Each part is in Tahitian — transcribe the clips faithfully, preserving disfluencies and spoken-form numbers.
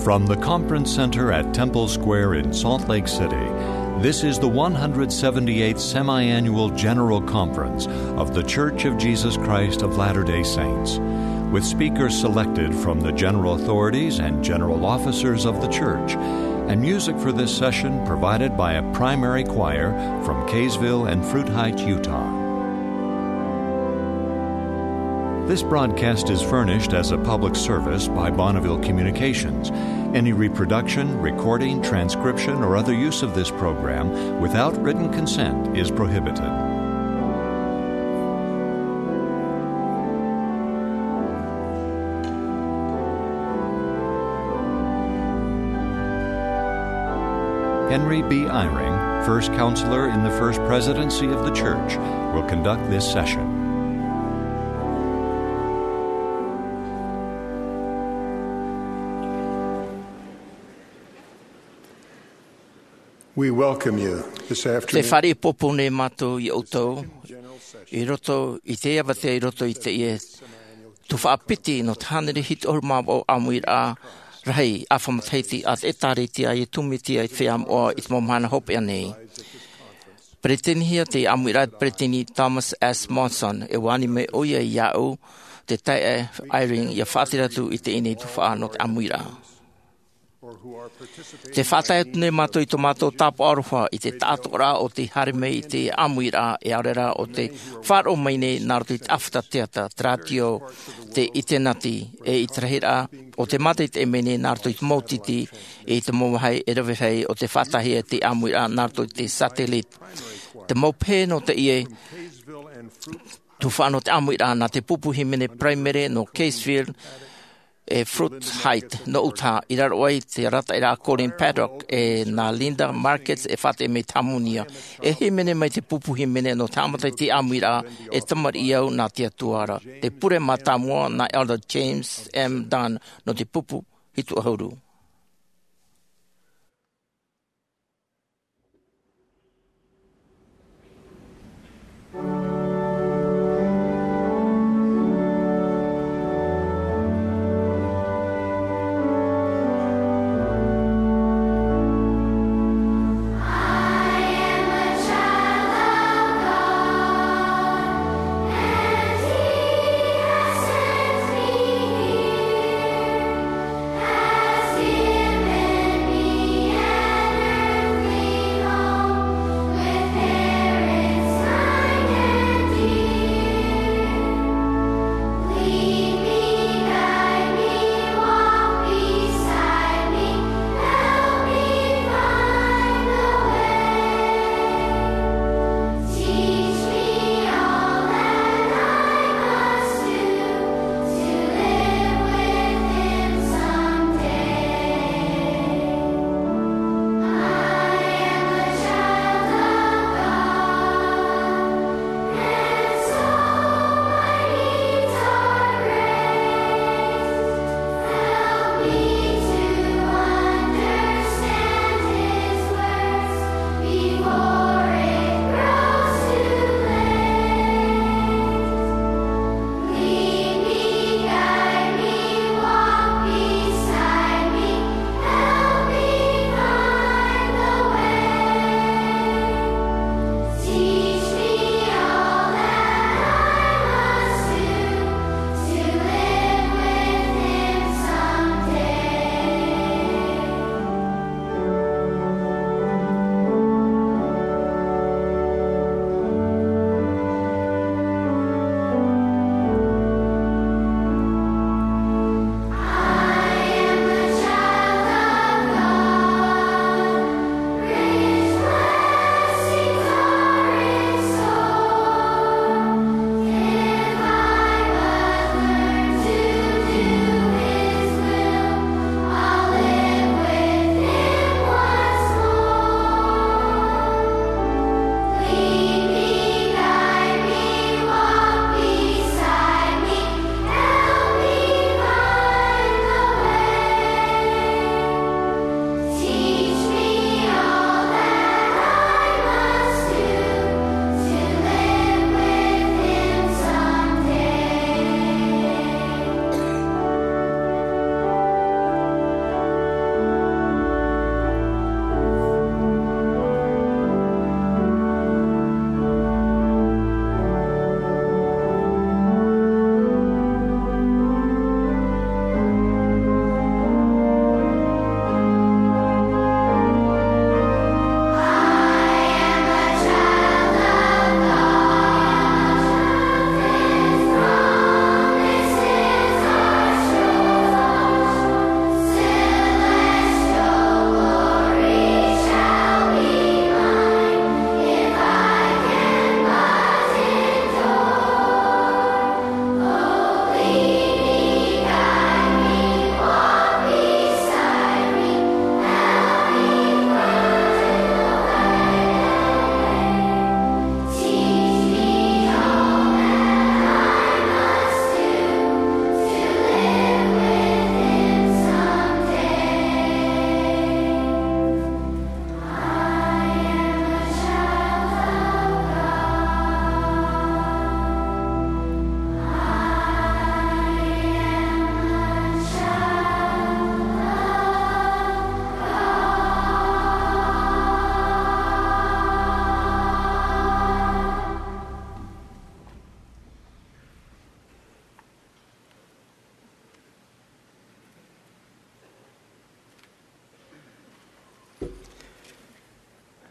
From the Conference Center at Temple Square in Salt Lake City, this is the one hundred seventy-eighth Semi-Annual General Conference of The Church of Jesus Christ of Latter-day Saints, with speakers selected from the general authorities and general officers of the church, and music for this session provided by a primary choir from Kaysville and Fruit Heights, Utah. This broadcast is furnished as a public service by Bonneville Communications. Any reproduction, recording, transcription, or other use of this program without written consent is prohibited. Henry B. Eyring, first counselor in the First Presidency of the Church, will conduct this session. We welcome you this afternoon. Te fāriʻi pōpō nei mātou iā ʻoutou i roto i te avatea, i roto i teie tuhaʻa piti nō te hānere hitu ʻahuru mā vaʻu ʻāmuiraʻa rahi ʻāfa matahiti a te ʻĒtārētia a Iesu Mesia i te feiā moʻa i te mau mahana hopeʻa nei. Peretitenihia te ʻāmuiraʻa e te Peretiteni Thomas S. Monson, e ani mai ʻoia iāʻu, te taeaʻe Eyring, ʻia faʻatere atu i teie nei tuhaʻa nō te ʻāmuiraʻa. Te faʻatae atu nei mātou i tō mātou tāpaʻo aroha i te taʻatoʻaraʻa o tei haere mai i te ʻāmuiraʻa, e ʻaore rā ʻo tei faʻaroʻo mai nei nā roto i te ʻāfata teata, te rātio, te ʻinitēneti, e i te rahiraʻa o te mātaʻitaʻi mai nei nā roto i te mau tītī, e i te mau vāhi e rave rahi o tei faʻataehia te ʻāmuiraʻa nā roto i te satellite. Te mau pehe nō teie tuhaʻa nō te ʻāmuiraʻa nā te pupu hīmene Primary nō Kaysville, e Fruit Heights nō Utah, i raro aʻe i te arataʻiraʻa a Colin Paddock, e nā Linda Markets e faʻateʻa mai i te hāmōnia. E hīmene mai te pupu hīmene nō te haʻamata i te ʻāmuiraʻa, e tamariʻi au nā te Atua ra. Te pure mātāmua nā Elder James M. Dunn nō te pupu hitu ʻahuru.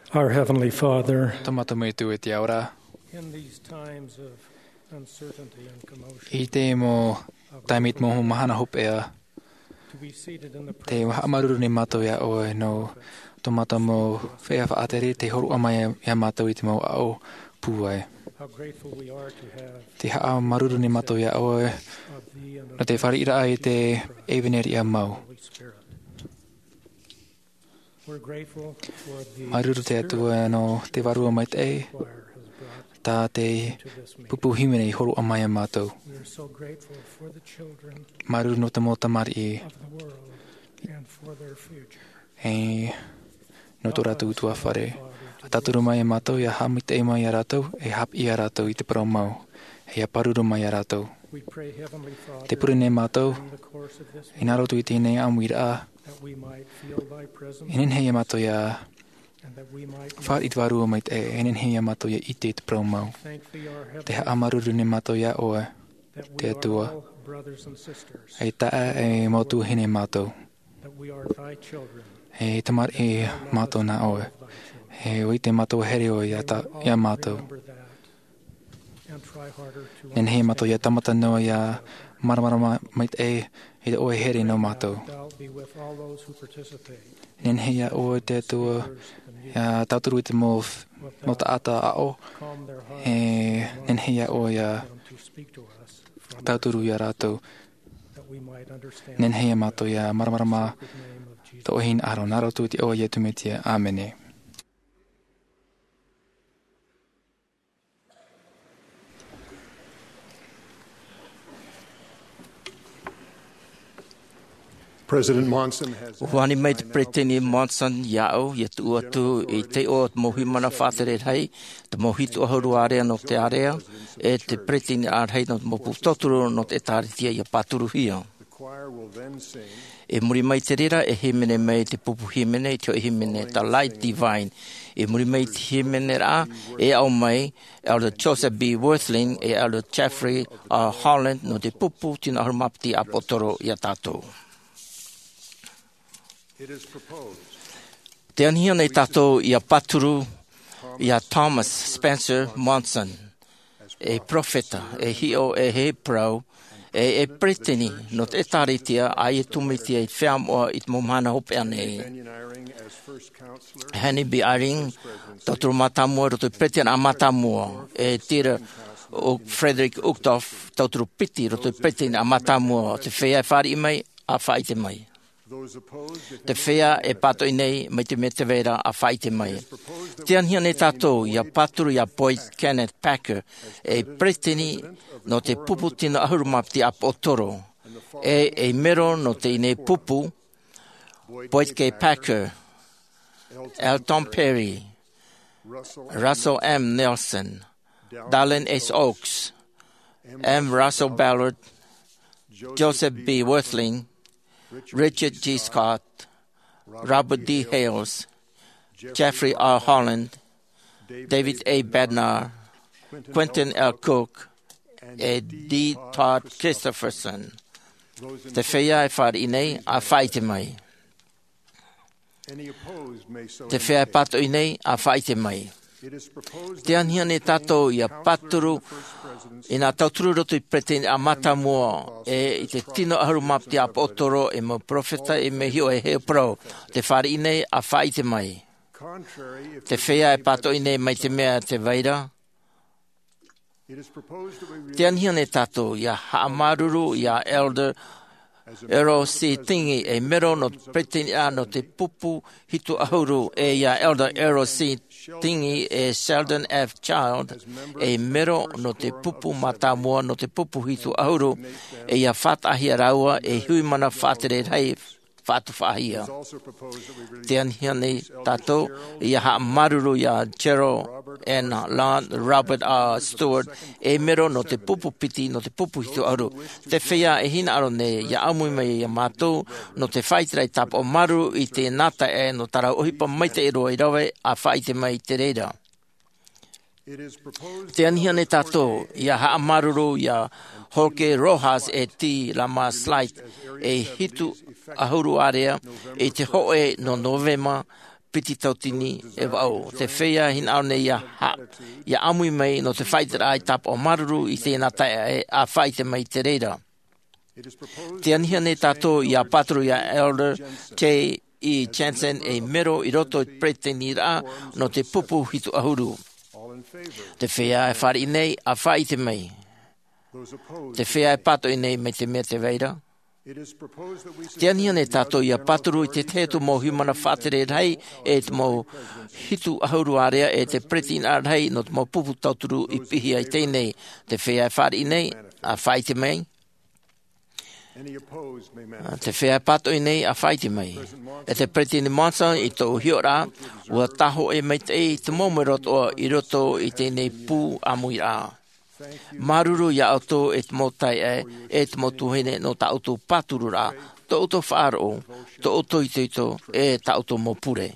Our Heavenly Father, Tō mātou Metua i te ao ra, in these times of uncertainty and commotion, i te mau taime i te mau mahana hopeʻa, to be seated in the te presence haʻamāuruuru nei mātou iā ʻoe nō tō mātou mau feiā faʻatere, tei hōroʻa mai iā mātou i te mau aʻo pūai. How grateful we are to have Te haʻamāuruuru nei mātou iā ʻoe of thee and nō te fāriʻiraʻa i te ʻevanelia mau. Holy Spirit. We're grateful for the Māuruuru te Atua nō te Vārua Maitaʻi, choir has brought tā te to this meeting. Pupu hīmene i hōroʻa mai iā mātou. We are so grateful for the children Māuruuru nō te mau tamariʻi of the world and for their future. E nō tō rātou utuafare. ʻA tauturu mai iā mātou, ʻia haʻamaitaʻi mai iā rātou, e haʻapiʻi iā rātou i te parau mau, e ʻia pāruru mai iā rātou. We pray, Heavenly Father, Te pure nei mātou, during the course of this i nā roto i teie nei ʻāmuiraʻa, that we might feel thy presence e nehenehe iā mātou ʻia and that we might fāriʻi i te Vārua Maitaʻi, e nehenehe iā mātou ʻia ʻite i te parau mau. Thank thee, our Te Heavenly haʻamāuruuru nei mātou iā ʻoe, that we te are Atua, all brothers and sisters e taeaʻe e mau tuahine mātou. That we are thy children. E tamariʻi mātou nā ʻoe. E ʻua ʻite mātou e here ʻoe iā ta-, iā mātou. Remember that and try harder to Nehenehe mātou ʻia tāmata noa ʻia māramarama maitaʻi i te ʻoe here nō mātou. Thou be with all those who participate. Nehenehe iā ʻoe te Atua ʻia tauturu i te mau, mau taʻata aʻo. Calm their hearts E nehenehe iā ʻoe ʻia and to speak to us from tauturu iā rātou. That we might understand Nehenehe iā mātou ʻia māramarama the sacred name of Jesus. Tō ʻoe hinaʻaro, nā roto i te iʻoa o Iesu Mesia. ʻĀmene. President Monson has ʻUa ani mai te Peresideni Monson iāʻu, ʻia tuʻu atu i te iʻoa o te mau huiʻamana faʻatere rahi, te mau hitu ʻahuru ārea nō te ārea, e te peresideni ārahi nō te mau pupu tauturu nō te ʻĒtārētia ʻia pāturuhia. I muri mai i te reira, e hīmene mai te pupu hīmene, i te hoʻi hīmene, The Light Divine. I muri mai i te hīmeneraʻa, e aʻo mai Elder Joseph B. Wirthlin, e Elder Jeffrey R. Holland, nō te pupu tino ʻahuru mā piti ʻāpōsetolo iā tātou. Tē anihia nei tātou ʻia pāturu iā Thomas Spencer Monson, e perofeta, e hiʻo, e hōʻē parau, e, e peresideni nō te ʻĒtārētia, ʻa ia tūmāitia i te feiā moʻa i te mau mahana hopeʻa nei. Henry B. Eyring, tauturu mātāmua, roto i te peresideni mātāmua, e Dieter Uch-, Frederick Uchtdorf, tauturu piti, roto i te peresideni mātāmua, te feiā e fāriʻi mai, ʻa faʻaʻite mai. Te feiā e pātoʻi nei, mai te mea tē vai ra, ʻa faʻaʻite mai. Tē anihia nei tātou ʻia pāturu iā Boyd Kenneth Packer, e peresideni nō te pupu tino ʻahuru mā piti ʻāpōsetolo, e, e mero nō teie nei pupu, Boyd K. Packer, Elton Perry, Russell M. Nelson, Dallin H. Oaks, M. Russell Ballard, Joseph B. Wirthlin, Richard G. Scott, Robert D. Hales, Jeffrey R. Holland, David A. Bednar, Quentin L. Cook, e D. Todd Christofferson. Te feiā e fāriʻi nei, ʻa faʻaʻite mai. Te feiā e pātoʻi nei, ʻa faʻaʻite mai. Tē anihia nei tātou ʻia pāturu i nā tauturu roto i te peresideni mātāmua, e i te tino ʻahuru mā piti ʻāpōsetolo, e mau perofeta, e mau hiʻo, e hōʻē parau. Tē fāriʻi nei, ʻa faʻaʻite mai. Te feiā e pātoʻi nei, mai te mea tē vai ra. Tē anihia nei tātou ʻia haʻamāuruuru iā Elder Errol C. Tingey, e mero nō te peresideni nō te pupu hitu ʻahuru, e iā Elder Errol C. Tingey, e Sheldon F. Child, e mero nō te pupu mātāmua nō te pupu hitu ʻahuru, e ʻia faʻataʻahia rāua ei huiʻamana faʻatere rahi faʻatufaʻahia. Tē anihia nei tātou ʻia haʻamāuruuru iā Gerald N. Ladd, Robert R. Stewart, e mero nō te pupu piti, nō te pupu hitu ʻahuru. Te feiā e hinaʻaro nei ʻia ʻāmui mai iā mātou, nō te faʻaʻite rahi tāpaʻo māuruuru i te nā taeaʻe nō tā rāua ʻohipa maitaʻi roa i rave, ʻa faʻaʻite mai i te reira. Tē anihia nei tātou ʻia haʻamāuruuru iā Jorge Rojas e T. Ramos Light, e hitu ʻahuru ārea, i te hōʻē nō Novema, piti tauatini e vaʻu. Te feiā hinaʻaro nei ia ha-, ia ʻāmui mai nō te faʻaʻiteraʻa i tāpaʻo māuruuru i teie nā taeaʻe, ʻa faʻaʻite mai i te reira. Tē anihia nei tātou ia pāturu ia Elder J E Jensen ei mero i roto i te peresideniraʻa nō te pupu hitu ʻahuru. Te feiā e fāriʻi nei, ʻa faʻaʻite mai. Te feiā e pātoʻi nei, mai te mea tē vai ra. Tē anihia nei tātou ia pāturu i te tahi atu mau haʻamana faʻatere rahi, e te mau hitu ʻahuru ārea, e te peresideniraʻa rahi nō te mau pupu tauturu i piʻihia i teie nei. Te feiā e fāriʻi nei, ʻa faʻaʻite mai. Te feiā e pātoʻi nei, ʻa faʻaʻite mai. E te Peresideni Monson, i tōʻu hiʻoraʻa, ʻua tāhōʻē maitaʻi te mau mero atoʻa i roto i teie nei pū ʻāmuiraʻa. Māuruuru ia ʻoutou e te mau taeaʻe, e te mau tuahine nō tā ʻoutou pātururaʻa, tō ʻoutou faʻaroʻo, tō ʻoutou itoito, e tā ʻoutou mau pure.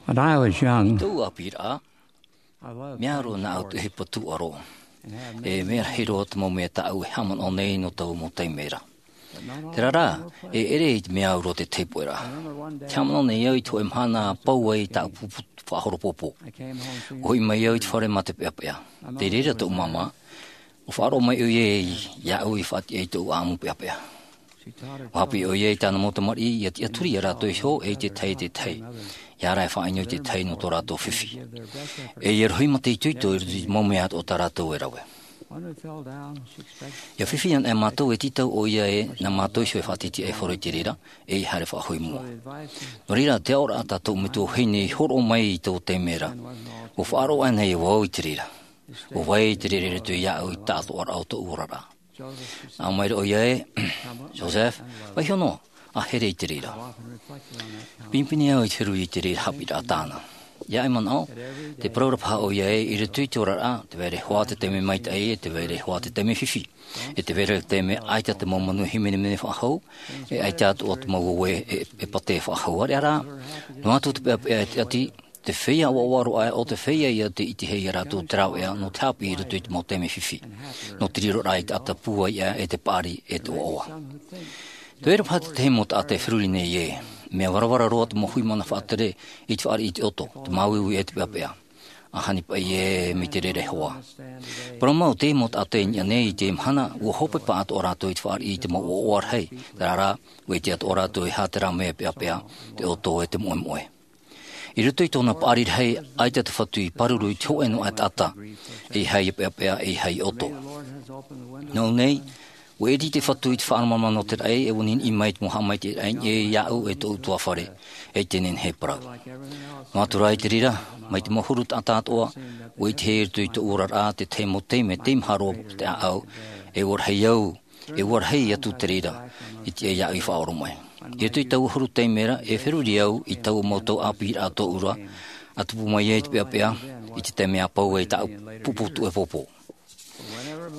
When I was young, tōʻu ʻāpīraʻa, mea roa nā au te hipa tūʻaro. E mea rahi roa te mau mea tāʻu e haʻamanaʻo nei nō taua mau taime ra. Terā rā, e ʻere i te mea au roa te taipoʻeraʻa. Te haʻamanaʻo nei au i te hōʻē mahana pau ai tāʻu pupu faʻahoro pōpō. ʻUa hoʻi mai au i te fare mā te peʻapeʻa. Tei reira tōʻu māmā, ʻua faʻaroʻo mai ʻoia iāʻu i faʻatiʻa i tōʻu ʻāʻamu peʻapeʻa. ʻUa haʻapiʻi ʻoia i tāna mau tamariʻi ʻia tiʻaturi ia rātou iho e i te tahi e te tahi. ʻIa ʻara e faʻaʻino i te tahi nō tō rātou fifi. E ʻia rohi mā te itoito i roto i te mau mea atoʻa tā rātou e rave. ʻIa fifi anaʻe mātou e tītau ʻoia ē, nā mātou iho e faʻatītīʻaihia i te reira, e ʻia haere faʻahou i mua. Nō reira, te aʻoraʻa tā tōʻu metua vahine i hōroʻa mai i tō taime ra. ʻUa faʻaroʻo anaʻe vau i te reira. ʻUa vai i te reira i roto iāʻu i te taʻatoʻaraʻa o tōʻu oraraʻa. Nā ʻō mai ra ʻoia ē, Joseph, vaiiho noa, ʻa here i te reira. Pinepine au i te feruri i te reira haʻapiʻiraʻa tāna. ʻIa ʻai manaʻo, tē parau ra paha ʻoia ē, i roto i te oraraʻa, tē vai ra hoʻi te taime maitaʻi, e tē vai ra hoʻi te taime fifi. E tē vai ra te taime ʻaita te mau manuia hīmenemene faʻahou, e ʻaita atoʻa te mau uē e, e pātē faʻahou. ʻAreʻa rā, noa atu te peʻapeʻa e tiʻati, te feiā ʻoaʻoa roa aʻe, ʻo te feiā ïa tē ʻitehia ia rātou te rāveʻa nō te haʻapiʻi i roto i te mau taime fifi. Nō te riroraʻa i te taʻata pūaiʻa e te paʻari e te ʻoaʻoa. Tē vai ra paha te tahi mau taʻata e feruri nei ē, mea varavara roa te mau hui mana faʻatere i te fāriʻi i te ʻoto, te māuiui e te peʻapeʻa. ʻA hani paʻi ē, mai te reira hoʻi. Parau mau te mau taʻata i niʻa nei i te mahana, ʻua hopeʻa atoʻa rātou i te fāriʻi i te mau ʻoaʻoa rahi, terā rā, ʻua ʻite atoʻa rātou e aha terā mea peʻapeʻa, te ʻoto e te moʻemoʻe. I roto i tōna paʻari rahi, ʻaita te Fatu i pāruru i te hōʻē noa aʻe taʻata, ʻeiaha ʻia peʻapeʻa, ʻeiaha ʻia ʻoto. Nō ʻō nei, ʻua ʻiri te Fatu i te faʻaromaromaʻa nō te raʻi, e ʻua niʻiniʻi mai te mau haʻamaitaʻiraʻa i niʻa iāʻu e tōʻu ʻutuāfare, e te nehenehe e parau. Noa atu rā i te reira, mai te mau huru taʻata atoʻa, ʻua ʻitehia i roto i tōʻu oraraʻa te tahi mau taime, tei maha roa te ʻāʻau, e ʻua rahi au, e ʻua rahi atu te reira, i te, iāʻu i faʻaoromaʻi. I roto i taua huru taime ra, e feruri au i taua mau tau ʻāpīraʻa tōʻu ra, ʻa tupu mai ai te peʻapeʻa, i te taime ʻa pau ai tāʻu pupu tuʻe pōpō.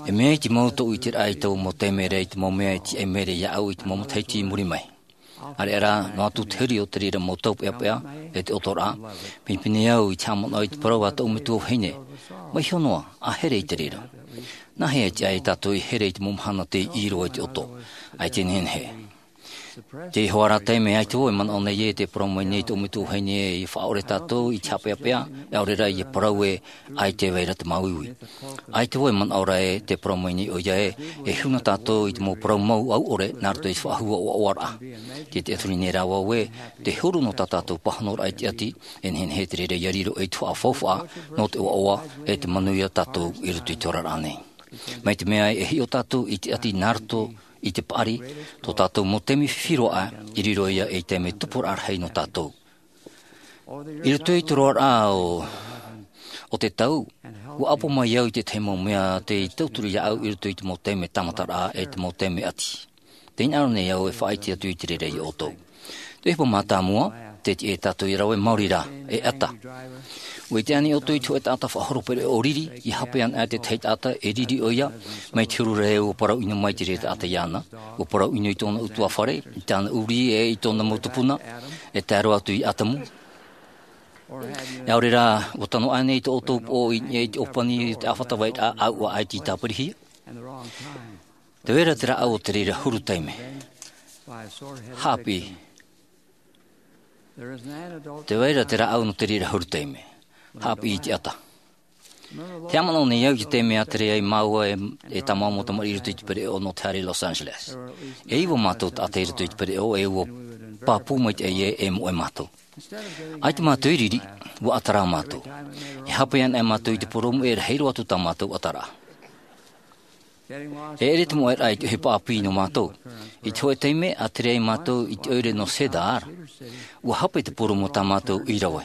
E mea i te mau tōʻu ʻiteraʻa i taua mau taime ra, i te mau mea i tiʻa mai ra iāʻu i te mau matahiti i muri mai. ʻAreʻa rā, noa atu te huri o te reira mau tau peʻapeʻa, e te ʻotoraʻa, pinepine au i te haʻamanaʻo i te parau a tōʻu metua vahine, vaiiho noa, ʻa here i te reira. Nāhea e tiʻa ai tātou e here i te mau mahana tei ʻī roa i te ʻoto, ʻaita e nehenehe. Teie hoʻi rā taime, ʻaita vau e manaʻo nei ē, tē parau mai nei tōʻu metua vahine ē, ʻia faʻaʻore tātou i te haʻapeʻapeʻa, e ʻaore rā ʻia parau ē, ʻaita e vai ra te māuiui. ʻAita vau e manaʻo ra ē, tē parau mai nei ʻoia ē, e huna tātou i te mau parau mau ʻauʻore, nā roto i te faʻahou ʻoaʻoaraʻa. Tē tiʻaturi nei rā vau ē, te huru nō tā tātou pāhonoraʻa i te ʻati, e nehenehe te reira ʻia riro ei tuhaʻa faufaʻa, nō te ʻoaʻoa, e te manuia tātou i roto i te oraraʻa nei. Mai te mea e hiʻo tātou i te ʻati nā roto i te paʻari, tō tātou mau taime fifi roa aʻe, i riro ïa ei taime tupuraʻa rahi nō tātou. I roto i te roaraʻa o, o te tau, ʻua ʻapo mai au i te tahi mau mea tei tauturu iāʻu i roto i te mau taime tāmataraʻa e te mau taime ʻati. Tē hinaʻaro nei au e faʻaʻite atu i te reira ia ʻoutou. Te ʻohipa mātāmua, tē tiʻa ia tātou e rave maori rā, e ʻata. ʻUa ʻite ānei ʻoutou i te hōʻē taʻata faʻahoro pereʻoʻo riri, ʻia hape anaʻe te tahi taʻata e riri ʻoia, mai te huru ra ē ʻua parau ʻino mai te reira taʻata iāna, ʻua parau ʻino i tōna ʻutuāfare, i tāna ʻurī e i tōna mau tupuna, e tae roa atu ia ʻĀtamu. E ʻaore rā, ʻua tano ānei tō ʻoutou poʻo i niʻa i te ʻōpani i te ʻāfata vairaʻa ʻāuʻa ʻaita i tāpirihia? Tē vai ra te rāʻau o te reira huru taime. Haʻapiʻi. Tē vai ra te rāʻau nō te reira huru taime. Haʻapiʻi i te ʻata. Te haʻamanaʻo nei au i te taime a tere ai māua e, e tā māua mau tamariʻi i roto i te pereʻoʻo nō te haere i Los Angeles. E iva mātou taʻata i roto i te pereʻoʻo, e ʻua pāpū maitaʻi ē, e moʻe mātou. ʻAita mātou i riri, ʻua ʻata rā mātou. E hape anaʻe mātou i te purōmu e rahi roa atu tā mātou ʻataraʻa. E ʻere te moʻeraʻa i te ʻohipa ʻāpī nō mātou. I te hōʻē taime, a tere ai mātou i te ʻoire nō Cedar, ʻua hape te purōmu tā mātou i rave.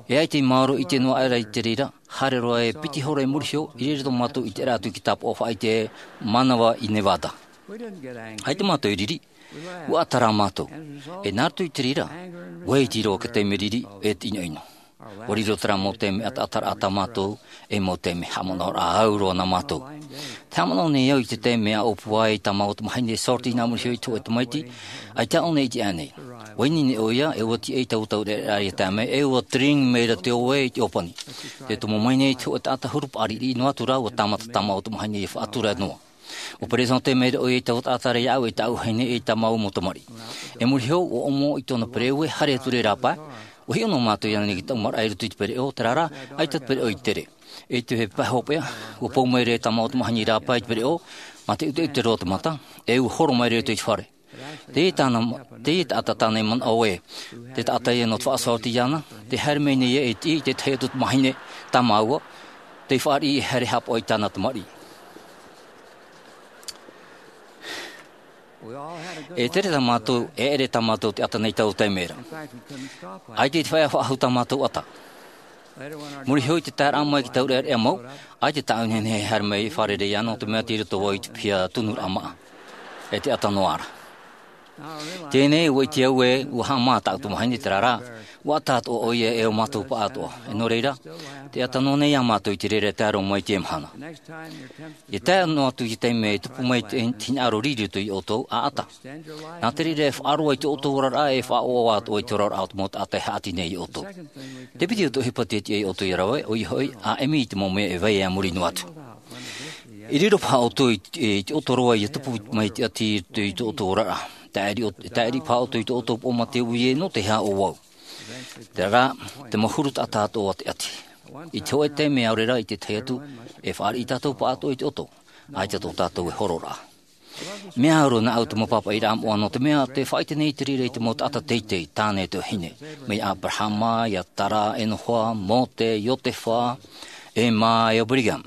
E ʻaita i maoro ʻite noa aʻera i te reira, haere roa e piti hora i muri iho, i reira tō mātou ʻiteraʻa atu i te tāpaʻo faʻaʻite mānava i Nevada. ʻAita mātou i riri, ʻua ʻata rā mātou. E nā roto i te reira, ʻua iti roa te taime riri e te ʻinoʻino. ʻUa riro terā mau taime ʻataʻataraʻa tā mātou, ei mau taime haʻamanaʻoraʻa au roa nā mātou. Te haʻamanaʻo nei au i te taime a ʻōpua ai tā māua tamaiti e sort i nā muri iho i te hōʻē tamaiti, ʻaita ʻōna i te ʻānei. ʻUa ʻite nei ʻoia, e ʻua tiʻa i taua taureʻareʻa i te taime, e ʻua tring mai ra te ʻoe i te ʻōpani. Te tomo mai nei te hōʻē taʻata huru paʻari riʻi noa atu rā, ʻua tāmata tā māua tamaiti e faʻatura noa. ʻUa peresente mai ra ʻoia i taua taʻata ra iāʻu, e tāʻu vahine, e tā māua mau tamariʻi. E muri iho, ʻua ʻomo i tōna pereʻoʻo, e haere atu ra i rāpae. ʻUa hiʻo noa mātou iāna i te taumaraʻa i roto i te pereʻoʻo, terā rā, ʻaita te pereʻoʻo i tere. I te pae hopeʻa, ʻua pou mai ra tā māua tamaiti i rāpae i te pereʻoʻo, mā te ʻuteʻute roa te mata, e ʻua horo mai ra i te fare. Teie tāna, teie taʻata tāna i manaʻo ē, te taʻata ia nō te faʻasort iāna, tē haere mai nei ē e tiʻi i te tahi atu tamahine tā māua, tei fāriʻi e haere haʻapaʻo i tāna tamariʻi. E tere tā mātou, e ʻere tā mātou te ata nei taua taime ra. ʻAita i te feiā faʻahou tā mātou ata. Muri iho i te taeraʻa mai i te taureʻareʻa mau, ʻaita tāʻu nehenehe e haere mai i fārerei ʻana, nō te mea tei roto vau i te piha tunuraʻa māʻa. E te ata noa ra. Teie nei, ʻua ʻite au ē, ʻua haʻamā tāʻu tamahine, terā rā, ʻua ata atoʻa ʻoia e ʻo mātou paʻatoʻa. E nō reira, tē ata noa nei ā mātou i te reira e tae roa mai i teie mahana. ʻIa tae noa atu i te taime e tupu mai te, te hinaʻaro riri i roto ia ʻoutou, ʻa ata. Nā te reira e faʻaroa i tō ʻoutou oraraʻa, e faʻaʻoaʻoa atoʻa i te oraraʻa o te mau taʻata e haʻati nei ia ʻoutou. Te piti o te ʻohipa tē tiʻa ia ʻoutou ia rave, ʻoia hoʻi, ʻāʻemi i te mau mea e vai aʻe i muri noa atu. E riro paha ʻoutou i, i te ʻoto roa ʻia tupu mai te ʻati i, i tō ʻoutou oraraʻa. Tāʻiri ʻo, tāʻiri paha ʻoutou i tō ʻoutou poʻo mā te ui ē, nō te aha ʻo vau. Terā rā, te mau huru taʻata atoʻa o te ʻati. I te hōʻē taime ʻaore rā i te tahi atu, e fāriʻi tātou paʻatoʻa i te ʻoto, ʻaita tō tātou e hororaʻa. Mea au roa nāʻu te mau pāpaʻiraʻa moʻa, nō te mea tē faʻaʻite nei te reira i te mau taʻata teitei, tāne e te vahine. Mai iā Aberahama, iā Tara, Enoha, Mōte, Iotefa, Ema, e ʻo Brigham.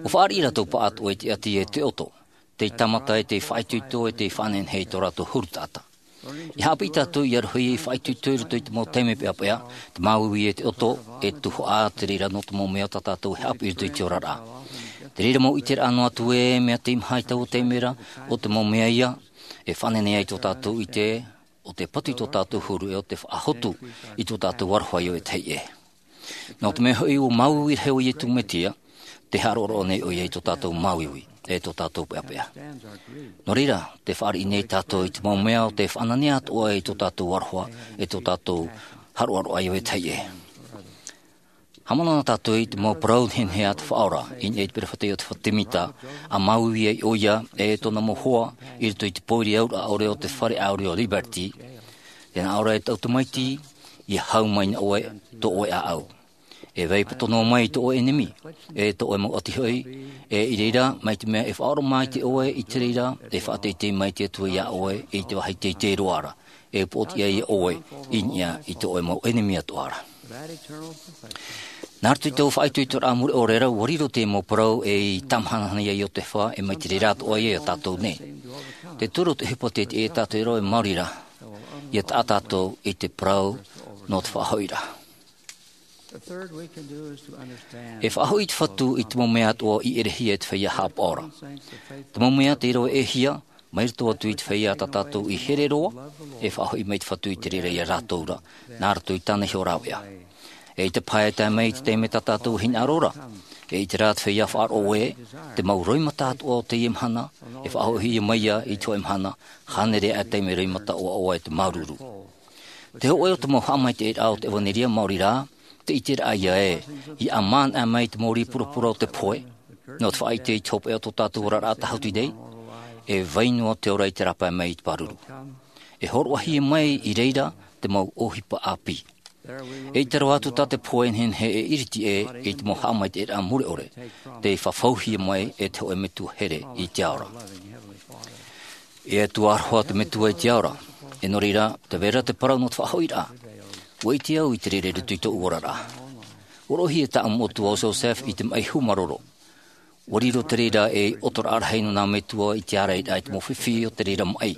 ʻUa fāriʻi rātou paʻatoʻa i te ʻati e te ʻoto, tei tāmata e tei faʻaitoito e tei faʻanehenehe i tō rātou huru taʻata. ʻIa haʻapiʻi tātou ʻia rohi ei faʻaitoito i roto i te mau taime peʻapeʻa, te māuiui e te ʻoto, e tuhaʻa te reira nō te mau mea tā tātou e haʻapiʻi i roto i te oraraʻa. Te reira mau ʻiteraʻa noa atu ē, mea teimaha i taua taime ra, ʻo te mau mea ia, e faʻanehenehe ai tō tātou ʻite, ʻo tē patu i tō tātou huru e ʻo tē faʻahotu i tō tātou aroha ʻia vetahi ʻē. Nō te mea hoʻi ʻua māuiui rahi ʻo Iesu Mesia, tē haʻaroʻaroʻa nei ʻoia i tō tātou māuiui, e tō tātou peʻapeʻa. Nō reira, tē fāriʻi nei tātou i te mau mea ʻo tē faʻananea atoʻa i tō tātou aroha, e tō tātou haʻaroʻaroʻa ʻia vetahi ʻē. Haʻamanaʻo tātou i te mau parau nehenehe a te Faʻaora, i niʻa i te peropheta Iotefa Temita, ʻa māuiui ai ʻoia, e tōna mau hoa, i roto i te pōiri auraʻa ʻore o te fare ʻāuri o Liberty, tē nā ʻō ra e tāʻu tamaiti, ʻia hau mai nā ʻoe, tō ʻoe ʻāʻau. E vai poto noa mai i tō ʻoe ʻenemi, e tō ʻoe mau ʻati hoʻi, e i reira, mai te mea e faʻaoromaʻi ʻoe i te reira, e faʻateitei mai te Atua iā ʻoe, i te vāhi teitei roa ra, e poʻotiʻa ia ʻoe, i niʻa i tō ʻoe mau ʻenemi atoʻa ra. Nā roto i taua faʻaitoitoraʻa mure ʻore ra, ʻua riro te mau parau ei tāmahanahana ia Iotefa, e mai te reira atoʻa ia iā tātou nei. Te toru o te ʻohipa tē tiʻa ia tātou e rave maori ra, ʻia taʻa tātou i te parau nō te faʻahoʻiraʻa. E faʻahoʻi te Fatu i te mau mea atoʻa i ʻerehia e te feiā haʻapaʻo ra. Te mau mea tei rave ʻēhia, mai roto atu i te feiā tā tātou i here roa, e faʻahoʻi mai te Fatu i te reira ia rātou ra, nā roto i tāna iho rāveʻa. E ʻaita paha e tae mai i te taime tā tātou e hinaʻaro ra, e ʻite rā te feiā faʻaroʻo ē, te mau roimata atoʻa o teie mahana, e faʻahoʻihia mai ia i te hōʻē mahana, hānere aʻe taime roimata ʻoaʻoa e te māuruuru. Te hōʻē o te mau haʻamaitaʻiraʻa o te ʻevanelia maori rā, te ʻiteraʻa ia ē, ʻia ʻamanaʻe mai te mau rī purapura o te pohe, nō te faʻaʻite i te hopeʻa o tō tātou oraraʻa tāhuti nei, e vai noa te ora i te rāpae mai i te pāruru. E hōroʻahia mai i reira te mau ʻohipa ʻāpī. E ʻite roa atu tā te pohe e nehenehe e iriti ē i te mau haʻamaitaʻiraʻa mure ʻore, tei fafauhia mai e te hōʻē metua here i te ao ra. E Atua aroha te Metua i te ao ra, e nō reira, tē vai ra te parau nō te faʻahoʻiraʻa. ʻUa ʻite au i te reira i roto i tōʻu oraraʻa. ʻUa roʻohia tāʻu mau tuahine ʻo Joseph i te maʻi hūmāroro. ʻUa riro te reira ei ʻotoraʻa rahi nō nā metua i te ārairaʻa i te mau fifi o te reira maʻi.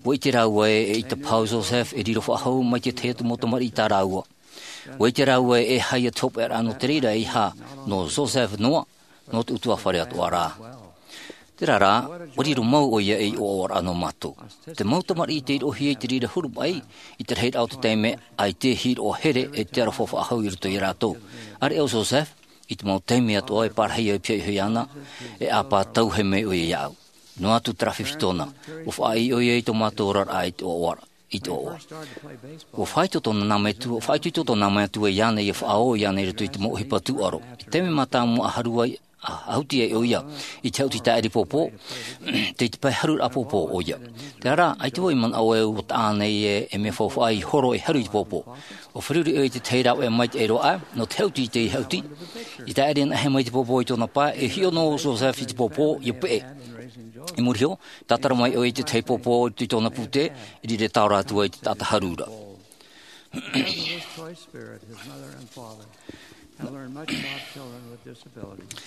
ʻUa ʻite rāua ē, eʻita paha ʻo Joseph e riro faʻahou mai te tahi atu mau tamariʻi tā rāua. ʻUa ʻite rāua ē, e aha ia te hopeʻaraʻa nō te reira, e aha, nō Joseph noa, nō te ʻutuāfare atoʻa rā. Terā rā, ʻua riro mau ʻoia ei ʻoaʻoaraʻa nō mātou. Te mau tamariʻi tei roʻohia i te reira huru maʻi, i te rahiraʻa o te taime, ʻaita e hiʻo here e te aroha faʻahou i roto ia rātou. ʻĀreʻa ʻo Joseph, i te mau taime atoʻa e pārahi au e pihaʻi iho iāna, e ʻāpā tauhē mai ʻoia iāʻu. Noa atu terā fifi tōna, ʻua faʻaʻī ʻoia i tō mātou oraraʻa i te ʻoaʻoa, i te ʻoaʻoa. ʻUa faʻaitoito tōna nā metua, ʻua faʻaitoito tōna nā metua iāna ʻia faʻaō iāna i roto i te mau ʻohipa tūʻaro. I te taime mātāmua ʻa haru ai, ʻa, ʻa huti ai ʻoia i te hauti tāʻiri pōpō, tei te pae haruraʻa pōpō ʻoia. Terā rā, ʻaita vau i manaʻo e ʻua taʻa nei e, e mea faufaʻa i horo e haru i te pōpō. ʻUa feruri ʻoia i te tahi rāveʻa maitaʻi roa aʻe, nō te hauti i te hauti. I tāʻiri anaʻe mai te pōpō i tōna pae, e hiʻo noa ʻo Joseph i te pōpō, ʻia peʻe. I muri iho, tātara mai ʻoia i te tahi pōpō i tōna pūtē, i reira e taora atu ai te taʻata harura. Because of this choice spirit, his mother and father have learned much about children with disabilities.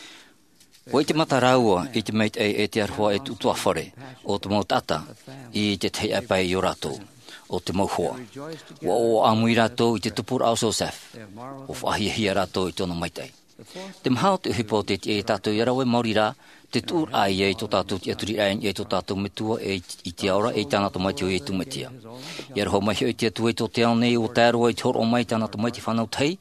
ʻUa ʻite mata rāua i te maitaʻi e te aroha e te ʻutuāfare o te mau taʻata i te tahi ʻāpae i ō rātou, ʻo te mau hoa. ʻUa ʻoaʻoa ʻāmui rātou i te tupuraʻa o Joseph. ʻUa faʻahiahia rātou i tōna maitaʻi. Te maha o te ʻohipa o te tiʻa iā tātou ʻia rave maori rā, te tuʻuraʻa ia i tō tātou tiʻaturiraʻa i niʻa i tō tātou Metua e i te ao ra, e i tāna Tamaiti ʻo Iesu Mesia. ʻIa aroha mai hoʻi te Atua i tō te ao nei, ʻua tae roa i te hōroʻa mai i tāna Tamaiti fānau tahi,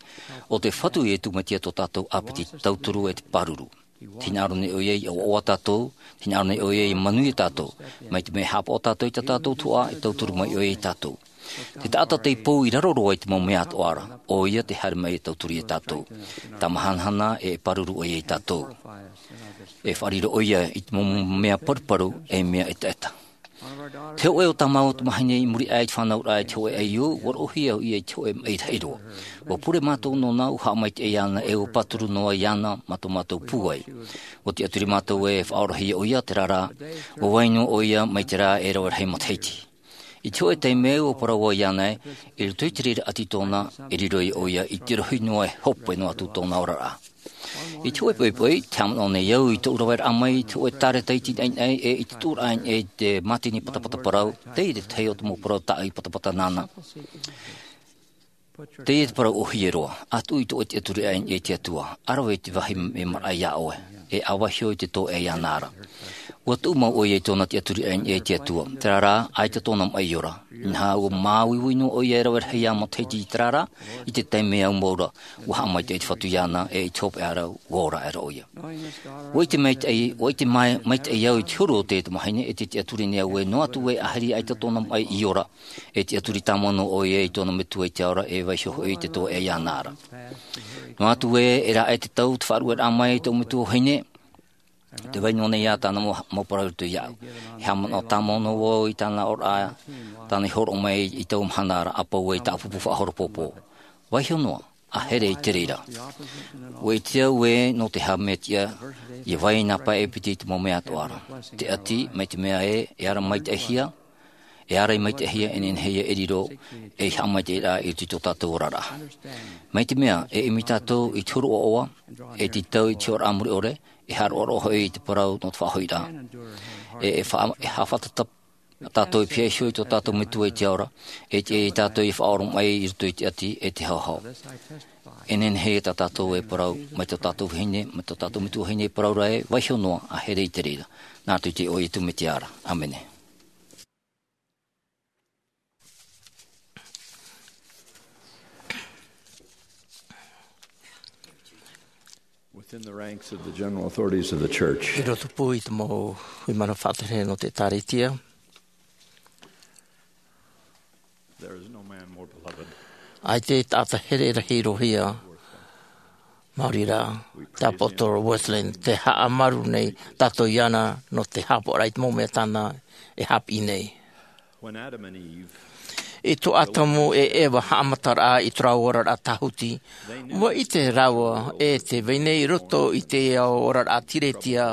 ʻo te Fatu Iesu Mesia tō tātou ʻāpiti tauturu e te pāruru. Tē hinaʻaro nei ʻoia ʻia ʻoaʻoa tātou, tē hinaʻaro nei ʻoia ʻia manuia tātou, mai te mea e haʻapaʻo tātou i tā tātou tuhaʻa, e tauturu mai ʻoia iā tātou. Te taʻata tei pou i raro roa i te mau mea atoʻa ra, ʻoia tē haere mai e tauturu iā tātou. Tāmau hanahana e pāruru ʻoia iā tātou. E faʻariro ʻoia i te mau mea paruparu e mea ʻetaʻeta. Te hōʻē o tāmau tamahine i muri aʻe i te fānauraʻa i te hōʻē ʻaiū, ʻua roʻohia ʻoia i te hōʻē maʻi rahi roa. ʻUa pure mātou nōna, ʻua haʻamaitaʻi iāna, e ʻua pāturu noa iāna mā tō mātou pūai. ʻUa tiʻaturi mātou e faʻaorahia ʻoia, terā rā, ʻua vai noa ʻoia mai te rā e rave rahi matahiti. I te hōʻē taime ʻua parau vau iāna ē, i roto i te reira ʻati tōna, e riro ai ʻoia i te rohi noa e hope noa atu tōna oraraʻa. I te hōʻē poʻipoʻi, tē haʻamanaʻo nei au i tōʻu raveraʻa mai i te hōʻē tāreta iti naʻinaʻi e i te tuʻuraʻa i te mātini patapata parau, teie te tahi o te mau parau tāʻui patapata nāna. Teie te parau ʻōhie roa, ʻa tuʻu i tō ʻoe tiʻaturiraʻa i te Atua, ʻa rave i te vāhi e maraʻa iā ʻoe, e ʻa vaiiho i te tōʻea iāna ra. ʻUa tuʻu mau ʻoia i tōna tiʻaturiraʻa i te Atua, terā rā, ʻaita tōna maʻi ora. Inaha, ʻua māuiui noa ʻoia e rave rahi ā matahiti i terā rā, i te taime au mau ra, ʻua haʻamaitaʻi te Fatu iāna, e i te hopeʻa ra, ʻua ora aʻera ʻoia. ʻUa ʻite maitaʻi, ʻua ʻite mai, maitaʻi au i te huru o te tamahine, e te tiʻaturi nei au ē, noa atu ē, ʻahiri ʻaita tōna maʻi i ora, e tiʻaturi tāmau noa ʻoia i tōna Metua i te ao ra, e vaiiho hoʻi i te tōʻea iāna ra. Noa atu ē, e rave te tau, te faʻarueraʻa mai i tō Metua vahine, tē vai noa nei ā tāna mau, mau parau i roto iāʻu. E haʻamanaʻo tāmau noa vau i tāna oraraʻa, tāna i hōroʻa mai i taua mahana ra, ʻa pau ē i tāʻu pupu faʻahoro pōpō. Vaiiho noa, ʻa here i te reira. ʻUa ʻite au ē, nō te aha mea tiʻa, ʻia vai nā pae e piti i te mau mea atoʻa ra. Te ʻati, mai te mea ē, e ara maitaʻihia, e ara i maitaʻihia, e nehenehe ia e riro, e haʻamaitaʻi rā i roto i tō tātou oraraʻa. Mai te mea, e ʻimi tātou i te huru ʻoaʻoa, e tītau i te hiʻoraʻa mure ʻore, e haʻaroʻaroʻa hoʻi i te parau nō te faʻahoʻiraʻa. E, e fa-, e haʻafātata tātou e pihaʻi iho i tō tātou Metua i te ao ra, e tiʻa ia tātou ʻia faʻaoromaʻi i roto i te ʻati e te haohao. E nehenehe tā tātou e parau, mai tō tātou vahine, mai tō tātou Metua vahine e parau ra ē, vaiiho noa, ʻa here i te reira. Nā roto i te iʻoa o Iesu Mesia ra. ʻĀmene. Within the ranks of the general authorities of the church, I roto pū i te mau hui mana faʻatere nō te ʻĒtārētia, there is no man more beloved. ʻAita e taʻata here rahi roa hia, maori rā, te ʻāpōsetolo Wesley, tē haʻamāuruuru nei tātou iāna nō te haʻapaʻoraʻa i te mau mea tāna e haʻapiʻi nei. When Adam and Eve I tō Atamu e Eva haʻamataraʻa i tō rāua oraraʻa tāhuti, ʻua ʻite rāua e tē vai nei i roto i te ao oraraʻa tīrētia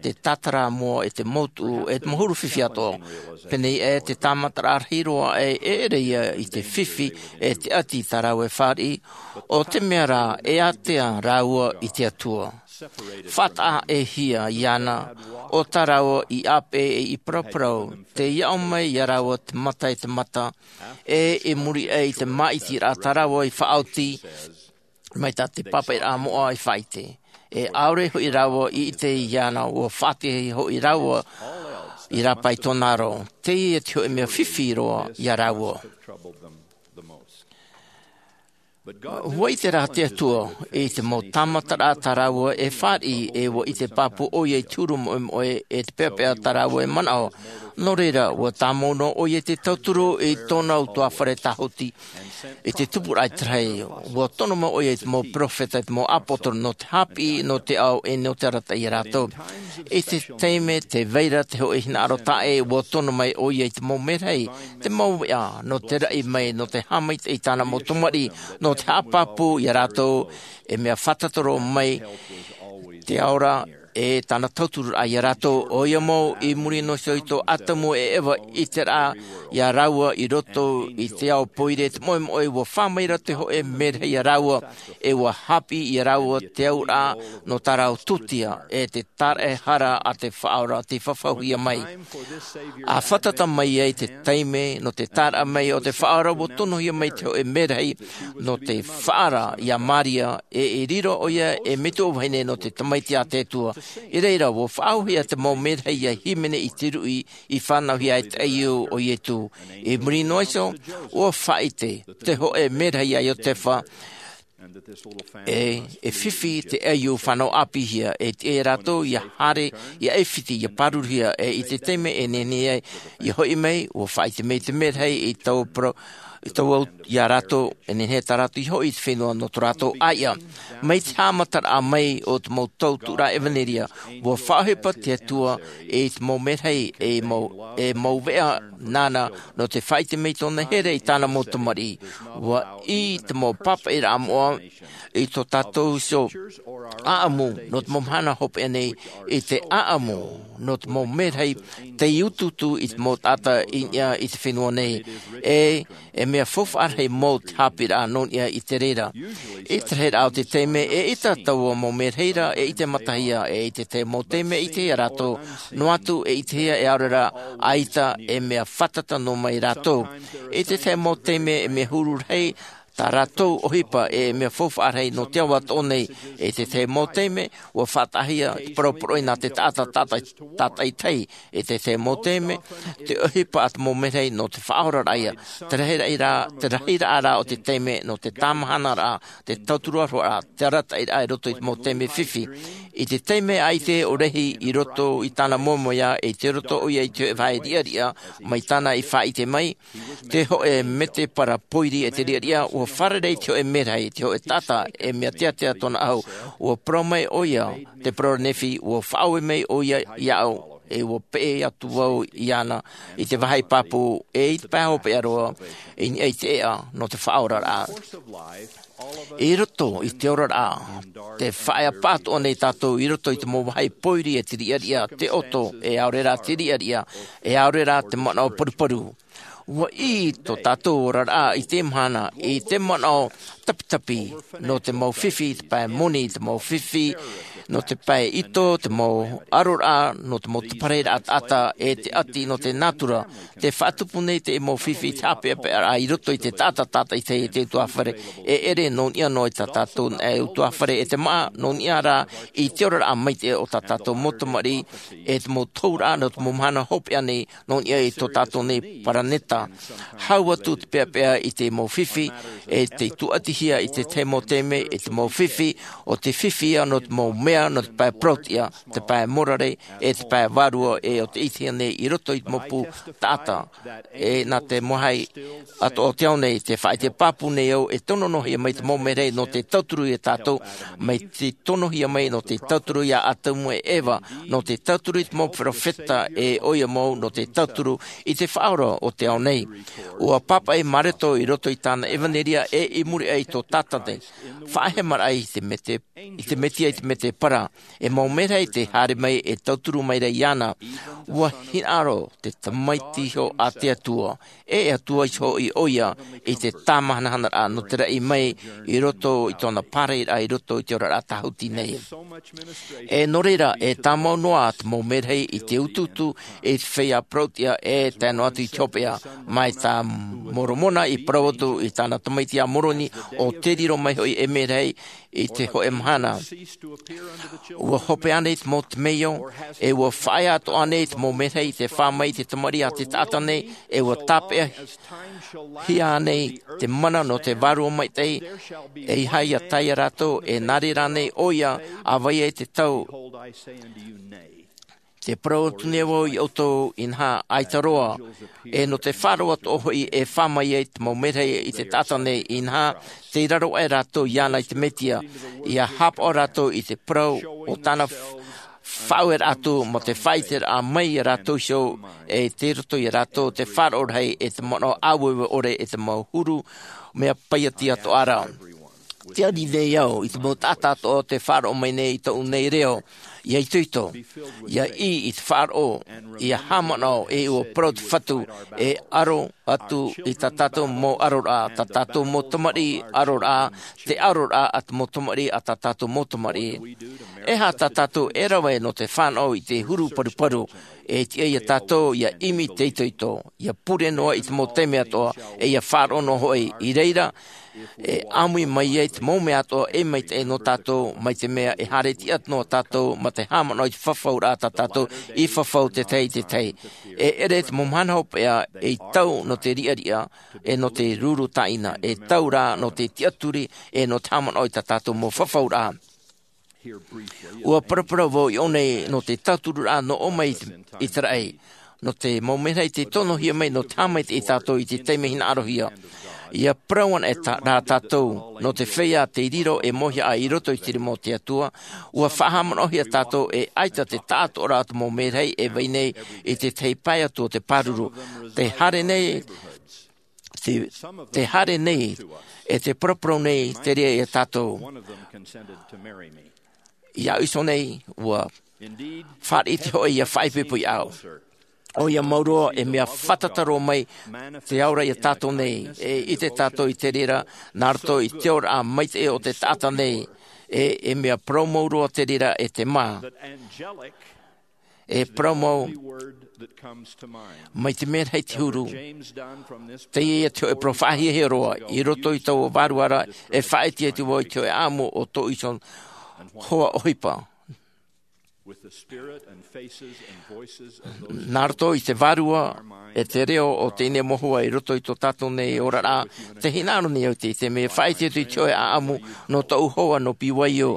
te tātara moa e te mau tuʻu, e te mau huru fifi atoʻa. Pēnei aʻe te tāmataraʻa rahi roa e ʻere ia i te fifi e te ʻati tā rāua e fāriʻi, ʻo te mea rā e ātea rāua i te Atua. Faʻataʻa-ʻē-hia iāna, ʻo tā rāua i ʻāpeʻe e i paraparau, tei aʻo mai iā rāua te mata e te mata, e i muri aʻe i te māʻitiraʻa tā rāua i faʻaoti, mai tā te pāpaʻiraʻa moʻa i faʻaʻite. E ʻaore hoʻi rāua i ʻite iāna, ʻua faʻatiʻa hoʻi rāua i rāpae i tōna aro. Teie te hōʻē mea fifi roa iā rāua. Ua ʻite rā te Atua i te mau tāmataraʻa tā rāua e fāriʻi, e ua ʻite pāpū ʻoia i te huru moʻemoʻe e te peʻapeʻa tā rāua e manaʻo. Nō reira, ua tāmau noa ʻoia i te tauturu i tōna ʻutuāfare tāhuti i te tupuraʻa i te rahi. Ua tono mai ʻoia i te mau peropheta, i te mau ʻāpōsetolo, nō te haʻapiʻi, nō te ao, e nō te arataʻi ia rātou. I te taime tē vai ra te hōʻē hinaʻaro taʻa ʻē, ua tono mai ʻoia i te mau merahi, te mau veʻa, nō te raʻi mai, nō te haʻamaitaʻi i tāna mau tamariʻi, nō te haʻapāpū ia rātou, e mea fātata roa mai te ao ra, e tāna tautururaʻa ia rātou. ʻOia mau, i muri noa iho i tō Atamu e Eva, i te reira ia rāua i roto i te ao pōiri, te moʻemoʻe, ua fā mai ra te hōʻē merahi ia rāua, e ua haʻapiʻi ia rāua te auraʻa nō tā rāua tūtia, e te taraʻehara a te Faʻaora tei fafauhia mai. ʻA fātata mai ai te taime nō te tāraʻa mai o te Faʻaora, ua tonohia mai te hōʻē merahi nō te faʻaara ia Maria, e i riro ʻoia ei metua vahine nō te Tamaiti a te Atua. I reira, ua faʻaauhia te mau merahi ia hīmene i te ruʻi i fānauhia e te ʻaiū o Ietu. I muri noa iho, ua faʻaʻite te hōʻē merahi ia Iotefa, e, e fifi te ʻaiū fānau ʻāpīhia, e tiʻa ia rātou ia haere, ia ʻāfiti, ia pāruruhia, e i te taime e nehenehe ai ia hoʻi mai, ua faʻaʻite mai te merahi i taua parau, i taua au ia rātou, e nehenehe tā rātou ia hoʻi i te fenua nō tō rātou ʻāiʻa. Mai te haʻamataraʻa mai o te mau tautururaʻa ʻevanelia, ua faʻaʻohipa te Atua i te mau merahi, e mau, e mau veʻa nāna, nō te faʻaʻite mai i tōna here i tāna mau tamariʻi. Ua ʻī te mau pāpaʻiraʻa moʻa i tō tātou iho ʻāʻamu nō te mau mahana hopeʻa nei, i te ʻāʻamu nō te mau merahi tei utuutu i te mau taʻata i niʻa i te fenua nei. E, e mea faufaʻa rahi mau te haʻapiʻiraʻa nō niʻa i te reira. I te rahiraʻa o te taime, eʻita taua mau merahi ra e ʻitemātahia, e i te tahi mau taime e ʻitehia rātou, noa atu e ʻitehia e ʻaore rā ʻaita, e mea fātata noa mai rātou. I te tahi mau taime, e mea huru rahi tā rātou ʻohipa, e mea faufaʻa rahi nō te ao atoʻa nei. I te tahi mau taime, ua faʻataʻahia te poroporoʻi nā te taʻata, taʻata, taʻata i te tahi. I te tahi mau taime, te ʻohipa a te mau merahi nō te faʻaoraraʻa ia. Te rahiraʻa, te rahiraʻa rā o te taime nō te tāmahanaraʻa, te tautururaʻa, te arataʻiraʻa i roto i te mau taime fifi. I te taime ʻaita e ʻōrehi i roto i tāna moemoeā, e tei roto ʻoia i te hōʻē vāhi riʻariʻa mai tāna i faʻaʻite mai, te hōʻē mētēpara pōiri e te riʻariʻa, ua fārerei te hōʻē merahi, te hōʻē taʻata, e mea teatea tōna ʻahu. Ua parau mai ʻoia, te parau ra Nephi, ua faʻaue mai ʻoia iāʻu, e ua peʻe atu vau iāna, i te vāhi pāpū, e i te pae hopeʻa roa, i niʻa i te ʻēʻa, nō te faʻaoraraʻa. I roto i te oraraʻa, tē faʻaea pāʻatoʻa nei tātou i roto i te mau vāhi pōiri e te riʻariʻa, te ʻoto, e ʻaore rā te riʻariʻa, e ʻaore rā te manaʻo paruparu. Ua ʻī tō tātou oraraʻa i te mahana, i te manaʻo tapitapi, nō te mau fifi, te pae moni, te mau fifi, nō te pae ito, te mau aroraʻa, nō te mau taparaʻiraʻa taʻata, e te ʻati nō te nātura. Tē faʻatupu nei te mau fifi, te haʻapeʻapeʻaraʻa i roto i te taʻata, taʻata i te, i te ʻutuāfare, e ʻere nō niʻa noa i tā tātou, e ʻutuāfare, e te māʻa, nō niʻa rā i te oraraʻa maitaʻi o tā tātou mau tamariʻi, e te mau tohuraʻa, nō te mau mahana hopeʻa nei, nō niʻa i tō tātou nei paraneta. Hau atu te peʻapeʻa i te mau fifi, e tei tūʻatihia i te tahi mau taime, i te mau fifi, ʻo te fifi ia nō te mau mea, nō te pae parauʻtiʻa, te pae morare, e te pae vārua, e ʻo tei ʻitehia nei i roto i te mau pū taʻata. E nā te mau vāhi atoʻa o te ao nei, tē faʻaʻite pāpū nei au, e tono noa hia mai te mau merahi nō te tauturu ia tātou, mai te tonohia mai nō te tauturu ia Atamu e Eva, nō te tauturu i te mau peropheta e ʻoia mau, nō te tauturu i te Faʻaora o te ao nei. Ua pāpaʻi Mareko i roto i tāna ʻevaneria e i muri aʻe i tō Tātane. Faʻahemaraʻa i te mētē, i te Mesia, i te mētēpara. E mau merahi tē haere mai e tauturu mai ra iāna. Ua hinaʻaro te Tamaiti iho a te Atua, e Atua iho hoʻi ʻoia, i te tāmahanahanaraʻa nō te raʻi mai i roto i tōna pārahiraʻa i roto i te oraraʻa tāhuti nei. E nō reira, e tāmau noa te mau merahi i te utuutu, i te feiā parauʻtiʻa, e tae noa atu i te hopeʻa. Mai tā Moromona i parau atu i tāna tamaiti a Moroni, ʻo tē riro mai hoʻi e merahi, I te hoʻe mahana, ua hope ānei te mau temeio, e ua faʻaea atoʻa ānei te mau merahi i te fā mai i te tamariʻi a te taʻata nei, e ua tāpeʻa hia ānei te mana nō te vārua maitaʻi? E ʻeiaha ia tae iā rātou, e nā reira ānei ʻoia, ʻa vai ai te tau te parau atu nei vau iā ʻoutou, inaha, ʻaita roa. E nō te faʻaroʻo atoʻa hoʻi e fā mai ai te mau merahi i te taʻata nei, inaha, tei raro aʻe rātou iāna i te mesia, ia hāpaʻo rātou i te parau o tāna faʻaueraʻa atu, mō te faʻaʻiteraʻa mai iā rātou iho, e tei roto iā rātou te faʻaroʻo rahi e te manaʻo ʻāueue ʻore e te mau huru mea paiati atoʻa ra. Te ani nei au i te mau taʻata atoʻa o te faʻaroʻo mai nei i tōʻu nei reo, ia itoito, ia ʻī i te faʻaroʻo, ia haʻamanaʻo, e ua parau te Fatu, e aro atu i tā tātou mau aroraʻa, tā tātou mau tamariʻi aroraʻa, te aroraʻa a te mau tamariʻi a tā tātou mau tamariʻi. E aha tā tātou e rave nō te fānaʻo i te huru paruparu? E tiʻa iā tātou ia ʻimi te itoito, ia pure noa i te mau taime atoʻa, e ia faʻaroʻo noa hoʻi. I reira, e ʻāmui mai ai te mau mea atoʻa e maitaʻi nō tātou, mai te mea e haere tiʻa noa tātou mā te haʻamanaʻo i te fafauraʻa tā tātou i fafau te tahi i te tahi. E ʻere te mau mahana hopeʻa ei tau nō te riʻariʻa, e nō te ruru tāʻina, e tau rā nō te tiʻaturi, e nō te haʻamanaʻo i tā tātou mau fafauraʻa. Ua paraparau vau i ʻō nei nō te tauturu rā nō ʻō mai i te raʻi, nō te mau merahi tei tonohia mai nō te haʻamaitaʻi iā tātou i te taime hinaʻarohia. Ia parau ana e rā tātou nō te feiā tei riro e mōhia ai i roto i te rima o te Atua. Ua faʻahaʻamanaʻohia tātou e ʻaita te taʻatoʻaraʻa o te mau merahi e vai nei i te tahi pae atu o te pāruru. Te haere nei, te haere nei e te paraparau nei te reira iā tātou. Iā ʻuso nei ua fāriʻi te hoʻe ia faʻaipoipo iā ʻau. ʻOia mau roa e mea fātata roa mai te ao ra iā tātou nei, e ʻite tātou i te reira nā roto i te oraraʻa maitaʻi o te taʻata nei. E e mea parau mau roa te reira e te mā, e parau mau mai te mea rahi te huru. Teie ia te hoʻe parau faʻahiahia roa i roto i taua vārua ra, e faʻaʻite atu vau i te hoʻe ʻaʻamu o tōʻu iho hoa ʻohipa. Nā roto i te vārua e te reo o teie mau hoa i roto i tō tātou nei oraraʻa, te hinaʻaro nei au i te mea faʻaʻite atu i te hoʻe ʻaʻamu nō tōʻu hoa nō BYU,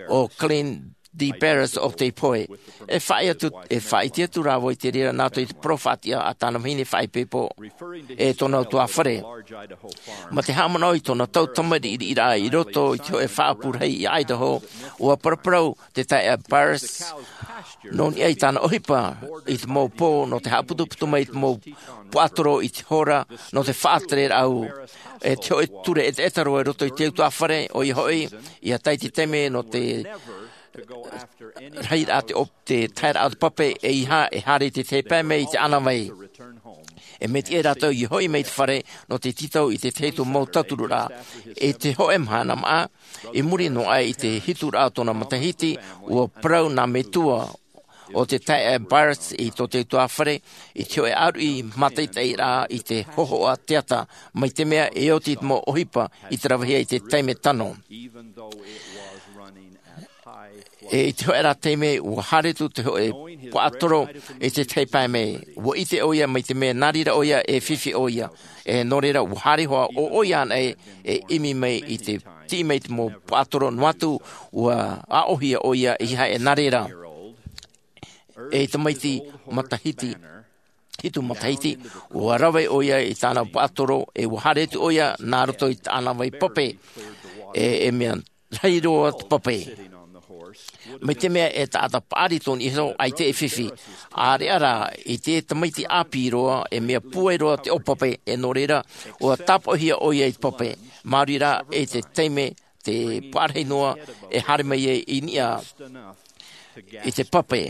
o Clint D Barris o tei pohe. E faʻaʻite atu, e faʻaʻite atu rā vau i te reira nā roto i te parau faʻatiʻa a tāna vahine faʻaipoipo, e tōna ʻutuāfare. Mā te haʻamanaʻo i tōna tau tamariʻiraʻa i roto i te hoʻe faʻaʻapu rahi i Idaho, ua paraparau te taeaʻe Barris nō niʻa i tāna ʻohipa i te mau pō nō te haʻaputuputu mai i te mau puaʻatoro i te hora nō te faʻatereraʻa. E te hoʻe ture ʻetaʻeta roa i roto i te ʻutuāfare, ʻoia hoʻi, ʻia tae i te taime nō te rahiraʻa te ʻō-, te taeraʻa o te pape, ʻeiaha e haere i te tahi pae mai i te ʻānāvai. E mea tiʻa rātou ʻia hoʻi mai i te fare nō te tītau i te tahi atu mau tauturu ra. I te hoʻe mahana maʻa, i muri noa aʻe i te hituraʻa o tōna matahiti, ua parau nā metua o te taeaʻe Barris i tō te ʻutuāfare i te hoʻe ʻāruʻi mātaʻitaʻiraʻa i te hōhoʻa teata, mai te mea e oti te mau ʻohipa i te ravehia i te taime tano. E i te hoʻe rā taime, ua haere atu te hoʻe puaʻatoro i te tahi pae mai. Ua ʻite ʻoia mai te mea nā reira ʻoia e fifi ʻoia. E nō reira, ua haere hoʻi ʻoia anaʻe e ʻimi mai i te tiʻi mai i te mau puaʻatoro noa atu, ua aʻohia ʻoia ʻeiaha e nā reira. E tamaiti matahiti, hitu matahiti, ua rave ʻoia i tāna puaʻatoro, e ua haere atu ʻoia nā roto i te ʻānāvai pape. E, e mea rahi roa te pape. Mai te mea e taʻata paʻari tōna iho, ʻaita e fifi. ʻĀreʻa rā, i te tamaiti ʻāpī roa, e mea pūai roa te ʻōpape, e nō reira, ua tāpaʻohia ʻoia i te pape. Māuruuru rā, e te taime, te paʻari noa, e haere mai ai i niʻa i te pape,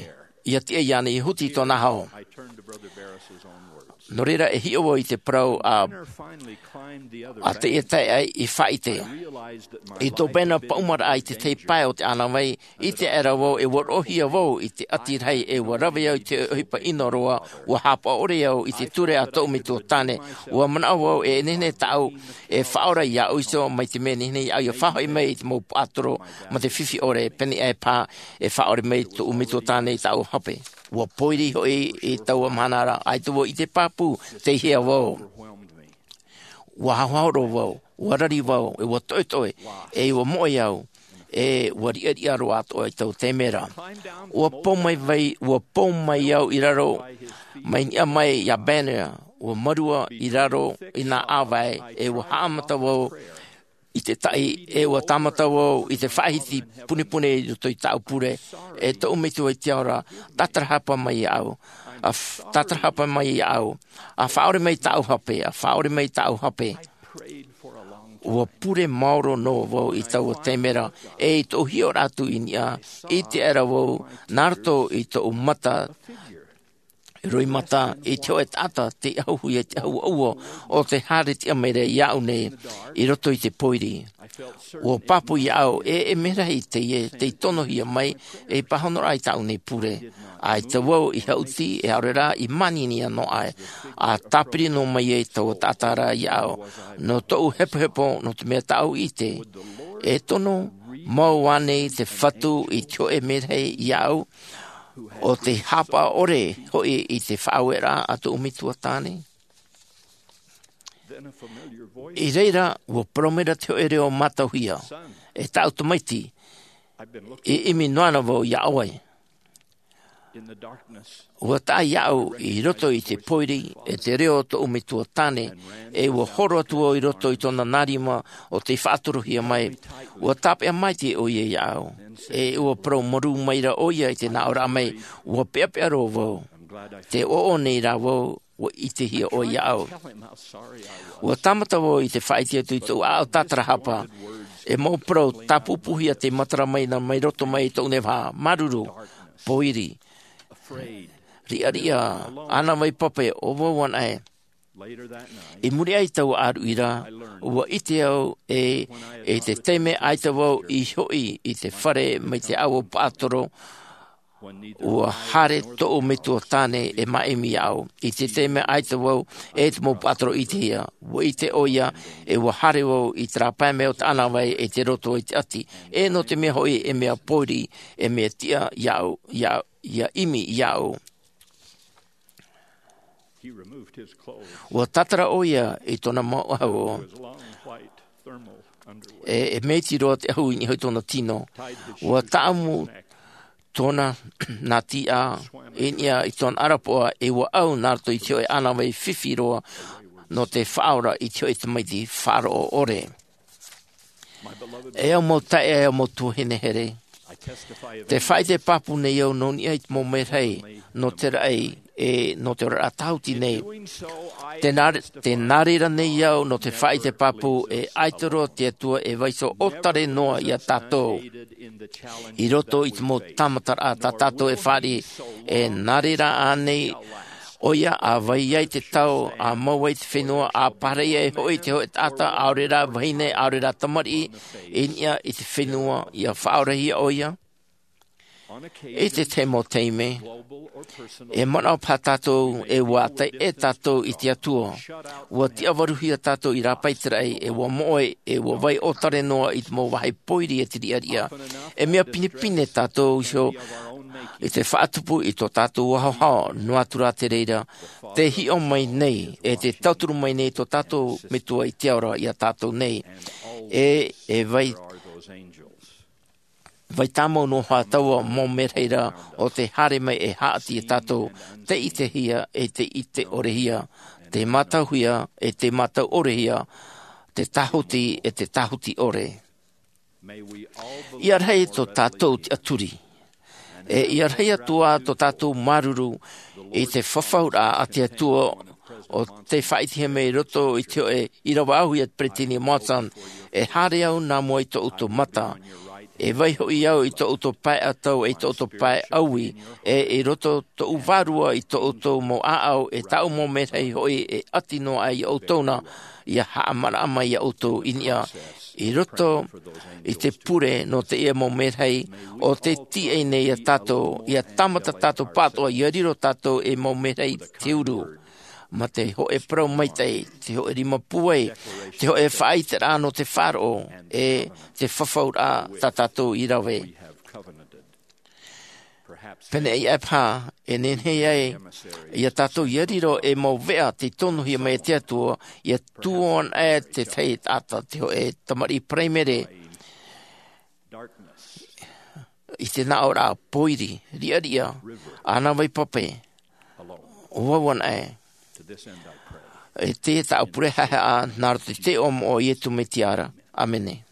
ʻia tiʻa iāna ʻia huti i tōna hau. Nō reira e hiʻo vau i te parau a a te ia tae ai i faʻaite i tō pēnā paʻumaraʻa i te tahi pae o te ʻānāvai. I te aʻera vau e ua roʻohia vau i te ʻati rahi e ua rave au i te ʻohipa ʻino roa. Ua hāpaʻo ʻore au i te ture a tōʻu metua tāne. Ua manaʻo vau e nehenehe tāʻu e faʻaora iāʻu iho mai te mea nehenehe iāʻu ia faʻahoʻi mai i te mau paʻatoro ma te fifi ʻore pēnei aʻe pā e faʻaora mai tōʻu metua tāne i tāʻu hape. Ua pōiri hoʻi i taua mahana ra ʻaita vau i te pāpū te hea vau. Ua haohao roa vau, ua rari vau e ua toʻetoʻe e ua moʻe au e ua riʻariʻa roa atoʻa i taua taime ra. Ua pō mai vai ua pō mai au i raro mai niʻa mai iā banner ua marua i raro i nā ʻāvae e ua haʻamata vau i te taʻi e ua tāmata vau i te faʻahiti punepune i roto i tāʻu pure. E tōʻu metua i te ao ra tātarahapa mai iāʻu. Tātarahapa mai iāʻu a faʻaore mai tāʻu hape a faʻaore mai tāʻu hape. Ua pure maoro noa vau i taua taime ra e i tōʻu hiʻoraʻa atu i niʻa i te aʻera vau nā roto i tōʻu mata roimata i te hoʻe taʻata te ahuhuia i te ahuaua o te haere tiʻa mai ra iāʻu nei i roto i te pōiri. Ua pāpū iāʻu e e mea rahi teie tei tonohia mai ei pāhonoraʻa i tāʻu nei pure. ʻAita vau i haʻuti e aore rā i māniania noa aʻe a tāpiri noa mai ai taua taʻata ra iāʻu. Nō tōʻu hepohepo nō te mea tāʻu i ʻite e tono mau ānei te fatu i te hoʻe mea rahi iāʻu o te hāpaʻo ʻore hoʻi i te faʻaueraʻa a tōʻu metua tāne. I reira ua parau mai ra te hoʻe reo mātauhia, e tāʻu tamaiti, e ʻimi noa ana vau iā ʻoe. Ua taʻa iāʻu i roto i te pōiri e te reo o tōʻu metua tāne e ua horo atu vau i roto i tōna nā rima o tei faʻatorohia mai. Ua tāpeʻa maitaʻi ʻoia iāʻu e ua parau marū mai ra ʻoia i te nāʻōraʻa mai. Ua peʻapeʻa roa vau. Te ʻoʻo nei rā vau ua ʻitehia ʻoe iāʻu. Ua tāmata vau i te faʻaʻite atu i tōʻu ʻaʻau tātarahapa e mau parau tāpūpūhia tei matara mai na mai roto mai i tōʻu nei vaha māuruuru, pōiri, riʻariʻa, ʻānāvai pape ʻo vau anaʻe. I muri aʻe i taua ʻāruʻi ra ua ʻite au e i te taime ʻaita vau i hoʻi i te fare mai te ʻaua paʻatoro ua haere tōʻu metua tāne e māʻimi iāʻu. I te taime ʻaita vau e te mau paʻatoro ʻitehia ua ʻite ʻoia e ua haere vau i te rāpae mai o te ʻānāvai e te roto i te ʻati. E nō te mea hoʻi e mea pōiri e mea tiʻa iāʻu ia ʻimi iāʻu. Ua tātara ʻoia i tōna mau ʻahu e e mea iti roa te ʻahu i niʻa i tōna tino. Ua taʻamu tōna nā tiʻa i niʻa i tōna ʻarapoʻa e ua ʻau nā roto i te hoʻe ʻānāvai fifi roa nō te faʻaora i te hoʻe tamaiti faʻaroʻo ʻore. E au mau taeaʻe e au mau tuahine here, te faʻaʻite pāpū nei au nō niʻa i te mau merahi nō te raʻi e nō te oraraʻa tāhuti nei. Te nā reira nei au nō te faʻaʻite pāpū e ʻaita roa te atua e vaiiho ʻōtare noa iā tātou i roto i te mau tāmataraʻa tā tātou e fāriʻi. E nā reira ānei ʻoia a vai ai te tau a mau ai te fenua a pārahi ai hoʻi te hoʻe taʻata ʻaore rā vahine ʻaore rā tamariʻi i niʻa i te fenua ia faʻaorahia ʻoia? I te tahi mau taime e manaʻo paha tātou e ua ʻātaʻi ʻē tātou i te atua. Ua tiʻavaruhia tātou i rāpae i te raʻi e ua moʻe e ua vai ʻōtare noa i te mau vāhi pōiri e te riʻariʻa. E mea pinepine tātou iho i te faʻatupu i tō tātou haohao noa atu rā te reira te hiʻo mai nei e te tauturu mai nei tō tātou metua i te ao ra iā tātou nei. E e vai vai tāmau noa hoʻi taua mau merahi ra o te haere mai e haʻati iā tātou te ʻitehia e te ʻite ʻorehia te mātauhia e te mātau ʻorehia te tāhuti e te tāhuti ʻore. Ia rahi tō tātou tiʻaturi e ia rahi atu ā tō tātou māuruuru i te fafauraʻa a te atua o te faʻaʻitehia mai i roto i te hoʻe ʻīrava ʻaʻahu iā peresideni monson e haere au nā mua i tōʻu mata. E vai hoʻi au i tō ʻoutou pae ʻatau, e i tō ʻoutou pae ʻaui, e i roto tōʻu vārua i tō ʻoutou mau ʻāʻau, e tāʻu mau merahi hoʻi e ʻati noa aʻe iā ʻoutou na, ʻia haʻamanaʻo mai iā ʻoutou i niʻa. I roto i te pure nō teie mau merahi, ʻo tē tīaʻi nei iā tātou, ʻia tāmata tātou pāʻatoʻa, ʻia riro tātou ei mau merahi te huru. Mā te hōʻē parau maitaʻi, te hōʻē rima pūai, te hōʻē faʻaʻiteraʻa nō te faʻaroʻo, e te fafauraʻa tā tātou i rave. Pēneiaʻe paha, e nehenehe ai iā tātou ʻia riro ei mau veʻa tei tonohia mai e te Atua, ʻia tuō anaʻe te tahi taʻata, te hōʻē tamariʻi paraimere, i te nāʻōraʻa pōiri, riʻariʻa, ʻānāvai pape, ʻo vau anaʻe. E teie tāʻu pure haʻehaʻa, nā roto i te iʻoa moʻa o Iesu Mesia ra. ʻĀmene.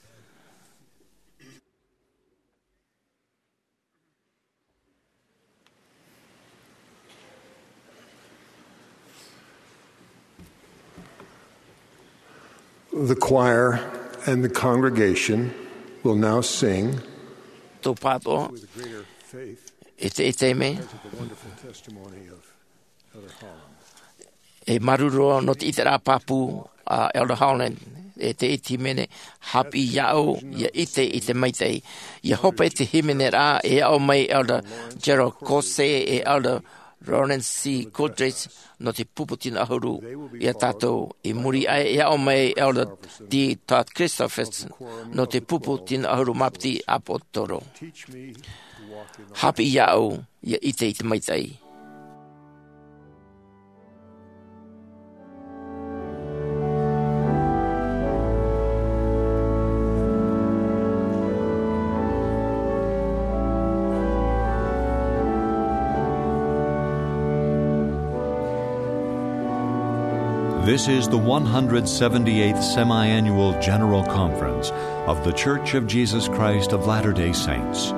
The choir and the congregation will now sing. Tō pāʻatoʻa, with greater faith, e te, e te me, as of the wonderful testimony of Elder Holland. E māuruuru nō te ʻiteraʻa pāpū a Elder Holland, e te iti hīmene, Haʻapiʻi iāʻu, ʻia ʻite i te maitaʻi. ʻIa hope te hīmene ra, e aʻo mai Elder Gerald Caussé, e Elder Lawrence C. Goodridge, nō te pupu tino ʻahuru iā tātou. I muri aʻe, e aʻo mai Elder D. Todd Christofferson, nō te pupu tino ʻahuru mā piti ʻāpōsetolo. Haʻapiʻi iāʻu, ʻia ʻite i te maitaʻi. This is the one hundred seventy-eighth Semi-Annual General Conference of The Church of Jesus Christ of Latter-day Saints.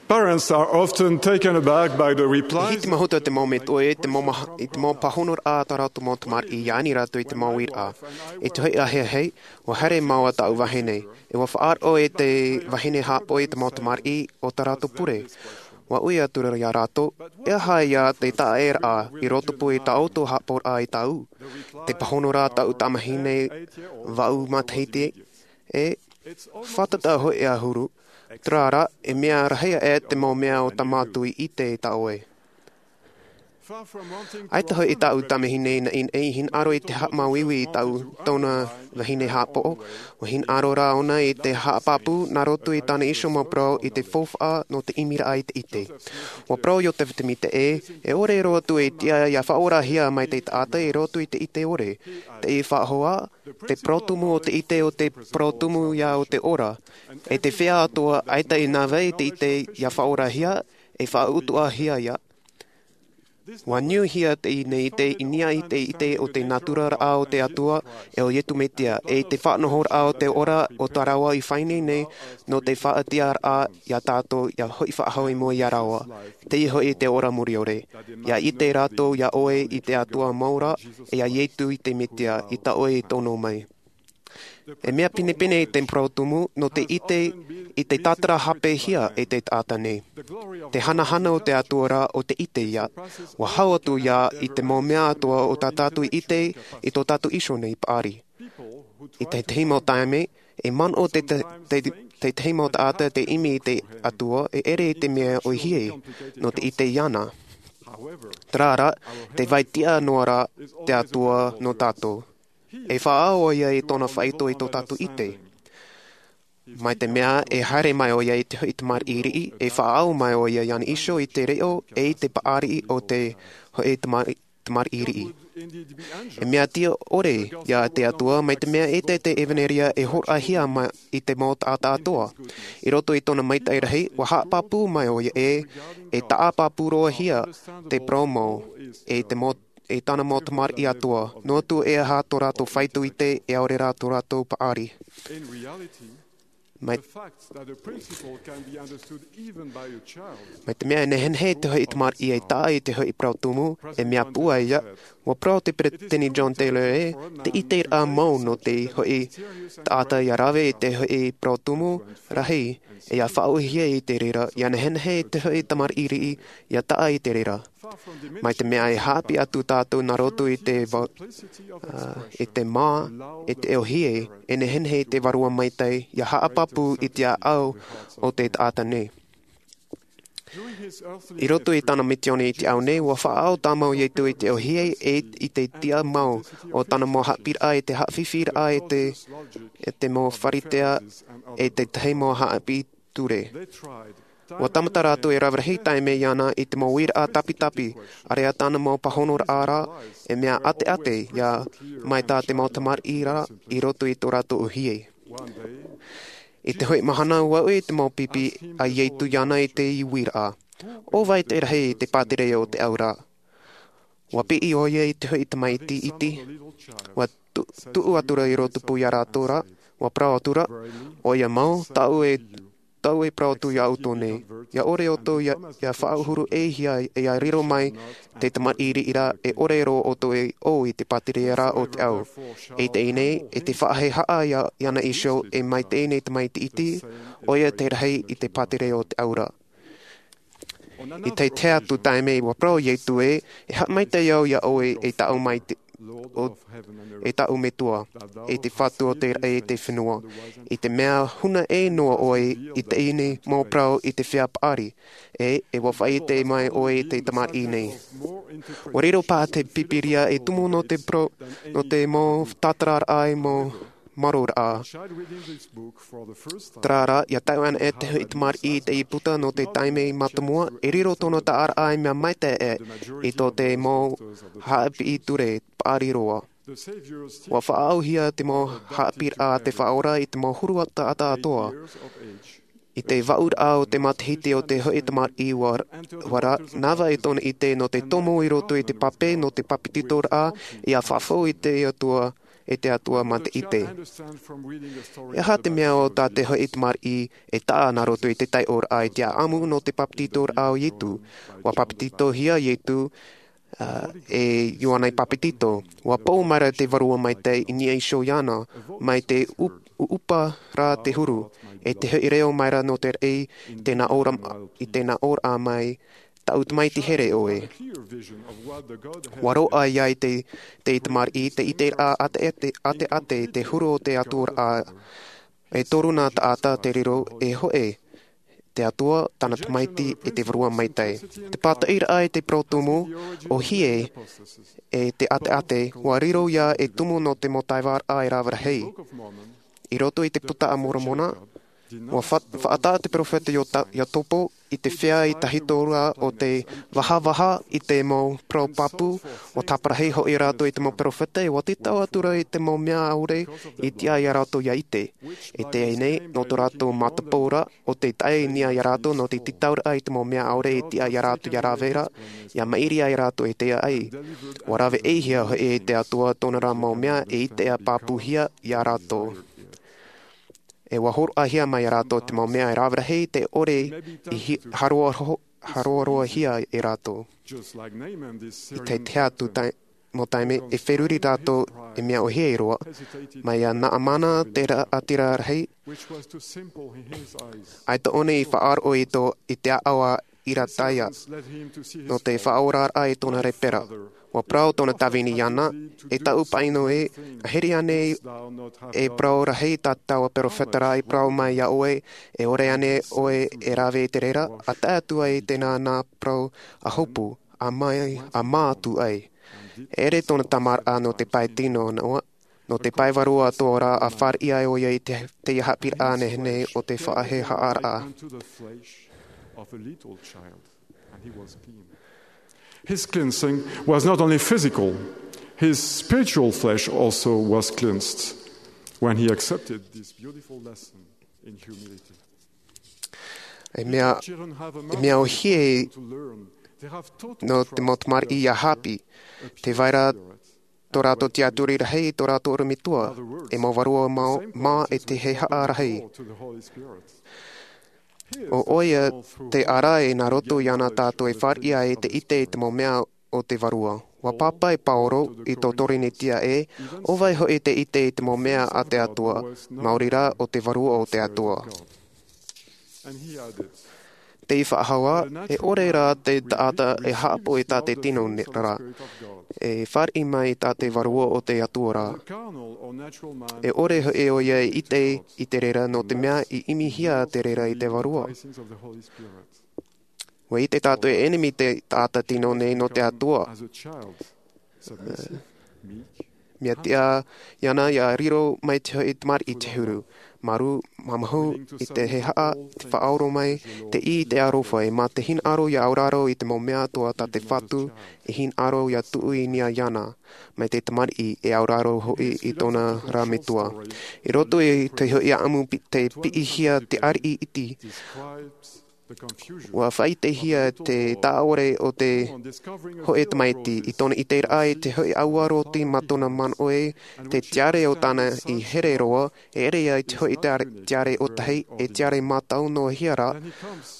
Parents are often taken aback by the replies. E hitimahuta te mau metua i te mau mah-, i te mau pāhonoraʻa a tā rātou mau tamariʻi, ʻia ani rātou i te mau uiraʻa. I te hoʻi ʻāheahe, ʻua haere mau a tāʻu vahine, e ʻua faʻaroʻo i te vahine haʻapaʻo i te mau tamariʻi o tā rātou pure. ʻUa ui atu ra iā rātou, e aha ia te taʻeraʻa i rotopū i tā ʻoutou haʻapaʻoraʻa i tāʻu? Te pāhonoraʻa a tāʻu tamahine vaʻu matahiti, e fātata hoʻi ʻahuru, Terā rā, e mea rahi aʻe te mau mea o tā mātou i ʻite i tā ʻoe. ʻAita hoʻi tāʻu tamahine naʻinaʻi i hinaʻaro i te haʻamāuiui i tāʻu tōna vahine haʻapaʻo, ʻua hinaʻaro rā ʻōna i te haʻapāpū nā roto i tāna iho mau parau i te faufaʻa nō te ʻimiraʻa i te ʻite. ʻUa parau Iosepha Sāmita ē, e ʻore roa atu e tiʻa ʻia faʻaorahia mai te taʻata i roto i te ʻite ʻore, te faʻahoʻi, te parau tumu o te ʻite o te parau tumu ia o te ora, e te feiā atoʻa ʻaita e nā vai te ʻite ʻia faʻaorahia, e faʻautuʻahia ia. ʻUa niuhia teie nei ʻite i niʻa i te ʻite o te nātura raʻa o te Atua, e o Iesu Mesia, e i te faʻanahoraʻa o te ora o tā rāua i faʻaineine nō te faʻatiʻaraʻa ia tātou ʻia hoʻi faʻahou i mua ia rāua. Teie hoʻi te ora muriore. ʻIa ʻite rātou ia ʻoe i te Atua mau ra, e ia Iesu i te Mesia, i tā ʻoe i tono mai. E mea pinepine te parau tumu nō te ʻite i te tātarahāpiʻihia e te taʻata nei. Te hanahana o te Atua rā o te ʻite ia, ʻua hau atu ia i te mau mea atoʻa o tā tātou i ʻite i tō tātou iho nei paʻari. I tētahi mau taime, e manaʻo te, te, te, tētahi mau taʻata te ʻimi i te Atua e ʻere i te mea ʻōhie nō te ʻite iāna. Terā rā, tē vai tiʻa noa ra te Atua nō tātou. E faʻaau ʻoia i tōna faʻaitoito i tō tātou ʻite. Mai te mea e haere mai ʻoia i te hoʻi tamariʻi riʻi, e faʻaau mai ʻoia iāna iho i te reo e i te paʻari o te hoʻi tamari-, tamariʻi riʻi. E mea tiʻa ʻore ia te Atua, mai te mea ʻaita te ʻevanelia e hōroʻahia mai i te mau taʻata atoʻa. I roto i tōna maitaʻi rahi, ʻua haʻapāpū mai ʻoia ē, e taʻa pāpū roa hia te parau mau, e te mau, e tāna mau tamariʻi atoʻa. Noa atu e aha tō rātou faito ʻite, e ʻaore rā tō rātou paʻari. Mai, mai te mea e nehenehe te hoʻi tamariʻi e taʻa i te hoʻi parau tumu, e mea pūai ia, ʻua parau te peresideni John Taylor ē, te ʻiteraʻa mau nō te hoʻi taʻata ʻia rave i te hoʻi parau tumu rahi, e ʻia faʻaʻōhie i te reira, ʻia nehenehe te hoʻi tamariʻi riʻi, ʻia taʻa i te reira. Mai te mea e haʻapiʻi atu tātou nā roto i te va-, ā, i te mā, i te ʻōhie, e nehenehe te Vārua Maitaʻi, ʻia haʻapāpū i te ʻāʻau o te taʻata nei. I roto i tāna misiōni i te ao nei, ʻua faʻaau tāmau Iesu i te ʻōhie e i te tiʻa mau o tāna mau haʻapiʻiraʻa i te haʻafifi raʻa e te, e te mau Pharisea e te tahi mau haʻapiʻi ture. ʻUa tāmata rātou e rave rahi taime iāna i te mau uiraʻa tapitapi, ʻāreʻa tāna mau pāhonoraʻa ra, e mea ʻateʻate ia mai tā te mau tamariʻi ra i roto i tō rātou ʻōhie. I te hoʻi mahana ʻua uʻi te mau pipi a Iesu iāna i te uiraʻa. ʻO vai te rahi i te pātireia o te au ra? ʻUa piʻi ʻoia i te hoʻi tamaiti iti. ʻUa tu-, tuʻu atu ra i rō tupu ia rātou ra, ʻua parau atu ra, ʻoia mau, tāʻu e, tāʻu e parau atu ia ʻoutou nei. ʻIa ʻore ʻoutou ʻia, ʻia faʻahuru ʻē hia, e ʻia riro mai te tamariʻi riʻi ra, e ʻore roa ʻoutou e ʻō i te pātireia ra o te au. E teie nei, e te faʻahehaʻa ia, iāna iho, e mai teie nei tamaiti iti, ʻoia te rahi i te pātireia o te au ra. I te tahi atu taime ʻua parau Iesu ē, e haʻamaitaʻi au ia ʻoe e taʻu mai te, o, e taʻu Metua, e te Fatu o te raʻi e te fenua, i te mea huna ʻē noa ʻoe i teie nei mau parau i te feiā paʻari, e, e ʻua faʻaʻite mai ʻoe i te tamariʻi nei. ʻUa riro paha te Pīpīria e tumu nō te pro-, nō te mau tātararaʻa e mau maroraʻa. Terā rā, ʻia tae ana e te hoʻi tamariʻi i teie puta nō te taime mātāmua, e riro tōna taʻaraʻa e mea maitaʻi i tō te mau haʻapiʻi ture paʻari roa. ʻUa faʻaauhia te mau haʻapiʻiraʻa a te Faʻaora i te mau huru taʻata atoʻa. I te vaʻuraʻa o te matahiti o te hoʻi tamariʻi ʻua, ʻua ra-, nava i tōna ʻite nō te tomo i roto i te pape nō te papetitoraʻa, ʻia fafau i te Atua, e te Atua mā te ʻite. E aha te mea o tā te hoʻi tamariʻi e taʻa nā roto i te taiʻoraʻa i te ʻāʻamu nō te papetitoraʻa o Iesu? ʻUa papetitohia Iesu, ā, e Ioane Papetito. ʻUa pou mai ra te Vārua Maitaʻi i niʻa iho iāna, mai te ʻup-, ʻuʻupa ra te huru, e te hoʻi reo mai ra nō te raʻi, i te nā ʻōra-, i te nā ʻōraʻa mai, tāʻu tamaiti here ʻoe. ʻUa roaʻa ia i te, te tamariʻi, te ʻiteraʻa ʻateʻate, ʻateʻate, te huru o te Atua ra, e toru nā taʻata te riro, e hōʻē, te Atua, tana Tamaiti, e te Vārua Maitaʻi. Te pātaʻiraʻa i te parau tumu, ʻo hia e te ʻateʻate, ʻua riro ia e tumu nō te mau taevaʻaraʻa e rave rahi. I roto i te Puta a Moromona, ʻua fa-, faʻataʻa te peropheta Iota-, Iakobo i te feiā i tahito ra o te vahavaha i te mau parau pāpū, ʻua tāparahi hoʻi rātou i te mau peropheta, ʻua tītau atu ra i te mau mea ʻaore i tiʻa ia rātou ia ʻite. I teie nei, nō tō rātou matapauraʻa, ʻo tē tae i niʻa ia rātou nō te tītauraʻa i te mau mea ʻaore i tiʻa ia rātou ia rave ra, ia maʻiri ai rātou e tae ai. ʻUa rave-ʻē-hia hoʻi e te Atua tōna ra mau mea e ʻite ʻia pāpūhia ia rātou. E ʻua hōroʻahia mai ia rātou te mau mea e rave rahi tē ʻore i hi-, haroa-, haroaroahia e rātou. I te tahi atu tae-, mau taime, e feruri rātou e mea ʻōhie roa, mai iā Naamana te raʻatira rahi, ʻaita ʻōna i faʻaroʻo i tō, i te ʻāʻau a Iritaia, nō te faʻaoraraʻa i tōna lepara. ʻUa parau tōna tāvini iāna, e taʻu paʻino ē, ʻa here ānei e parau rahi tā taua peropheta ra i parau mai iā ʻoe, e ʻore ānei ʻoe e rave i te reira, ʻa tae atu ai i tēnā nā parau ʻa hopu, ʻa mai, ʻa mā atu ai. E ʻere tōna tāmāraʻa nō te pae tino noa, nō te pae vārua atoʻa ra ʻa fāriʻi ai ʻoia i te, te haʻapiʻiraʻa nehenehe o te faʻahehaʻaraʻa. His cleansing was not only physical, his spiritual flesh also was cleansed when he accepted this beautiful lesson in humility. E mea, e mea ʻōhie nō te mau tamariʻi ia haʻapiʻi, tē vai ra tō rātou tiʻaturi rahi i tō rātou ʻorometua, e mau vārua mā, mā e te hehaʻa rahi. ʻO ʻoia te ara e nā roto iāna tātou e fāriʻi ai te ʻite i te mau mea o te Vārua. ʻUa pāpaʻi Pauro i tō Torinetia ē, ʻo vai hoʻi te ʻite i te mau mea a te Atua, maori rā ʻo te Vārua o te Atua. Tē faʻahou ā, e ʻore rā te taʻata e haʻapaʻo i tā te tino ne-, rā, e fāriʻi mai i tā te Vārua o te Atua rā. E ʻore hoʻi ʻoia e ʻite i te reira nō te mea i ʻimihia te reira i te Vārua. ʻUa ʻite tātou e ʻenemi te taʻata tino nei nō te Atua. Mea tiʻa iāna ia riro mai te hoʻi tamariʻi te huru. Māuruuru, māmāhu i te hehaʻa, te faʻaora mai, te ʻī i te aroha, e mā te hinaʻaro ia auraro i te mau mea atoʻa tā te Fatu e hinaʻaro ia tuʻu i niʻa iāna, mai te tamariʻi e auraro hoʻi i tōna rā metua. I roto i te hoʻi ʻāʻamu pi-, tē piʻihia te ariʻi iti, ʻua faʻaʻitehia te taʻaʻore o te hoʻi tamaiti i tōna ʻiteraʻa i te hoʻi ʻāua roti mā tōna manaʻo ē, te tiare o tāna i here roa, e ʻere ia i te hoʻi tiare, tiare ʻōtahi, e tiare mātau noa hia rā,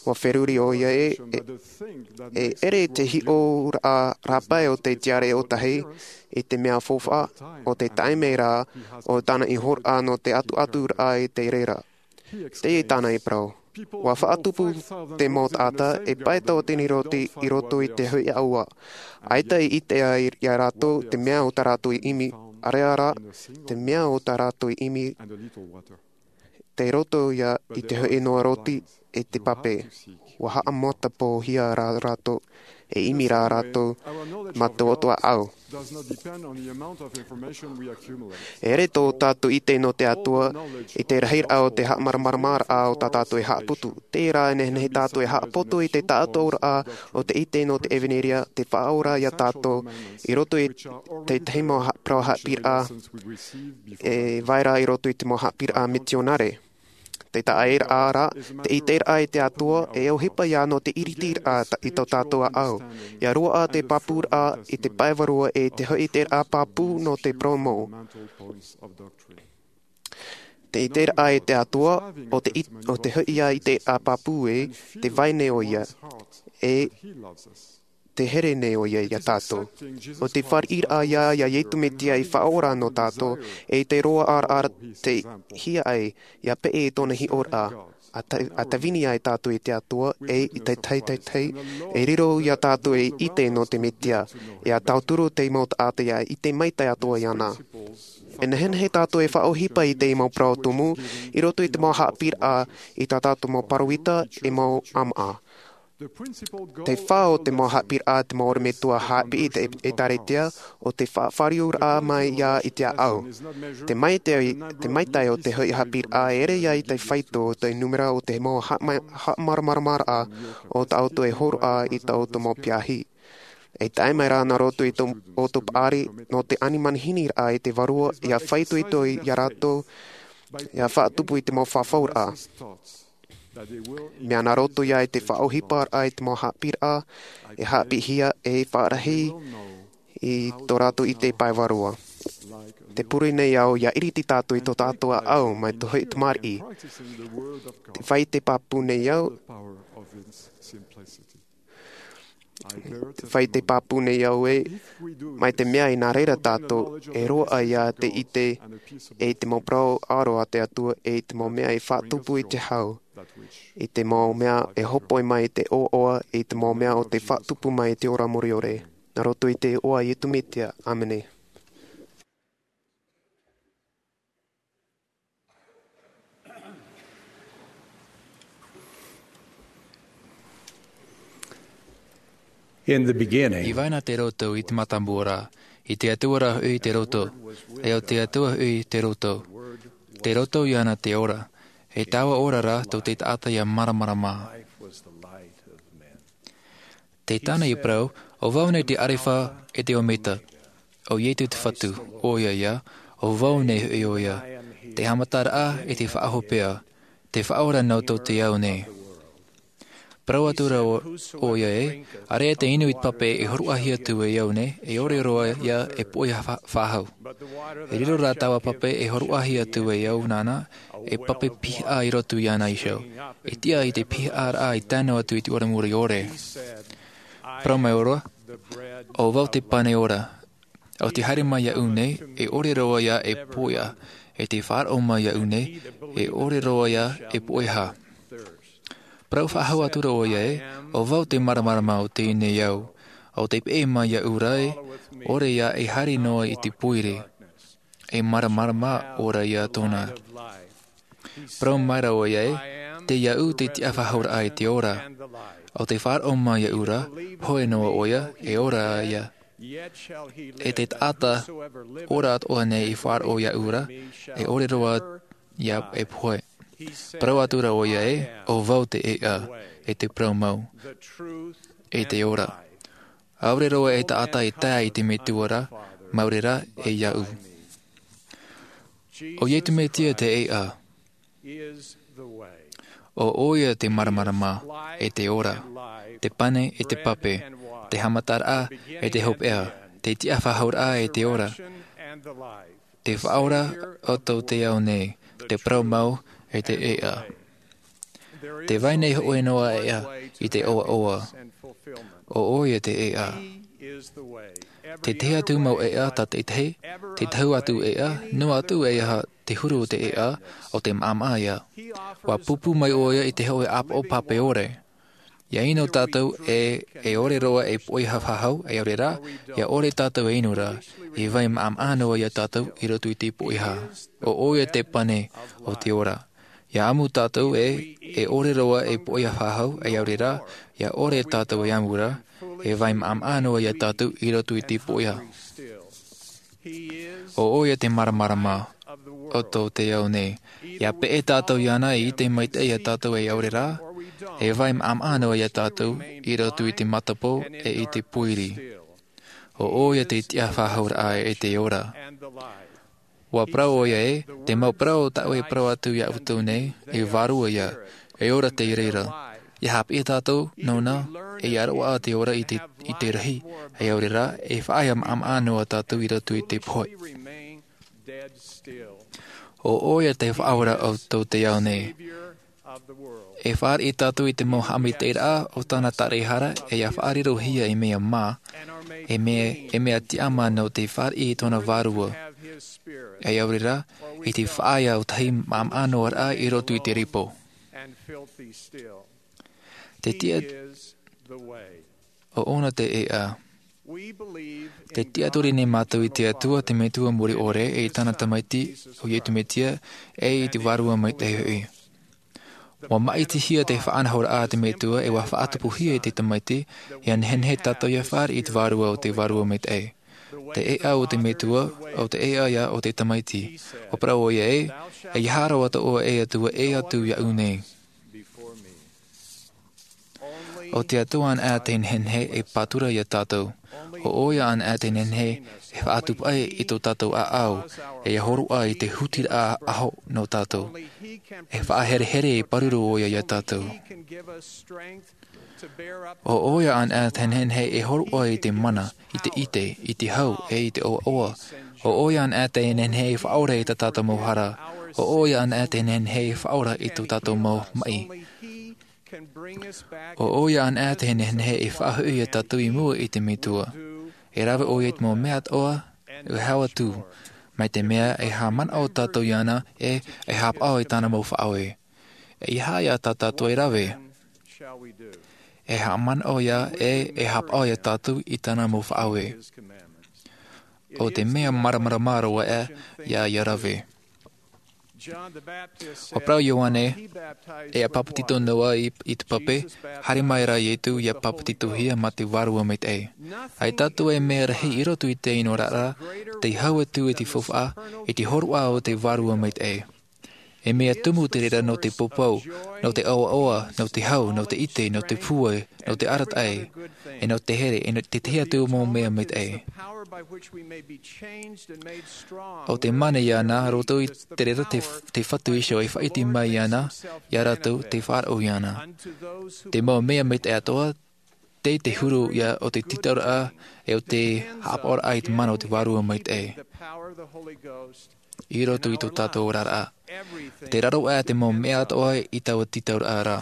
ʻua feruri ʻoia ē, e, e ʻere te hiʻoraʻa rāpae o te tiare ʻōtahi, i te mea faufaʻa, ʻo te taime rā, ʻo tāna i hōroʻa nō te atuaturaʻa i te reira. Teie tāna i parau. ʻUa faʻatupu te mau taʻata e pae tauatini roti i roto i te hoʻi ʻāua. ʻAita i ʻite ai ia rātou te mea o tā rātou i ʻimi, ʻaore rā, te mea o tā rātou i ʻimi, tei roto ia i te hoʻi noa roti e te pape. ʻUa haʻamatapōhia rā rātou, e ʻimi rā rātou mā te ʻoto ʻāʻau. E ʻere tō tātou ʻite nō te Atua i te rahiraʻa o te haʻamāramaramaraʻa o tā tātou e haʻaputu. Terā e nehenehe tātou e haʻapoto i te taʻatoʻaraʻa o te ʻite nō te ʻevaneria, te faʻaora ia tātou, i roto i te tahi mau ha-, parau haʻapiʻiraʻa, e vai ra i roto i te mau haʻapiʻiraʻa mitionare. Te taʻaʻēraʻa rā, te ʻiteraʻa i te Atua, e ʻohipa ia nō te ʻiritiraʻa ta-, i tō tātou ʻāʻau. ʻIa roaʻa te pāpūraʻa i te pae vārua e te hoʻi ʻiteraʻa pāpū nō te parau mau. Te ʻiteraʻa i te Atua, ʻo te it-, ʻo te hoʻi ia ʻiteraʻa pāpū ē, tē vai nei ʻoia, e tē here nei ʻoia ia tātou. ʻO te fāriʻiraʻa ia, ia Iesu Mesia i faʻaora nō tātou, e te roaʻaraʻa tei hia ai, ia peʻe i tōna hiʻoraʻa, ʻa ta-, ʻa tāvini ai tātou i te Atua, e i te tahi, tahi, tahi, e riro ia tātou e ʻite nō te Mesia, e ʻa tauturu te mau taʻata ia ʻite maitaʻi atoʻa iāna. E nehenehe tātou e faʻaʻohipa i te mau parau tumu i roto i te mau haʻapiʻiraʻa i tā tātou mau pāroita e mau ʻāmaʻa. Te fā o te mau haʻapiʻiraʻa te mau ʻorometua haʻapiʻi i te ʻētāretia, o te faʻafāriuraʻa mai ia i te ʻāʻau. Te maitaʻi, te maitaʻi o te hoʻi haʻapiʻiraʻa e ʻere ia i te faito o te nūmera o te mau haʻama-, haʻamāramaramaraʻa o tā ʻoutou e hōroʻa i tā ʻoutou mau piahi. E tae mai rā nā roto i tō ʻoutou paʻari nō te ani manihiniraʻa i te Vārua, ia faitoito ia rātou, ia faʻatupu i te mau fafauraʻa. Mea nā roto ia i te faʻaʻohiparaʻa i te mau haʻapiʻiraʻa e haʻapiʻihia e faʻarahi i tō rātou ʻite pae vārua. Te pure nei au ia iriti tātou i tō tātou ʻāʻau mai te hoʻi tamariʻi. Te fai te pāpū nei au, te fai te pāpū nei au e, mai te mea i nā reira tātou, e roaʻa ia te ʻite, e i te mau parau ʻaro a te Atua, e i te mau mea e faʻatupu i te hau, i te mau mea e hopoi mai i te ʻoaʻoa, i te mau mea o te faʻatupu mai i te ora mure ʻore. Nā roto i te iʻoa o Iesu Mesia. ʻĀmene. In the beginning, I vai na te roto i te mātāmua ra, i te Atua ra hoʻi te roto, e o te Atua hoʻi te roto. Te roto iāna te ora, e taua ora ra tō te taʻata ia māramarama. Te tāna i parau, ʻo vau nei te ʻArefa e te Ometa, ʻo Iesu te Fatu, ʻoia ia, ʻo vau nei hoʻi ʻoia, te haʻamataraʻa e te faʻahopeʻa, te Faʻaora nō tō te ao nei. Parau atu ra ʻo-, ʻoia ē, ʻāreʻa te inu i te pape e hōroʻahia atu e au nei, e ʻore roa ia e poʻe fa-, faʻahou. E riro rā taua pape e hōroʻahia atu e au nāna, e pape pihaʻa i roto iāna iho. E tiʻa i te pihaʻaraʻa i tae noa atu i te ora mure ʻore. Parau mai ʻoia, ʻo vau te pane ora. ʻO te haere mai iāʻu nei, e ʻore roa ia e poʻe, e te faʻaroʻo mai iāʻu nei, e ʻore roa ia e poʻeha. Parau faʻahou atu ra ʻoia ē, ʻo vau te māramarama o teie nei ao, ʻo tē peʻe mai iāʻu ra ē, ʻore ia e haere noa i te poiri, e māramarama ora ia tōna. Parau mai ra ʻoia ē, tei iāʻu te tiʻafaʻahouraʻa e te ora, ʻo tē faʻaroʻo mai iāʻu ra, pohe noa ʻoia, e ora ia. E te taʻata ora atoʻa nei i faʻaroʻo iāʻu ra, e ʻore roa ia e pohe. Parau atu ra ʻoia ē, ʻo vau te ʻēʻa, e te parau mau, e te ora. ʻAore roa e taʻata e tae i te Metua ra, mau reira e iāʻu. ʻO Iesu Mesia te ʻēʻa. ʻO ʻoia te māramarama, e te ora, te pane e te pape, te haʻamataraʻa e te hopeʻa, te tiʻafaʻahouraʻa e te ora, te Faʻaora o tō te ao nei, te parau mau e te ʻēʻa. Tē vai nei hōʻē noa ʻēʻa i te ʻoaʻoa. ʻO ʻoia te ʻēʻa. Te tahi atu mau ʻēʻa tā te tahi, te tahi atu ʻēʻa, noa atu e aha te huru o te ʻēʻa, ʻo te maʻamaʻa ia. ʻUa pūpū mai ʻoia i te hōʻē ʻāpoʻo pape ʻore. ʻIa ʻino tātou ē, e ʻore roa e poʻeha faʻahou, e ʻaore rā, ʻia ʻore tātou e ʻino ra, e vai maʻamaʻa noa ia tātou i roto i te poʻeha. ʻO ʻoia te pane o te ora. ʻIa ʻamu tātou ē, e ʻore roa e poʻeha faʻahou, e ʻaore rā, ʻia ʻore tātou e ʻamu ra, e vai maʻamaʻa noa ia tātou i roto i te poʻeha. ʻO ʻoia te māramarama o tō te ao nei. ʻIa peʻe tātou iāna e ʻite maitaʻi ia tātou e ʻaore rā, e vai maʻamaʻa noa ia tātou i roto i te matapō e i te poiri. ʻO ʻoia te tiʻafaʻahouraʻa e te ora. ʻUa parau ʻoia ē, te mau parau tāʻu e parau atu ia ʻoutou nei, e vārua ia, e ora tei reira. ʻIa haʻapiʻi tātou nōna, e ʻia roaʻa te ora i te, i te rahi, e ʻaore rā, e faʻaea maʻamaʻa noa tātou i roto i te pohe. ʻO ʻoia te Faʻaora o tō te ao nei. E fāriʻi tātou i te mau haʻamaitaʻiraʻa o tāna taraehara, e ʻia faʻarirohia e mea mā, e mea, e mea tiʻamā nō te fāriʻi i tōna vārua. E ʻaore rā, i te faʻaea ʻōtahi maʻamaʻa noa raʻa i roto i te ripo. Te tiʻa, ʻo ʻōna te ʻēʻa. Te tiʻaturi nei mātou i te Atua, te Metua Mure ʻore, e i tāna Tamaiti, ʻo Iesu Mesia, e i te Vārua Maitaʻi hoʻi. ʻUa maʻitihia te faʻanahoraʻa a te Metua, e ʻua faʻatupuhia e te Tamaiti, ʻia nehenehe tātou ʻia fāriʻi i te Vārua ʻo te Vārua Maitaʻi. Te ʻēʻa o te Metua, ʻo te ʻēʻa ïa o te Tamaiti. ʻUa parau ʻoia ē, ʻeiaha roa atoʻa e Atua ʻē atu iāʻu nei. ʻO te Atua anaʻe te nehenehe e pātura iā tātou. ʻO ʻoia anaʻe te nehenehe e faʻatupu aʻe i tō tātou ʻāʻau, e ʻia hōroʻa i te hutiraʻa ʻaʻaho nō tātou. E faʻaherehere e pāruru ʻoia iā tātou. ʻO ʻoia anaʻe te nehenehe e hōroʻa i te mana, i te ʻite, i te hau, e i te ʻoaʻoa. ʻO ʻoia anaʻe te nehenehe e faʻaora i tā tātou mau hara. ʻO ʻoia anaʻe te nehenehe e faʻaora i tō tātou mau maʻi. ʻO ʻoia anaʻe te nehenehe e faʻahoʻi iā tātou i mua i te Metua. E rave ʻoia i te mau mea atoʻa, e hau atu, mai te mea e haʻamanaʻo tātou iāna, e, e haʻapaʻo i tāna mau faʻaue. ʻEiaha ïa tā tātou e rave. E haʻamanaʻo ïa, e, e haʻapaʻo iā tātou i tāna mau faʻaue. ʻO te mea māramarama roa ïa, ʻia, ʻia rave. ʻUa parau Ioane, e ʻa pāpetito noa i, i te pape, haere mai rā Iesu ʻia pāpetitohia mā te Vārua Maitaʻi. ʻAita atu e mea rahi i roto i teie oraraʻa, tei hau atu i te faufaʻa, i te hōroʻa o te Vārua Maitaʻi. E mea tumu te reira nō te poupou, nō te ʻoaʻoa, nō te hau, nō te ʻite, nō te pūai, nō te arataʻi, e nō te here, e nō te tahi atu mau mea maitaʻi. ʻO te mana iāna, roto i te reira te, te Fatu iho e faʻaʻite mai iāna, iā rātou tei faʻaroʻo iāna. Te mau mea maitaʻi atoʻa, tei te huru ïa o te tītauraʻa, e o te haʻapaʻoraʻa i te mana o te Vārua Maitaʻi. I roto i tō tātou oraraʻa. Tē raro aʻe te mau mea atoʻa i taua tītauraʻa ra.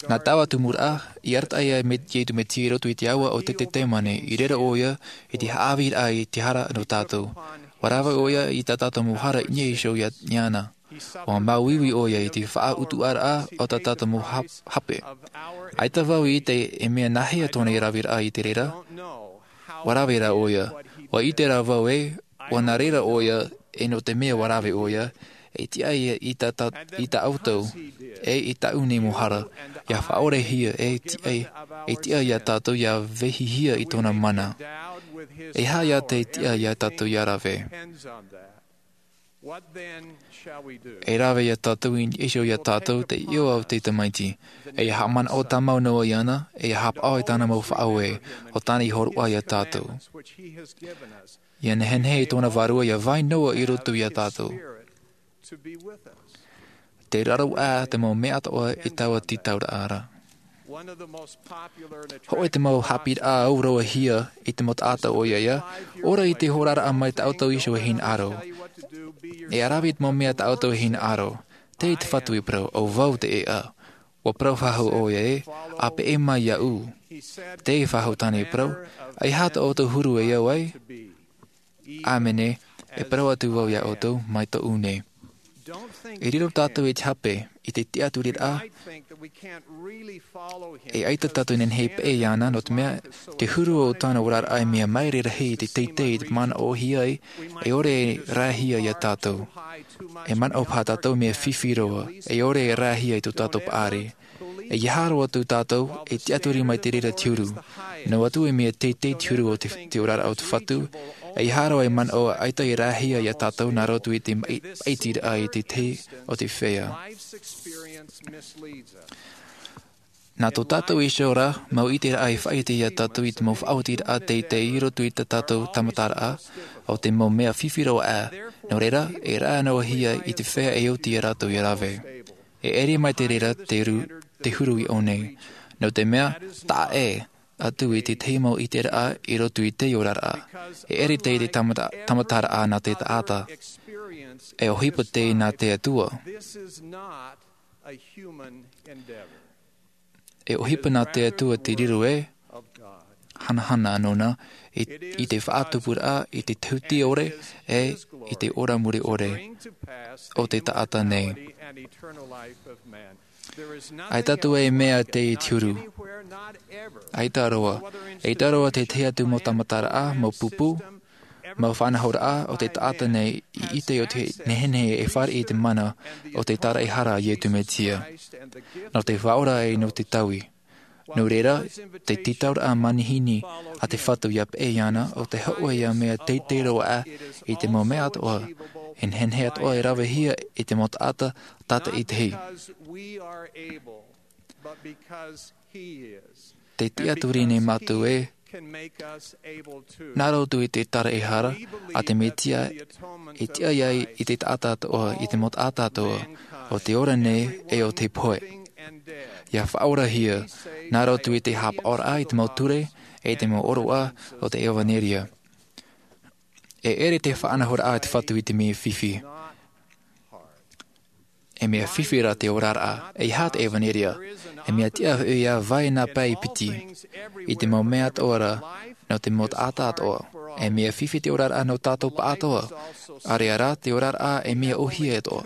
Nā taua tumuraʻa, i arataʻi ai Iesu Mesia i roto i te aua o Ketesemane, i riro ʻoia i te haʻaviraʻa i te hara nō tātou. ʻUa rave ʻoia i tā tātou mau hara i niʻa iho iāna. ʻUa māuiui ʻoia i te faʻautuʻaraʻa o tā tātou mau hap-, hape. ʻAita vau i ʻite e mea nāhea tōna raveraʻa i te reira. ʻUa rave rā ʻoia. ʻUa ʻite rā vau ē, ʻua nā reira ʻoia, e nō te mea ʻua rave ʻoia, e tiʻa ia i tā, tā, i tā ʻoutou, e i tāʻu nei mau hara, ʻia faʻaorehia, e tiʻa, e tiʻa iā tātou ʻia vehihia i tōna mana. E aha ïa te tiʻa iā tātou ʻia rave. E rave iā tātou i niʻa iho iā tātou te ʻoaʻoa o te Tamaiti. E ʻia haʻamanaʻo tāmau noa iāna, e ʻia haʻapaʻo i tāna mau faʻaue, ʻo tāna i hōroʻa iā tātou. ʻIa nehenehe tōna Vārua ʻia vai noa i roto iā tātou. Tē raro aʻe te mau mea atoʻa i taua tītauraʻa ra. Hōʻē te mau haʻapiʻiraʻa auroahia i te mau taʻata ʻoia ïa, ʻore i te oraraʻa mai tā ʻoutou iho e hinaʻaro. E ʻaravi i te mau mea tā ʻoutou e hinaʻaro. Tē te Fatu i parau, ʻo vau te ʻēʻa. ʻUa parau faʻahou ʻoia ē, ʻa peʻe mai iāʻu. Tē faʻahou tāna i parau, ʻeiaha tō ʻoutou huru e au ai. ʻĀmene, e parau atu vau iā ʻoutou, mai tōʻu nei. E riro tātou i te hape, i te tiʻaturiraʻa, e ʻaita tātou e nehenehe e peʻe iāna, nō te mea, te huru o tāna oraraʻa e mea maere rahi i te teitei i te manaʻohia ai, e ʻore e rahi iā tātou. E manaʻo paha tātou mea fifi roa, e ʻore e rahi i tō tātou paʻari. ʻEiaha roa atu tātou, e tiʻaturi mai te reira te huru. Noa atu e mea teitei te huru o te, te oraraʻa o te Fatu, ʻeiaha roa e manaʻo ʻaita e rahi iā tātou nā roto i te maʻi-, maʻitiraʻa i te tahi o te feiā. Nā tō tātou iho ra, mau ʻiteraʻa e faʻaʻite iā tātou i te mau faʻaotiraʻa teitei i roto i tā tātou tāmataraʻa, ʻo te mau mea fifi roa aʻe. Nō reira, e rave noa hia i te feiā e oti iā rātou ʻia rave. E ʻere mai te reira te ru-, te huru i ʻō nei. Nō te mea, taʻa ʻē atu i te tahi mau ʻiteraʻa i roto i te oraraʻa. E ʻere te, te tāmata-, tāmataraʻa nā te taʻata. E ʻohipa te nā te Atua. E ʻohipa nā te Atua te riro e hanahana nōna i, i te faʻatupuraʻa, i te tahuti ʻore, e i te ora mure ʻore o te taʻata nei. ʻAita atu e mea tei te huru. ʻAita roa. ʻAita roa te tahi atu mau tāmataraʻa, mau pupu, mau faʻanahoraʻa o te taʻata nei i ʻite o te nehenehe e fāriʻi i te mana o te tāraʻehara a Iesu Mesia. Nō te faʻaora e nō te taui. Nō reira, te tītauraʻa manihini a te Fatu ʻia peʻe iāna, ʻo te hōʻē ïa mea teitei roa aʻe i te mau mea atoʻa, e nehenehe atoʻa e ravehia e te mau taʻata tātaʻitahi. Te tiʻaturi nei mātou ē, nā roto i te tāraʻehara a te Mesia, e tiʻa ai i te taʻata atoʻa, i te mau taʻata atoʻa, o te ora nei e o te pohe. ʻIa faʻaorahia, nā roto i te haʻapaʻoraʻa i te mau ture, e te mau ʻōroʻa o te ʻevanelia. E ʻere te faʻanahoraʻa a te Fatu i te mea fifi. E mea fifi rā te oraraʻa, e aha te ʻevanelia. E mea tiʻa hoʻi ʻia vai nā pae piti, i te mau mea atoʻa ra, nō te mau taʻata atoʻa. E mea fifi te oraraʻa nō tātou pāʻatoʻa, ʻāreʻa rā te oraraʻa e mea ʻōhie atoʻa.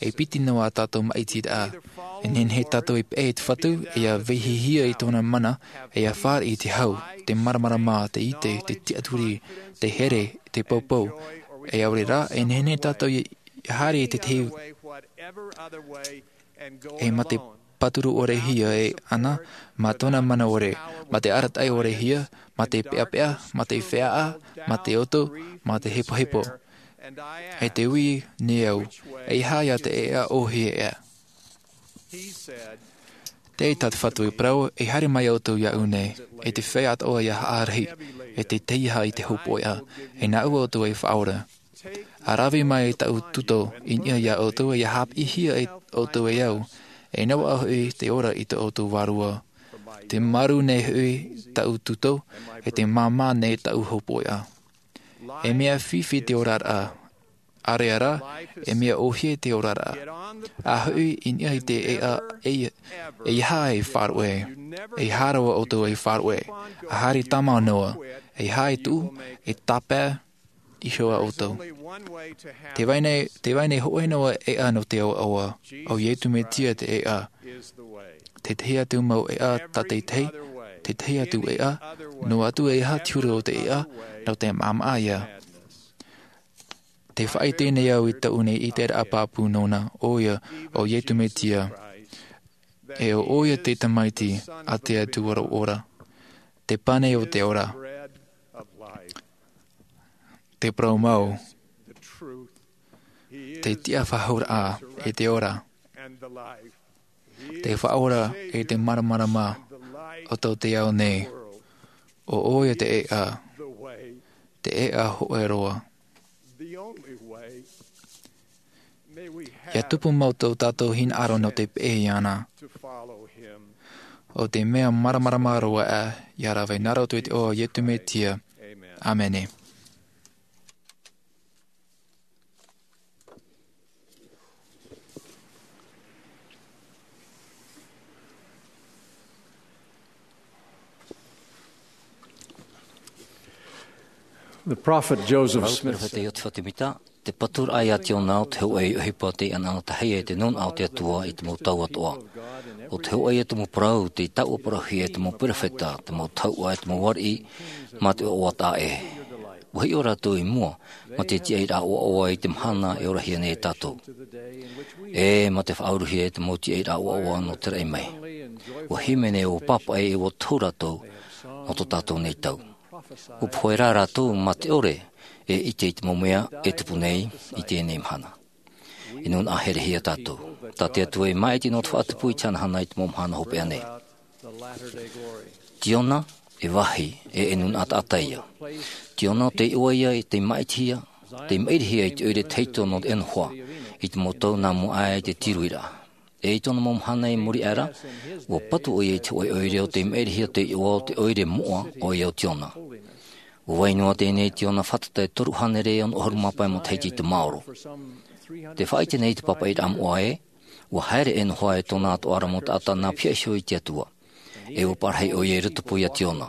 E piti noa tātou maʻitiraʻa. E nehenehe tātou e peʻe i te Fatu, e ʻia vehihia i tōna mana, e ʻia fāriʻi i te hau, te māramarama, te ʻite, te tiʻaturi, te here, te poupou. E ʻaore rā, e nehenehe tātou e haere i te tahi e mā te pāturu ʻore hia e ana, mā tōna mana ʻore, mā te arataʻi ʻore hia, mā te peʻapeʻa, mā te feʻaʻa, mā te oto, mā te hepohepo. E te ui nei au, e aha ïa te ʻēʻa ʻōhie ʻē. Tē tā te Fatu e parau, e haere mai ʻoutou iāʻu nei, e te feiā atoʻa ʻia haʻarahi, e te teiaha i te hopoiʻa, e nāʻu ʻoutou e faʻaora. ʻA rave mai i tāʻu tuto i niʻa iā ʻoutou, e ʻia haʻapiʻihia e ʻoutou e au, e noaʻa hoʻi te ora i tō ʻoutou vārua. Te maru nei hoʻi tāʻu tuto, e te māmā nei tāʻu hopoiʻa. E mea fifi te oraraʻa, ʻāreʻa rā, e mea ʻōhie te oraraʻa. ʻA hoʻi i niʻa i te ʻēʻa, e, e aha e faʻaroʻo, e aha roa ʻoutou e faʻaroʻo, ʻa haere tāmau noa, e aha e tuʻu, e tāpae iho ā ʻoutou. Tē vai nei, tē vai nei hōʻē noa ʻēʻa nō te ʻoaʻoa, ʻo Iesu Mesia te ʻēʻa. Te tahi atu mau ʻēʻa tātaʻitahi, te tahi atu ʻēʻa, noa atu e aha te huru o te ʻēʻa, nō te maʻamaʻa ïa. Tē faʻaʻite nei au i tāʻu nei ʻiteraʻa pāpū nōna, ʻoia, ʻo Iesu Mesia. E ʻo ʻoia te Tamaiti a te Atua ora. Te Pane o te ora. Te Parau Mau. Te Tiʻafaʻahouraʻa e te ora. Te Faʻaora e te māramarama o tō te ao nei. ʻO ʻoia te ʻēʻa. Te ʻēʻa hōʻē roa. ʻIa tupu mau tō tātou hinaʻaro nō te peʻe iāna. ʻO te mea māramarama roa ā, ʻia rave nā roto i te iʻoa o Iesu Mesia. ʻĀmene. The prophet Joseph Smith said, Perofeta Iosefa Semita, te pāturaʻa iā Tiona ʻo te hōʻē ʻohipa tei ʻanaʻanatahi ai te nūnaʻa o te Atua i te mau tau atoʻa. ʻO te hōʻē ïa te mau parau tei taʻua parauhia e te mau perofeta, te mau tauʻa e te mau ariʻi, mā te ʻoaʻoa taʻa ʻē. ʻUa hiʻo rātou i mua, mā te tiaʻiraʻa ʻoaʻoa i te mahana e orahia nei e tātou. E mā te faʻauruhia i te mau tiaʻiraʻa ʻoaʻoa nō te raʻi mai. ʻUa hīmene, ʻua pāpaʻi, e ʻua tohu rātou nō tō tātou nei tau. ʻUa pohe rā rātou mā te ʻore e ʻite i te mau mea e tupu nei i teie nei mahana. E nūnaʻa herehia tātou. Tā te Atua e māʻiti nō te faʻatupu i te hanahana i te mau mahana hopeʻa nei. Tiona, e vāhi, e, e nūnaʻa taʻata ïa. Tiona, ʻo te iʻoa ïa i te māʻitihia, te maʻirihia i te ʻoire tahito nō te ʻenohoa, i te mau tau nā mua aʻe i te tiruiraʻa. E i tōna mau mahana i muri aʻe ra, ʻua patu ʻoia i te hōʻē ʻoire ʻo tei maʻirihia te iʻoa o te ʻoire moʻa, ʻoia ʻo Tiona. ʻUa vai noa teie nei Tiona fātata e toru hānere e ono ʻahuru mā pae matahiti i te maoro. Tē faʻaʻite nei te pāpaʻiraʻa moʻa ē, ʻua haere e ʻenohoa e tōna atoʻa ra mau taʻata nā pihaʻi iho i te Atua. E ʻua parahi ʻoia i rotopū iā Tiona.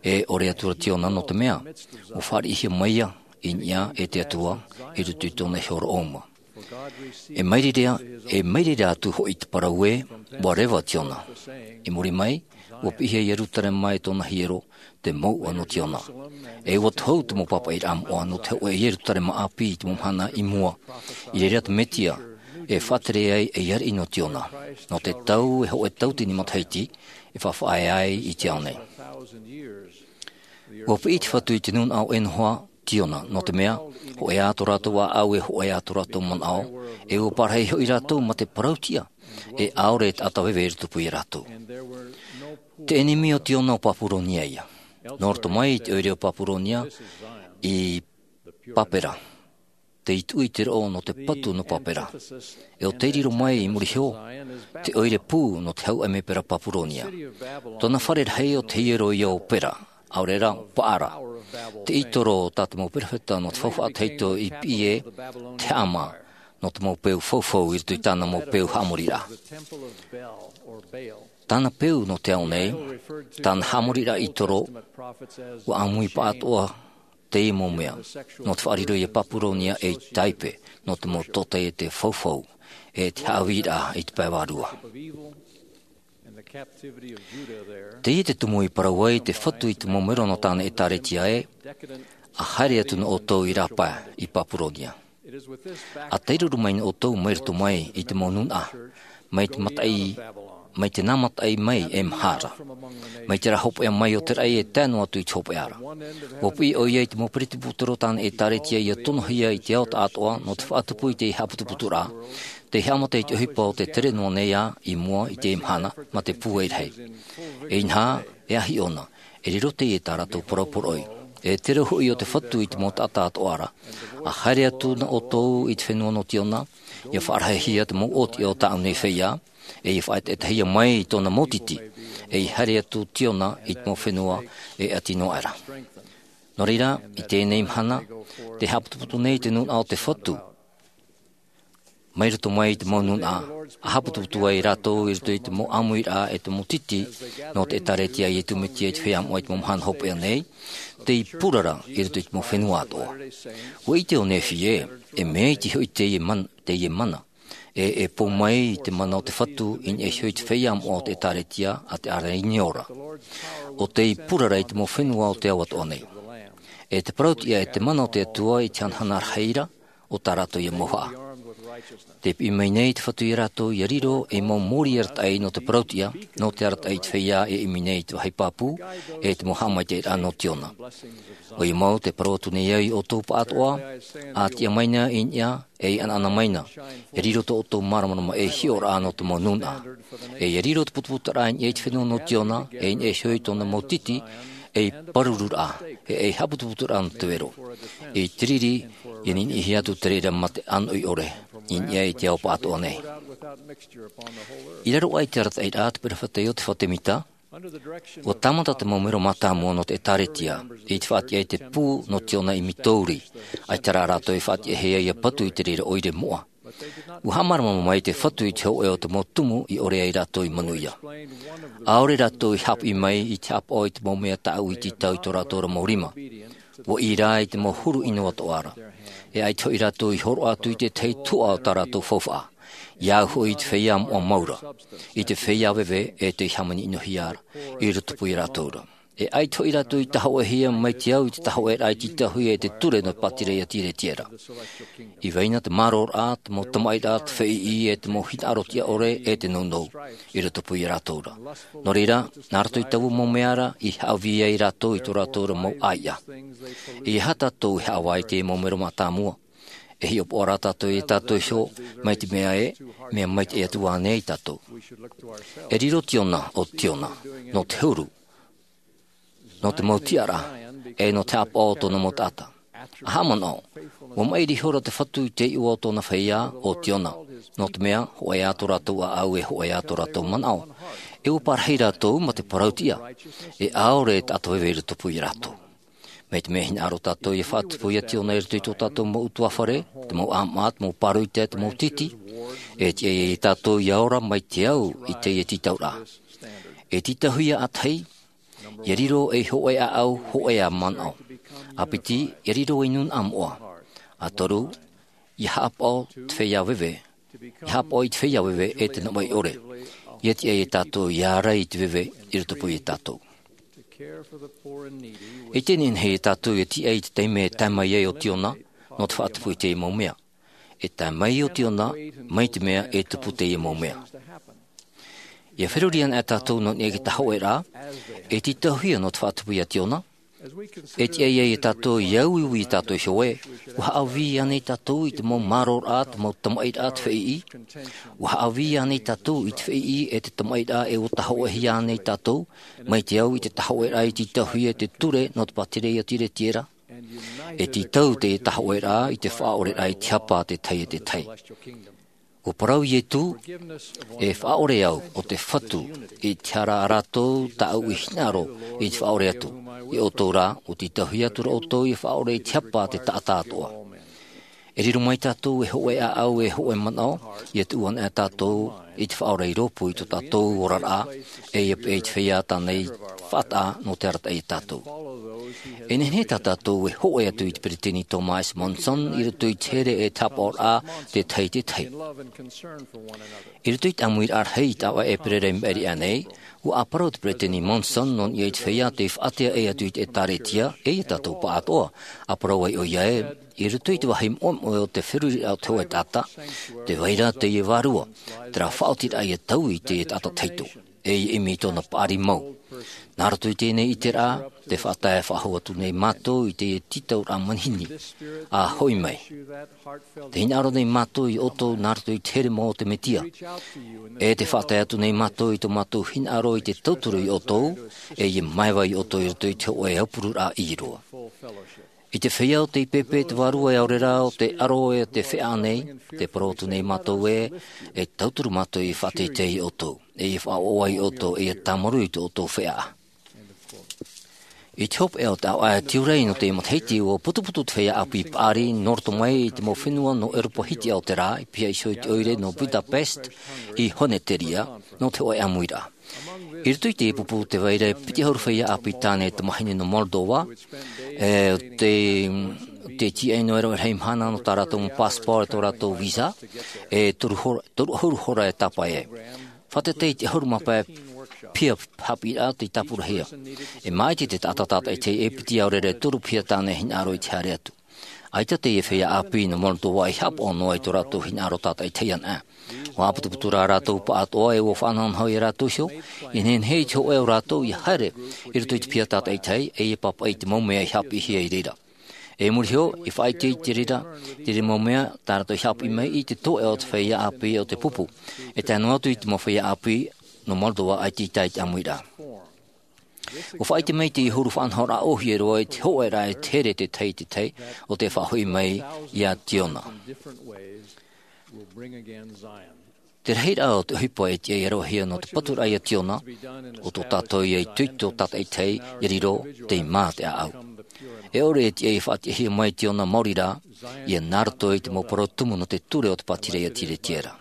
E ʻore atu ra Tiona nō te mea, ʻua fāriʻihia mai ïa i niʻa e te Atua i roto i tōna iho roʻouma. E mairiri, e mairiri atu hoʻi te parau ē, ʻua reva Tiona. I muri mai, ʻua piʻihia Ierutarema e tōna hiero, te mouʻa nō Tiona. E ʻua tohu te mau pāpaʻiraʻa moʻa nō te hōʻē Ierutarema ʻāpī i te mau mahana i mua. I reira te Metia, e faʻatere ai ei ariʻi nō Tiona. Nō te tau e hōʻē tauatini matahiti, e faʻaʻē ai i te ao nei. ʻUa piʻi te Fatu i te nūnaʻa ʻē noa, Tiona, nō te mea, hōʻē ā tō rātou ʻāʻau e hōʻē ā tō rātou manaʻo, e ʻua parahi hoʻi rātou mā te parautiʻa, e ʻaore e taʻata veve i rotopū ia rātou. Te ʻenemi o Tiona ʻo Papuronia ïa. Nō roto mai i te ʻoire o Papuronia, i Papera. Tei tuʻu i te roʻo nō te patu nō Papera. E ʻo tei riro mai i muri iho, te ʻoire pū nō te hau ʻemepera Papuronia. Tōna fare rahi ʻo te hiero ïa ʻo Pera, ʻaore rā, Paʻara. Te ʻītoro tā te mau perofeta nō te faufaʻa tahito i piʻi ē, te haʻamā, nō te mau peu faufau i roto i tāna mau peu haʻamoriraʻa. Tāna peu nō te ao nei, tāna haʻamoriraʻa ʻītoro, ʻua ʻāmui paʻatoʻa teie mau mea, nō te faʻariro ia Papuronia ei tāipe, nō te mau tōtaiete faufau, e te haʻavīraʻa i te pae vārua. Teie te tumu i parau ai te Fatu i te mau mero nō tāna ʻētāretia ē, ʻa haere atu nā ʻoutou i rāpae i Papuronia. ʻA tairuru mai nā ʻoutou mai roto mai i te mau nūnaʻa, mai te mataʻi, mai te nā mataʻi mai e maha ra. Mai terā hopeʻa mai o te raʻi e tae noa atu i te hopeʻa ra. ʻUa piʻi ʻoia i te mau peretibutero tāna ʻētāretia ʻia tonohia i te ao taʻatoʻa nō te faʻatupu i te haʻaputuputuraʻa, tei haʻamata i te ʻohipa o te tere noa nei ā i mua i te mahana mā te pūai rahi. E inaha, e ahi ʻōna, e riro teie tā rātou parau poroʻi. E te reo hoʻi o te Fatu i te mau taʻata atoʻa ra, ʻa haere atu nā ʻoutou i te fenua nō Tiona, ʻia faʻarahihia te mau ʻōtiʻa o tāʻu nei feiā, e ʻia faʻaetaetahia mai i tōna mau titi, e ʻia haere atu Tiona i te mau fenua e ʻati noa aʻera. Nō reira, i teie nei mahana, tē haʻaputuputu nei te nūnaʻa o te Fatu, mai roto mai i te mau nūnaʻa, ʻa haʻaputuputu ai rātou i roto i te mau ʻāmuiraʻa e te mau titi, nō te ʻētāretia a Iesu Mesia i te feiā moʻa i te mau mahana hopeʻa nei, tei purara i roto i te mau fenua atoʻa. ʻUa ʻite ʻo Nephi ē, e mea iti hoʻi teie man-, teie mana, e, e pou mai i te mana o te Fatu i niʻa iho i te feiā moʻa o te ʻētāretia a te ʻāraʻi ora. ʻO tei purara i te mau fenua o te ao atoʻa nei. E te parautiʻa e te mana o te Atua i te hanahana rahi ra, ʻo tā rātou ïa mauhaʻa. Tē piʻi mai nei te Fatu ia rātou ʻia riro ei mau mōrī arataʻi nō te parautiʻa, nō te arataʻi i te feiā e ʻimi nei i te vāhi pāpū, e te mau haʻamaitaʻiraʻa nō Tiona. ʻOia mau tē parau atu nei au ia ʻoutou paʻatoʻa, ʻa tiʻa mai na i niʻa, e ʻanaʻana mai na, ʻia riro tō ʻoutou māramarama ei hiʻoraʻa nō te mau nūnaʻa. E ʻia riro te putuputuraʻa i niʻa i te fenua nō Tiona, e i niʻa iho i tōna mau titi, ei pārururaʻa, e ei haʻaputuputuraʻa nō te vero. I te riri, ʻia niniʻihia atu te reira mā te ʻānoʻi ʻore, i niʻa i te ao paʻatoʻa nei. I raro aʻe i te arataʻiraʻa a te perofeta Iotefa Temita, ʻua tāmata te mau mero mātāmua nō te ʻētāretia, i te faʻatiʻa i te pū nō Tiona i Mitouri, ʻaita rā rātou e faʻatiʻahia ʻia patu i te reira ʻoire moʻa. ʻUa haʻamāramarama mai te Fatu i te hōʻē o te mau tumu i ʻore ai rātou i manuia. ʻAore rātou i haʻapiʻi mai i te haʻapaʻo i te mau mea tāʻu i tītau i tō rātou ra mau rima. ʻUa ʻī rā i te mau huru ʻino atoʻa ra. E ʻaita hoʻi rātou i hōroʻa atu i te tahi tuhaʻa o tā rātou faufaʻa. ʻIa au hoʻi i te feiā moʻa mau ra. I te feiā veve e tei hāmani-ʻino-hia ra. I rotopū ia rātou ra. E ʻaita hoʻi rātou i tahoʻehia mai te au i te tahoʻeraʻa i tītauhia e te ture nō Patireia Tiretiera. I vai na te mārōraʻa, te mau tamaʻiraʻa, te feiʻi, e te mau hinaʻaro tiʻa ʻore, e te nounou. I rotopū ia rātou ra. Nō reira, nā roto i taua mau mea ra, i haʻavī ai rātou i tō rātou ra mau ʻāiʻa. E aha tātou e haʻavā i te mau mero mātāmua? E hiʻopoʻa rā tātou ia tātou iho, mai te mea ē, mea maitaʻi atu ānei tātou? E riro Tiona, ʻo Tiona, nō te huru, nō te mau tiʻaraʻa, e nō te haʻapaʻo o tōna mau taʻata. ʻA haʻamanaʻo, ʻua maʻiri ihora te Fatu i te iʻoa o tōna feiā, ʻo Tiona, nō te mea, hōʻē ā tō rātou ʻāʻau e hōʻē ā tō rātou manaʻo. E ʻua parahi rātou mā te parautiʻa, e ʻaore e taʻata veve i rotopū ia rātou. Mai te mea hinaʻaro tātou ʻia faʻatupu ia Tiona i roto i tō tātou mau ʻutuāfare, te mau ʻāmaʻa, te mau pāroita, te mau titi, e tiʻa ia tātou ʻia ora mai te au i teie tītauraʻa. E tītauhia ʻātahi, ʻia riro ei hōʻē ʻāʻau, hōʻē ā manaʻo. ʻA piti, ʻia riro ei nūnaʻa moʻa. ʻA toru, ʻIa haʻapaʻo te feiā veve, ʻia haʻapaʻo i te feiā veve e te navaʻi ʻore. ʻIa tiʻa ia tātou ʻia ʻārai i te veve i rotopū ia tātou. E ʻite nei ia tātou ʻia tiʻa i te taime e tae mai ai ʻo Tiona nō te faʻatupu i teie mau mea. E tae mai ʻo Tiona mai te mea e tupu teie mau mea. ʻIa feruri ana tātou nō niʻa i te tahoʻe rā, e tītauhia nō te faʻatupu ia Tiona. E tiʻa ia tātou ʻia uiui i tātou iho ē, ʻua haʻavī ānei tātou i te mau māroraʻa, te mau tamaʻi raʻa, te feiʻi? ʻUa haʻavī ānei tātou i te feiʻi e te tamaʻi raʻa e ʻua tahoʻehia ānei tātou mai te au i te tahoʻe rā i tītauhia e te ture nō te pātireia tiretiera? E tītau te tahoʻe rā i te faʻaʻore rā i te hapa a te tahi e te tahi. ʻUa parau Ietu, e faʻaʻore au ʻo te Fatu i te hara a rātou tāʻu i hinaʻaro i te faʻaʻore atu. Ia ʻoutou rā, ʻua tītauhia atu ra ʻoutou ʻia faʻaʻore i te hapa a te taʻata atoʻa. E riro mai tātou e hoʻe ʻāʻau e hoʻe manaʻo, ʻia tuʻu ana tātou i te faʻaʻore i rōpū i tō tātou oraraʻa, e ʻia peʻe i te feiā tāna i faʻataʻa nō te arataʻi ia tātou. E nehenehe tā tātou e hoʻe atu i te peretiteni Thomas Monson i roto i te here e te haʻapaʻoraʻa te tahi i te tahi. I roto i te ʻāmuiraʻa rahi i te ʻāvaʻe ʻēperēra i maʻiri aʻe nei, ʻua ʻāparau te peretiteni Monson nō niʻa i te feiā tei faʻaʻite atu i te ʻĒtārētia, e ia tātou pāʻatoʻa. ʻĀparau ai ʻoia ē, i roto i te vāhi moʻemoʻe o te feruriraʻa o te hōʻē taʻata, tē vai ra teie vārua, terā faʻaotiraʻa ʻia taui i teie taʻata tahito, e ʻimi i tōna paʻari mau. Nā roto i teie nei ʻiteraʻa, tē faʻatae faʻahou atu nei mātou i teie tītauraʻa manihini, ʻa hoʻi mai. Tē hinaʻaro nei mātou ia ʻoutou nā roto i te here mau o te Mesia. E tē faʻatae atu nei mātou i tō mātou hinaʻaro i te tauturu ia ʻoutou, e ʻia māeva ia ʻoutou i roto i te hōʻē aupururaʻa ʻī roa. I te feiā ʻo tei pēpē te Vārua e ʻaore rā ʻo te ʻaro e te feʻaʻa nei, tē parau atu nei mātou ē, e tauturu mātou ʻia faʻateitei ia ʻoutou, e ʻia faʻaʻoaʻoa ia ʻoutou, e ʻia tāmarū i tō ʻoutou feʻaʻa. I te hopeʻa o te ʻāvaʻe tiurai nō te matahiti, ʻua putuputu te feiā ʻāpī paʻari nō roto mai i te mau fenua nō ʻEuropa Hitiʻa o te rā, i pihaʻi iho i te ʻoire nō Budapest, i Honeteria, nō te hōʻē ʻāmuiraʻa. I roto i te pupu tē vai ra e piti ʻahuru feiā ʻāpī tāne tamahine nō Moldova, e, tē, tē tīaʻi noa ra e rahi mahana nō tā rātou mau passport e tō rātou visa, e toru hora, toru ʻahuru hora e tāpae ai. Fātata i te ʻahuru mā pae piha haʻapiʻiraʻa tei tāpurahia. E māʻiti te taʻata tātaʻitahi e piti ʻaore rā e toru piha tāne hinaʻaro i te haere atu. ʻAita teie feiā ʻāpī nō Moldova i haʻapaʻo noa i tō rātou hinaʻaro tātaʻitahi anaʻe. ʻUa ʻāputuputu rā rātou pāʻatoʻa e ʻua faʻanahonaho ia rātou iho, ʻia nehenehe i te hōʻē o rātou ʻia haere i roto i te piha tātaʻitahi, e ʻia pāpaʻi i te mau mea i haʻapiʻihia i reira. E muri iho, ʻia faʻaʻite i te reira, te reira mau mea, tā rātou i haʻapiʻi mai i te toeʻa o te feiā ʻāpī o te pupu. E tae noa atu i te mau feiā ʻāpī nō Moldova ʻaita i tae i te ʻāmuiraʻa. ʻUa faʻaʻite mai te huru faʻanahoraʻa ʻōhie roa i te hōʻē rā e te here te tahi i te tahi, ʻo tē faʻahoʻi mai ia Tiona. Te rahiraʻa o te ʻohipa e tiʻa ʻia ravehia nō te paturaʻa ia Tiona, ʻo tō tātou ia itoito tātaʻitahi ʻia riro tei mā te ʻāʻau. E ʻore e tiʻa ʻia faʻatiʻahia mai Tiona maori rā, ʻia nā roto i te mau parau tumu nō te ture o te pātireia tiretiera.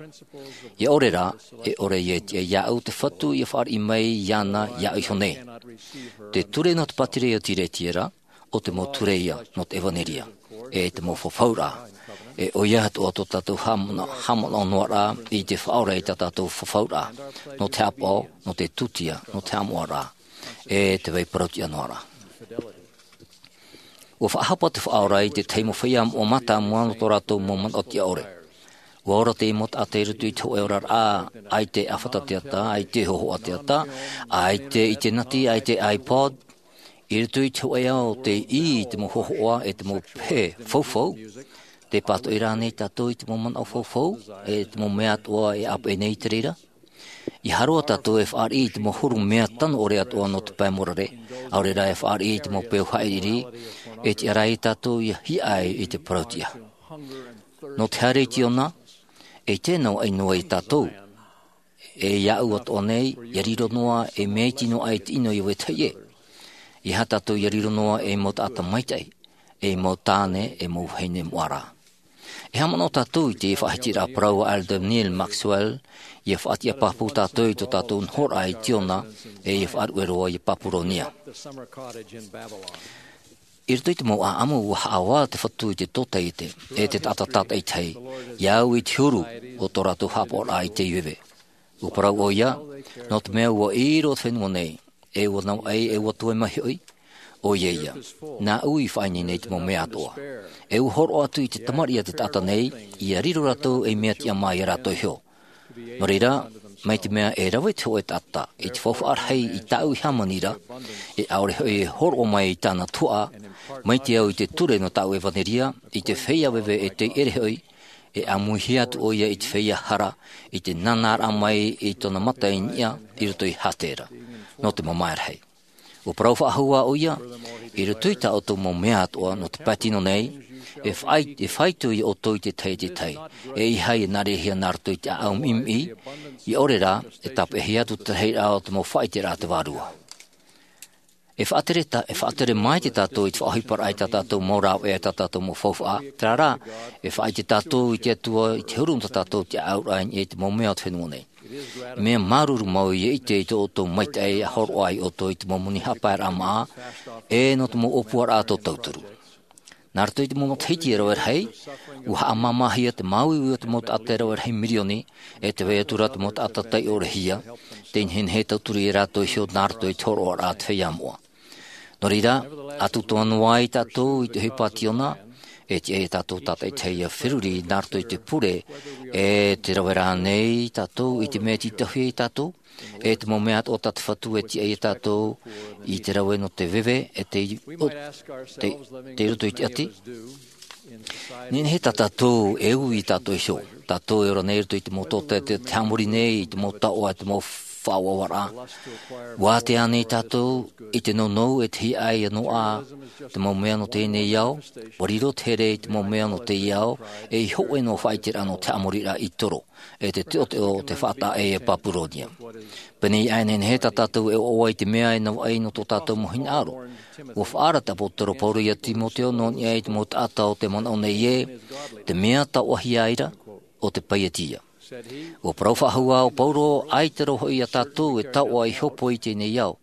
ʻIa ʻore rā, e ʻore ia e tiʻa iāʻu te Fatu ʻia fāriʻi mai iāna iāʻu iho nei. Te ture nō te pātireia tiretiera, ʻo te mau ture ia nō te ʻevanelia, e te mau fafauraʻa. E ʻoia atoʻa tō tātou haʻamana-, haʻamanaʻo noa rā i te faʻaora i tā tātou fafauraʻa, nō te haʻapaʻo, nō te tūtia, nō te haʻamoʻaraʻa, e te vai parautiʻa noa rā. ʻUa faʻahapa te faʻaora i te tahi mau feiā moʻa mātāmua nō tō rātou mau manaʻo tiʻa ʻore. ʻUa ora teie mau taʻata i roto i te hōʻē oraraʻa, ʻaita e ʻāfata teata, ʻaita e hōhoʻa teata, ʻaita e ʻitenati, ʻaita e iPod. I roto i te hōʻē ao tei ʻī i te mau hōhoʻa e te mau pehe faufau, tē pātoʻi ra ānei tātou i te mau manaʻo faufau, e te mau mea atoʻa e ʻāpeʻe nei i te reira? ʻIa haere tātou e fāriʻi i te mau huru mea tano ʻore atoʻa nō te pae mōrare, ʻaore rā e fāriʻi i te mau peu haʻiriʻiri, e tiʻa rā ia tātou ʻia hiaʻai i te parautiʻa. Nō te haere i Tiona, e tē navaʻi noa ia tātou. E iāʻu atoʻa nei, ʻia riro noa, e mea iti noa aʻe te ʻino i vetahi ʻē. ʻEiaha tātou ʻia riro noa ei mau taʻata maitaʻi, ei mau tāne, ei mau vahine moʻa rā. E haʻamanaʻo tātou i te faʻahitiraʻa parau a Elder Neal Maxwell, ʻia faʻatiʻa pāpū tātou i tō tātou nohoraʻa i Tiona, e ʻia faʻaruʻe roa ia Papuronia. I roto i te mau ʻāʻamu, ua haʻavā te Fatu i te tōtaiete e te taʻata tātaʻitahi, i au i te huru o tō rātou haʻapaʻoraʻa i te veve. Ua parau ʻoia, nō te mea ua ʻī roa te fenua nei, e ua navaʻi, e ua toe mahi hoʻi. ʻOia ia, nāʻu i faʻaineine i te mau mea atoʻa. E ua hōroʻa atu i te tamariʻi a te taʻata nei, ia riro rātou ei mea tiʻa mā ia rātou iho. Nō reira, mai te mea e rave te hōʻē taʻata i te faufaʻa rahi i tāʻu i hāmani ra, e ʻaore hoʻi e hōroʻa mai i tāna tuhaʻa, mai te au i te ture nō tāʻu ʻevaneria, i te feiā veve e tei ʻere hoʻi, e ʻāmuihia atu ʻoia i te feiā hara, i te nānāraʻa mai i tōna mata i niʻa i roto i Hātera, nō te mamae rahi. Ua parau faʻahou ā ʻoia, i roto i tā ʻoutou mau mea atoʻa nō te pae tino nei, e faʻai-, e faito ia ʻoutou i te tahi e te tahi, e ʻeiaha ia nā reira nā roto i te ʻāʻau miʻimiʻi, ʻia ʻore rā, e tāpeʻahia atu te rahiraʻa o te mau faʻaʻiteraʻa a te Vārua. E faʻatere ta-, e faʻatere maite tātou i te faʻaʻohiparaʻa i tā tātou mau rāveʻa, tā tātou mau faufaʻa, terā rā, e faʻaʻite tātou i te Atua, i te huru nō tā tātou te ʻāʻauraʻa i niʻa i te mau mea o te fenua nei. Mea māuruuru mau ia ʻite i tō ʻoutou maitaʻi a hōroʻa ai ʻoutou i te mau moni haʻapaeraʻa māʻa, e nō te mau ʻōpuaraʻa tō tauturu. Nā roto i te mau matahiti e rave rahi, ua haʻamāmāhia te māuiui o te mau taʻata e rave rahi mirioni, e te vai atu ra te mau taʻata taiʻorehia, tei nehenehe e tauturu ia rātou iho nā roto i te hōroʻaraʻa a te feiā moʻa. Nō reira, ʻa tūtō noa ai tātou i te ʻohipa a Tiona, e tiʻa ia tātou tātaʻitahi ʻia feruri nā roto i te pure, e te rave rānei tātou i te mea tītauhia ia tātou, e te mau mea atoʻa tā te Fatu e tiʻa ia tātou i te rave nō te veve, e te, o, te, te roto i te ʻati. Nehenehe tā tātou e ui ia tātou iho, tātou e ora nei i roto i te mau tōtaiete, te haʻamori nei i te mau taoʻa, te mau faʻauauaraʻa. Ua ātea nei tātou i te nounou e te hiaʻai noa, te mau mea nō teie nei ao, ua riro te here i te mau mea nō teie ao, e i hōʻē noa faʻaʻiteraʻa nō te haʻamoriraʻa i toro, e te teʻoteʻo o te faʻataʻa ʻē a Papuronia. Pēnei aʻe nehenehe tā tātou e ʻoaʻoa i te mea e navaʻi nō tō tātou mau hinaʻaro. Ua faʻaara te ʻāpōsetolo Pauro ia Timoteo nō niʻa i te mau taʻata o te manaʻo nei ē, te mea taoʻahia aʻera, ʻo te paieti ia. Ua parau faʻahou ā ʻo Pauro, ʻaita roa hoʻi ia tātou e taoʻa i hōpoi i teie nei ao.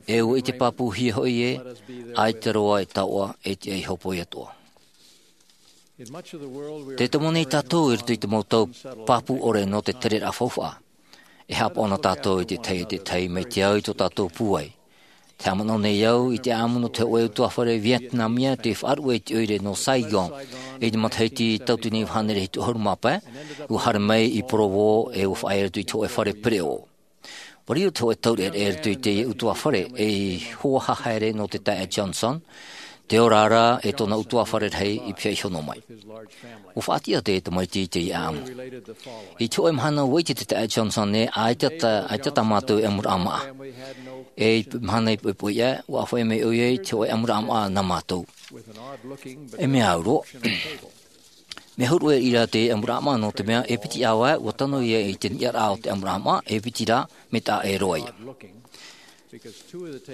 E ua ʻite pāpūhia hoʻi ē, ʻaita roa e taoʻa e tiʻa i hōpoi atoʻa. Tē tomo nei tātou i roto i te mau tau pāpū ʻore nō te tereraʻa faufaʻa. E haʻapaʻo na tātou i te tahi e te tahi mai te au i tō tātou pūai. Te haʻamanaʻo nei au i te ʻāʻamu nō te hōʻē ʻutuāfare Vietnamia tei faʻaruʻe i te ʻoire nō Saigon, i te matahiti tauatini e iva hānere hitu ʻahuru mā pae, ua haere mai i Provo e ua faʻaea i roto i te hōʻē fare pereʻoʻo. Ua riro te hōʻē taureʻareʻa i roto i teie ʻutuāfare ei hoa haere nō te taeaʻe Johnson, te ora ra e tōna ʻutuāfare rahi i pihaʻi iho noa mai. Ua faʻatiʻa te tamaiti i teie ʻāʻamu. I te hōʻē mahana ua ʻite te taeaʻe Johnson ē, ʻaita tā, ʻaita tā mātou e ʻamuraʻa māʻa. E i te mahana i poʻipoʻi aʻe, ua ʻāfaʻi mai ʻoia i te hōʻē ʻamuraʻa māʻa nā mātou. E mea au roa. Mea huru ʻē ʻia te ʻamuraʻa māʻa nō te mea e piti ʻāvae, ua tano ia i te niʻa ra o te ʻamuraʻa māʻa, e piti rā, mea taʻa ʻē roa ia.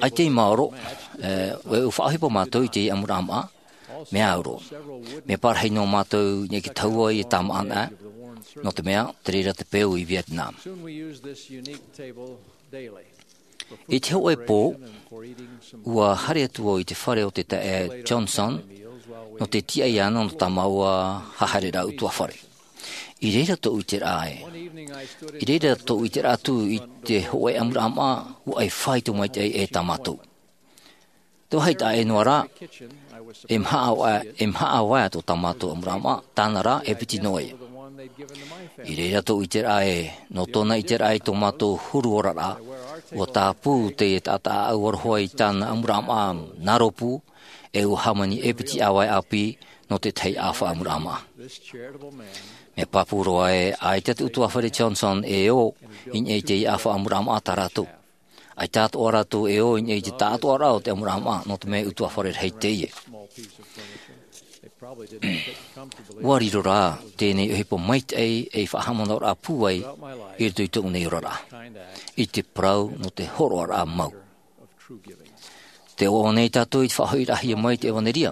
ʻAita i maoro, e, ʻua faʻaʻohipa mātou i te ʻamuraʻa māʻa, mea au roa. Mea parahi noa mātou i niʻa i te tahua i tāmāʻa anaʻe, nō te mea, te reira te peu i Vietnam. I te hōʻē pō, ua haere atu au i te fare o te taeaʻe Johnson, nō te tiʻa iāna nō tā māua haereraʻa ʻutuāfare. I reira tōʻu ʻiteraʻa ē. I reira tōʻu ʻiteraʻa atu i te hōʻē ʻamuraʻa māʻa, ua ʻai faito maitaʻi ʻē tā mātou. Te vāhi taʻa ʻē noa ra, e maha ʻāvae, e maha ʻāvae tō tā mātou ʻamuraʻa māʻa, tāna rā, e piti noa ia. I reira tōʻu ʻiteraʻa ē, nō tōna ʻiteraʻa i tō mātou huru oraraʻa, ua tāpū teie taʻata ʻāʻau aroha i tāna ʻamuraʻa māʻa nā rōpū, e ua hāmani e piti ʻāvae ʻāpī nō te tahi ʻāfa ʻamuraʻa māʻa. Mea pāpū roa ē, ʻaita te ʻutuāfare Johnson e ō i niʻa i teie ʻāfa ʻamuraʻa māʻa tā rātou. ʻAita atoʻa rātou e ō i niʻa i te taʻatoʻaraʻa o te ʻamuraʻa māʻa, nō te mea ʻutuāfare rahi teie. Ua riro rā teie nei ʻohipa maitaʻi ei faʻahaʻamanaʻoraʻa pūai i roto i tōʻu nei oraraʻa, i te parau nō te hōroʻaraʻa mau. Tē ʻoaʻoa nei tātou i te faʻahoʻiraʻahia mai i te ʻevaneria.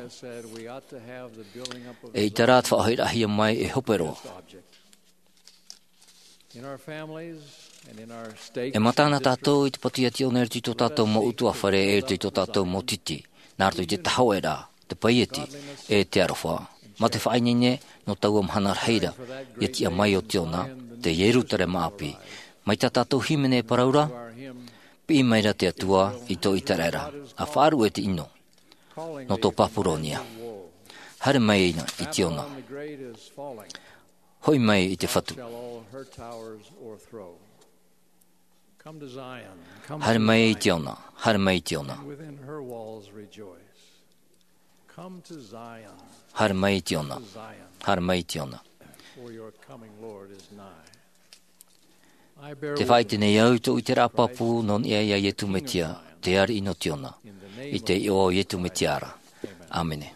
ʻEita rā te faʻahoʻiraʻahia mai e hope roa. E mata na tātou i te patu ia Tiona i roto i tō tātou mau ʻutuāfare, i roto i tō tātou mau tītī. Nā roto i te tahoʻe ra, te paieti, e te aroha, mā te faʻaineine nō taua mahana rahi ra, ia tiʻa mai ʻo Tiona, te Ierutarema ʻāpī, mai tā tātou hīmene e parau ra, piʻi mai ra te Atua i tō ʻĪteraʻera, ʻa faʻaruʻe te ʻino, nō tō Papuronia. Haere mai ina i Tiona. Hoʻi mai i te Fatu. Haere mai i Tiona, haere mai i Tiona. Haere mai i Tiona, haere mai i Tiona. Te faʻaʻite nei au i tō ʻĪteraʻa pāpū nō niʻa iā Iesu Mesia, te ariʻi nō Tiona. I te iʻoa o Iesu Mesia ra. ʻĀmene.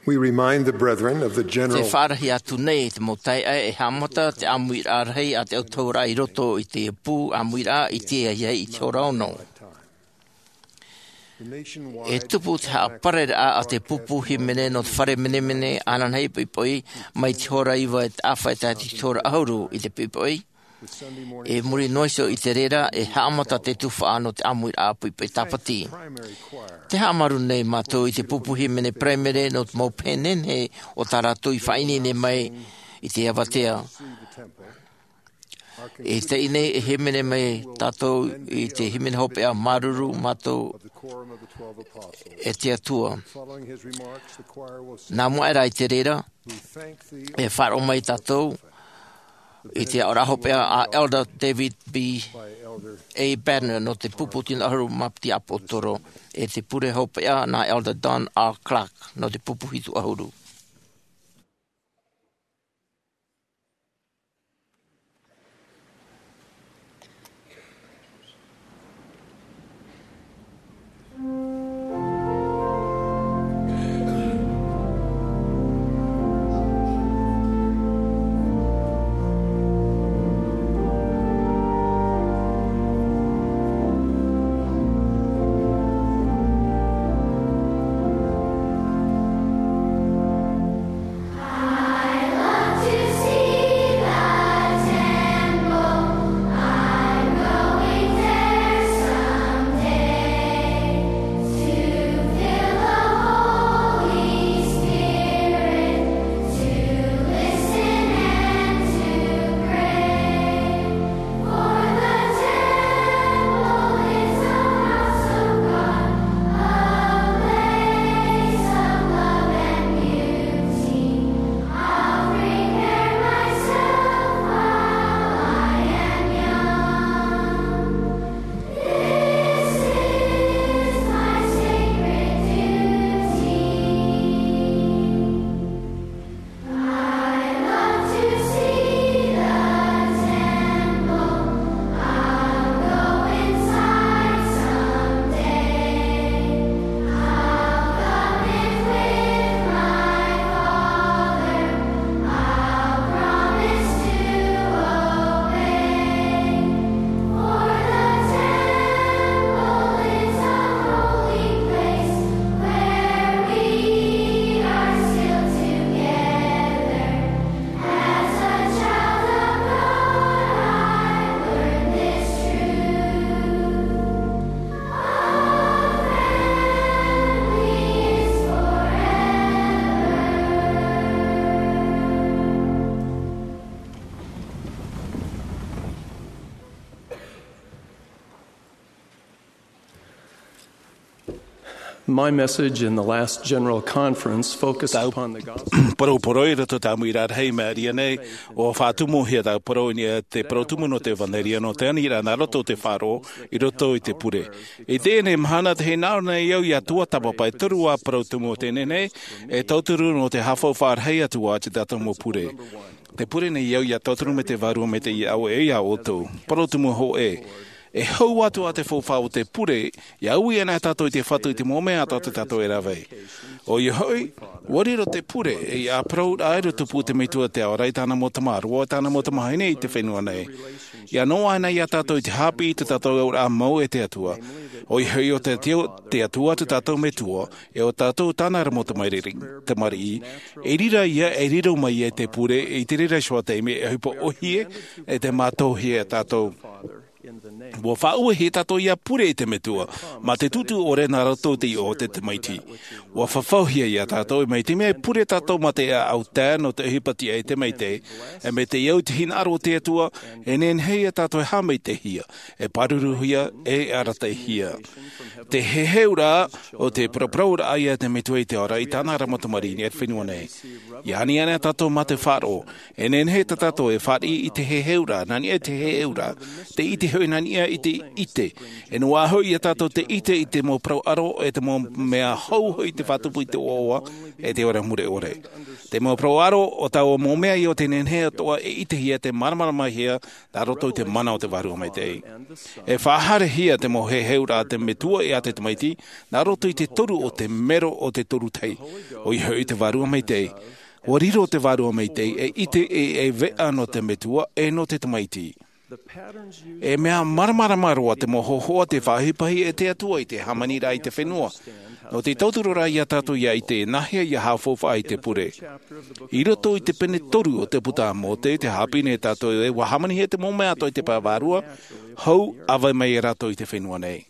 We remind the brethren of the general. Te faʻarahi atu nei te mau taeaʻe e haʻamata te ʻāmuiraʻa rahi a te autahuʻaraʻa i roto i te pū ʻāmuiraʻa i te ahiahi i te hora ono. E tupu te haʻapareraʻa a te pupu hīmene nō te fare menemene ananahi poʻipoʻi mai te hora iva e taʻa fā e tae atu i te hora ʻahuru i te poʻipoʻi. E muri noa iho i te reira, e haʻamata te tuhaʻa nō te ʻāmuiraʻa poʻipoʻi tāpati. Te haʻamaru nei mātou i te pupu hīmene paraimere nō te mau pēnene o tā rātou i faʻaineine mai i te avatea. E teie nei e hīmene mai tātou i te hīmene hopeʻa māuruuru mātou e te Atua. Nā mua aʻera i te reira, e faʻaroʻo mai tātou i te aʻoraʻa hopeʻa a Elder David B. A. Bednar nō te pupu tino ʻahuru mā piti ʻāpōsetolo, e te pure hopeʻa nā Elder Don R. Clark nō te pupu hitu ʻahuru. My message in the last general conference focused upon the gospel. Parau parau i roto i te ʻāmuiraʻa rahi i maʻiri aʻe nei, ʻua faʻatumu hia tāʻu parau i niʻa i te parau tumu nō te ʻevanelia nō te aniraʻa nā roto i te faʻaroʻo i roto i te pure. I teie nei mahana, tē hinaʻaro nei au iā tuatāpapa e toru ā parau tumu o teie nei, e tauturu nō te haʻafaufaʻa rahi atu ā i tā tātou mau pure. Tē pure nei au ʻia tauturu mai te Vārua Maitaʻi iāʻu e iā ʻoutou. Parau tumu hōʻē. E hau atu ā te faufaʻa o te pure, ia ui ana tātou i te Fatu i te mau mea atoʻa tā tātou e rave. ʻOia hoʻi, ua riro te pure, e ia parau rā e tupu te Metua te Ao Ra i tāna mau tamāroa, tāna mau tamāhine i te fenua nei. Ia noaʻa ana ia tātou i te haʻapiʻi i tā tātou auraʻa mau e te Atua. ʻOia hoʻi ʻo te Atua, te Atua tā tātou Metua, e ʻo tātou tāna ra mau tamariʻi, tamariʻi. I reira ia, e riro mai ia te pure, i te reira iho ā te mea e ʻohipa ʻōhie, e te mātauhia e tātou. Ua faʻauehia tātou ia pure i te Metua, mā te tūtū ʻore nā roto i te iʻoa o te Tamaiti. Ua fafauhia ia tātou, mai te mea e pure tātou mā te ʻāʻau tae nō te ʻohipa tiʻa i te Tamaiti, e mai te au i te hinaʻaro o te Atua, e nehenehe ia tātou e haʻamaitaʻihia, e pāruruhia, e arataʻihia. Te heheuraʻa, ʻo te paraparauraʻa ia te Metua i te Ao Ra i tāna ra mau tamariʻi i te fenua nei. Ia ani ana tātou mā te faʻaroʻo, e nehenehe tā tātou e fāriʻi i te heheuraʻa, nā niʻa i te heheuraʻa, te ʻite hoʻi nā niʻa i te ʻite. E noaʻa hoʻi ia tātou te ʻite i te mau parau ʻaro, e te mau mea hou hoʻi te faʻatupu i te ʻoaʻoa, e te ora mure ʻore. Te mau parau ʻaro, ʻo taua mau mea ia ʻo te nehenehe atoʻa e ʻitehia, te māramaramahia, nā roto i te mana o te Vārua Maitaʻi. E faʻahaerehia te mau heheuraʻa a te Metua e a te Tamaiti, nā roto i te toru o te mero o te toru tahi. ʻOia hoʻi te Vārua Maitaʻi. Ua riro te Vārua Maitaʻi, e ʻite e, e veʻa nō te Metua, e nō te Tamaiti. E mea māramarama roa te mau hōhoʻa tei faʻaʻohipa ai e te Atua i te hāmaniraʻa i te fenua. Nō te tauturu ra ia tātou ia ʻite e nāhea ia haʻafaufaʻa i te pure. I roto i te pene toru o te puta a Mōte, tē haʻapiʻi nei tātou ē, ʻua hāmanihia te mau mea atoʻa i te pae vārua, hou, ʻa vai mai ia rātou i te fenua nei.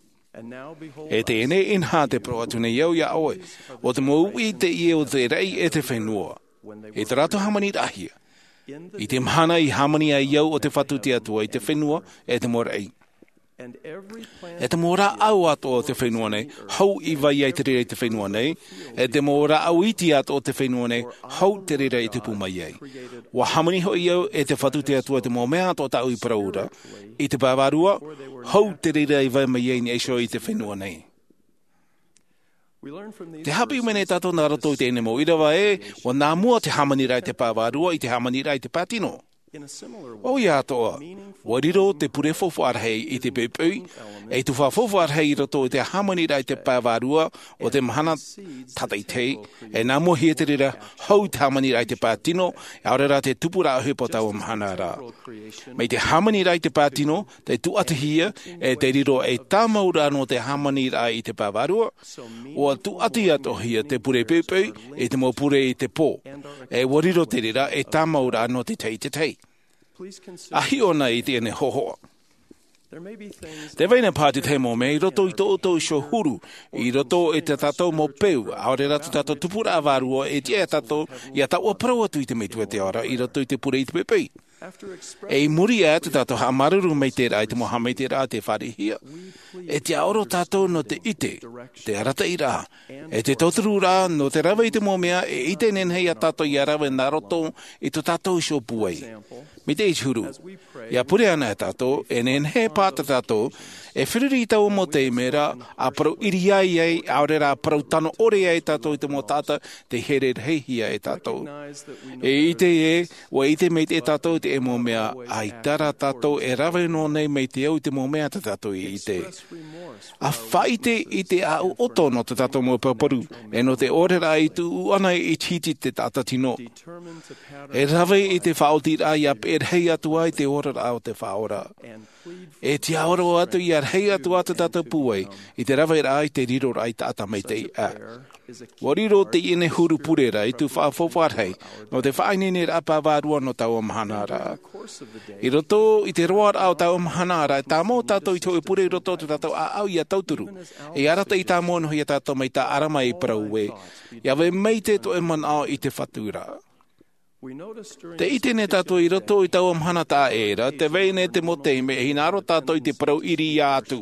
E teie nei, inaha, tē parau atu nei au ia ʻoe, ʻo te mau uʻi teie o te raʻi e te fenua. I tā rātou hāmaniraʻahia. I te mahana i hāmani ai au ʻo te Fatu te Atua i te fenua e te mau raʻi. E te mau rāʻau atoʻa o te fenua nei, hou i vai ai te reira i te fenua nei, e te mau rāʻau iti atoʻa o te fenua nei, hou te reira i tupu mai ai. ʻUa hāmani hoʻi au e te Fatu te Atua te mau mea atoʻa tāʻu i parau ra, i te pae vārua, hou te reira i vai mai ai i niʻa iho i te fenua nei. Tē haʻapiʻi mai nei tātou nā roto i teie nei mau ʻīrava ē, ʻua nā mua te hāmaniraʻa i te pae vārua i te hāmaniraʻa i te pae tino. ʻOia atoʻa, ʻua riro te pure faufaʻa rahi i te poʻipoʻi, e tuhaʻa faufaʻa rahi i roto i te hāmaniraʻa i te pae vārua o te mahana tātaʻitahi, e nā mua hia te reira hou te hāmaniraʻa i te pae tino, e ʻaore rā te tupuraʻa ʻohipa o taua mahana ra. Mai te hāmaniraʻa i te pae tino, tē tūʻatihia, e tē riro ei tāmauraʻa nō te hāmaniraʻa i te pae vārua, ʻua tūʻati atoʻahia te pure poʻipoʻi, i te mau pure i te pō. E ʻua riro te reira ei tāmauraʻa nō te tahi i te tahi. ʻA hiʻo na i teie nei hōhoʻa. Tē vai na paha te tahi mau mea i roto i tō ʻoutou iho huru, i roto i tā tātou mau peu, ʻaore rā tā tātou tupuraʻa vārua, e tiʻa ia tātou, ia taʻua parau atu i te Metua te Ao Ra, i roto i te pure i te poʻipoʻi. E i muri aʻe tā tātou haʻamāuruuru maitaʻi ra i te mau haʻamaitaʻiraʻa tē fāriʻihia, e tiʻaoro tātou nō te ʻite, te arataʻiraʻa, e te tautururaʻa nō te rave i te mau mea e ʻite nehenehe ia tātou ia rave nā roto i tō tātou iho pūai. Mai te ʻite huru, ia pure ana tātou, e nehenehe paha tā tātou, e feruri i taua mau taime ra, ʻa parau ʻiriaʻi ai, ʻaore rā parau tano ʻore ai tātou i te mau taʻata tē here rahihia e tātou. E ʻite ē, ʻua ʻite maitaʻi tātou i te mau mea, ʻaita rā tātou e rave noa nei mai te au i te mau mea tā tātou i ʻite. ʻA faʻaʻite i te ʻāʻau ʻoto nō tā tātou mau paparu, e nō te ʻōreraʻa i tuʻu ana i te hiti te taʻata tino. E rave i te faʻaotiraʻa ia peʻe rahi atu ai te oraraʻa o te Faʻaora. E tiʻaoro atu ia rahi atu ā tā tātou pūai, i te raveraʻa i te riroraʻa i taʻata maitaʻi aʻe. ʻUa riro teie nei huru pure ra ei tuhaʻa faufaʻa rahi, nō te faʻaineineraʻa pae vārua nō taua mahana ra. I roto i te roaraʻa o taua mahana ra, e tāmau tātou i te hōʻē pure i roto i tō tātou ʻāʻau ia tauturu. E arataʻi tāmau noa ia tātou mai tā ʻAlama i parau ē, ia vai maitaʻi tō ʻoe manaʻo i te Fatu ra. Tē ʻite nei tātou i roto i taua mahana taʻa ʻē ra, tē vai nei te mau taime e hinaʻaro tātou i te parau ʻiriaʻi atu.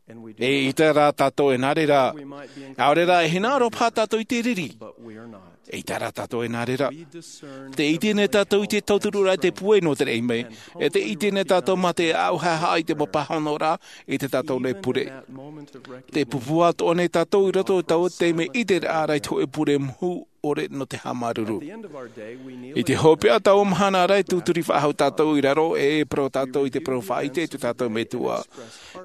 ʻEita rā tātou e nā reira. ʻAore rā e hinaʻaro paha tātou i te riri. ʻEita rā tātou e nā reira. Tē ʻite nei tātou i te tautururaʻa i te pūai nō te raʻi mai. E tē ʻite nei tātou mā te ʻāʻau haʻehaʻa i te mau pāhonoraʻa i tā tātou nei pure. Tē pūpū atoʻa nei tātou i roto i taua taime ʻiteraʻa ra i te hōʻē pure mohu. ʻore nō te haʻamāuruuru. I te hopeʻa o taua mahana ra, e tūturi faʻahou tātou i raro, e parau tātou i te parau faʻaʻite i tō tātou Metua.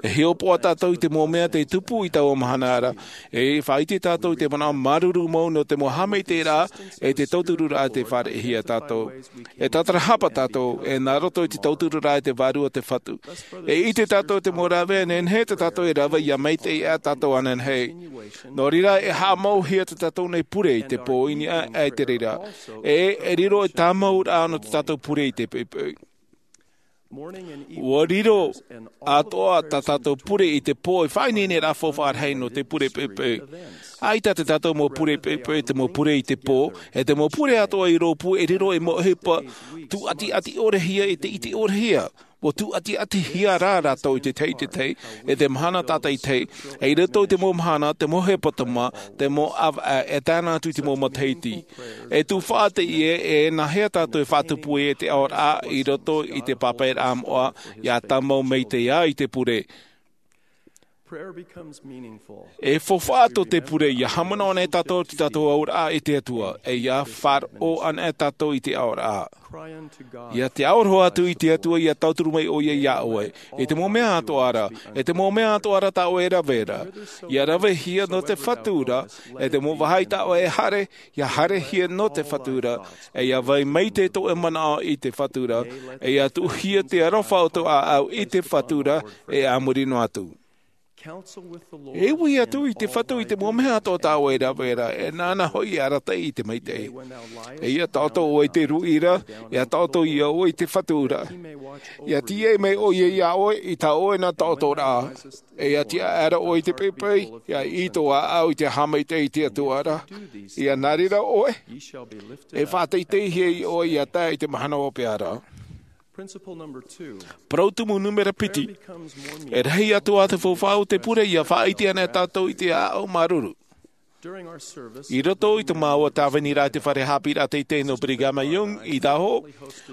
E hiʻopoʻa tātou i te mau mea tei tupu i taua mahana ra, e faʻaʻite tātou i te manaʻo māuruuru mau nō te mau haʻamaitaʻiraʻa, e te tautururaʻa tei fāriʻihia tātou. E tātarahapa tātou, e nā roto i te tautururaʻa e te Vārua o te Fatu. E ʻite tātou te mau rāveʻa, nehenehe tā tātou e rave ia maitaʻi ā tātou ananahi. Nō reira, e haʻamauhia tā tātou nei pure i te pō i niʻa i te reira. E, e riro e tāmauraʻa nō tā tātou pure i te poʻipoʻi. ʻUa riro atoʻa tā tātou pure i te pō, e faʻaineineraʻa faufaʻa rahi nō te pure poʻipoʻi. ʻAita tā tātou mau pure poʻipoʻi, te mau pure i te pō, e te mau pure atoʻa i rōpū, e riro ei mau ʻohipa tūʻatiʻati ʻorehia, e te ʻite ʻorehia. ʻUa tūʻatiʻatihia rā rātou i te tahi i te tahi, e te mahana tātaʻitahi, e i roto i te mau mahana, te mau hepetoma, te mau ʻāvaʻe, e tae noa atu i te mau matahiti. E tufaʻa teie, e nāhea tātou e faʻatupu ai te aʻoraʻa i roto i te pāpaʻiraʻa moʻa, ʻia tāmau maitaʻi ā i te pure. E faufaʻa tō te pure, ʻia haʻamanaʻo anaʻe tātou i tō tātou aʻoraʻa i te Atua, e ʻia faʻaroʻo anaʻe tātou i te aʻoraʻa. ʻIa te aroha atu i te Atua, ʻia tauturu mai ʻoia iā ʻoe. E te mau mea atoʻa ra, e te mau mea atoʻa ra tā ʻoe e rave ra. ʻIa ravehia nō te Fatu ra, e te mau vāhi tā ʻoe e haere, ʻia haerehia nō te Fatu ra, e ʻia vai maitaʻi tō ʻoe manaʻo i te Fatu ra, e ʻia tuʻuhia te aroha o tō ʻāʻau i te Fatu ra, e a muri noa atu. E ui atu i te Fatu i te mau mea atoʻa tā ʻoe e rave ra, e nāna hoʻi e arataʻi i te maitaʻi. E ʻia taʻoto ʻoe i te ruʻi ra, ʻia taʻoto ia ʻoe i te Fatu ra. ʻIa tīaʻi mai ʻoia iā ʻoe i tā ʻoe na taʻotoraʻa. E ʻia tiʻaʻera ʻoe i te poʻipoʻi, ʻia ʻī tō ʻāʻau i te haʻamaitaʻi i te Atua ra. ʻIa nā reira ʻoe, e faʻateiteihia ʻoe ʻia tae i te mahana hopeʻa ra. Parau tumu nūmera piti. E rahi atu ā te faufaʻa o te pure, ʻia faʻaʻite anaʻe tātou i te aʻo māuruuru. I roto i tō māua tāviniraʻa i te fare haʻapiʻiraʻa teitei nō Brigham Young i Idaho,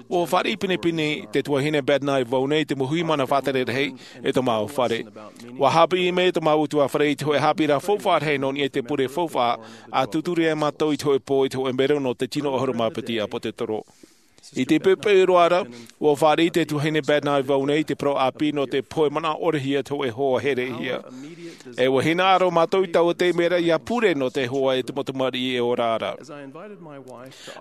ʻua fāriʻi pinepine te tuahine Bednar i vau nei i te mau hui mana faʻatere rahi i tō māua fare. ʻUa haʻapiʻi mai tō māua ʻutuāfare i te hōʻē haʻapiʻiraʻa faufaʻa rahi nō niʻa i te pure faufaʻa, ʻa tūturi ai mātou i te hōʻē pō i te hōʻē mero nō te tino ʻahuru mā piti ʻāpōtetoro. I te poʻipoʻi roa ra, ʻua fāriʻi te tuahine Bednar i vau nei i te parau ʻāpī nō te pohe manaʻo ʻorehia te hōʻē hoa herehia. E ʻua hinaʻaro mātou i taua taime ra ʻia pure nō te hoa e te mau tamariʻi e ora ra.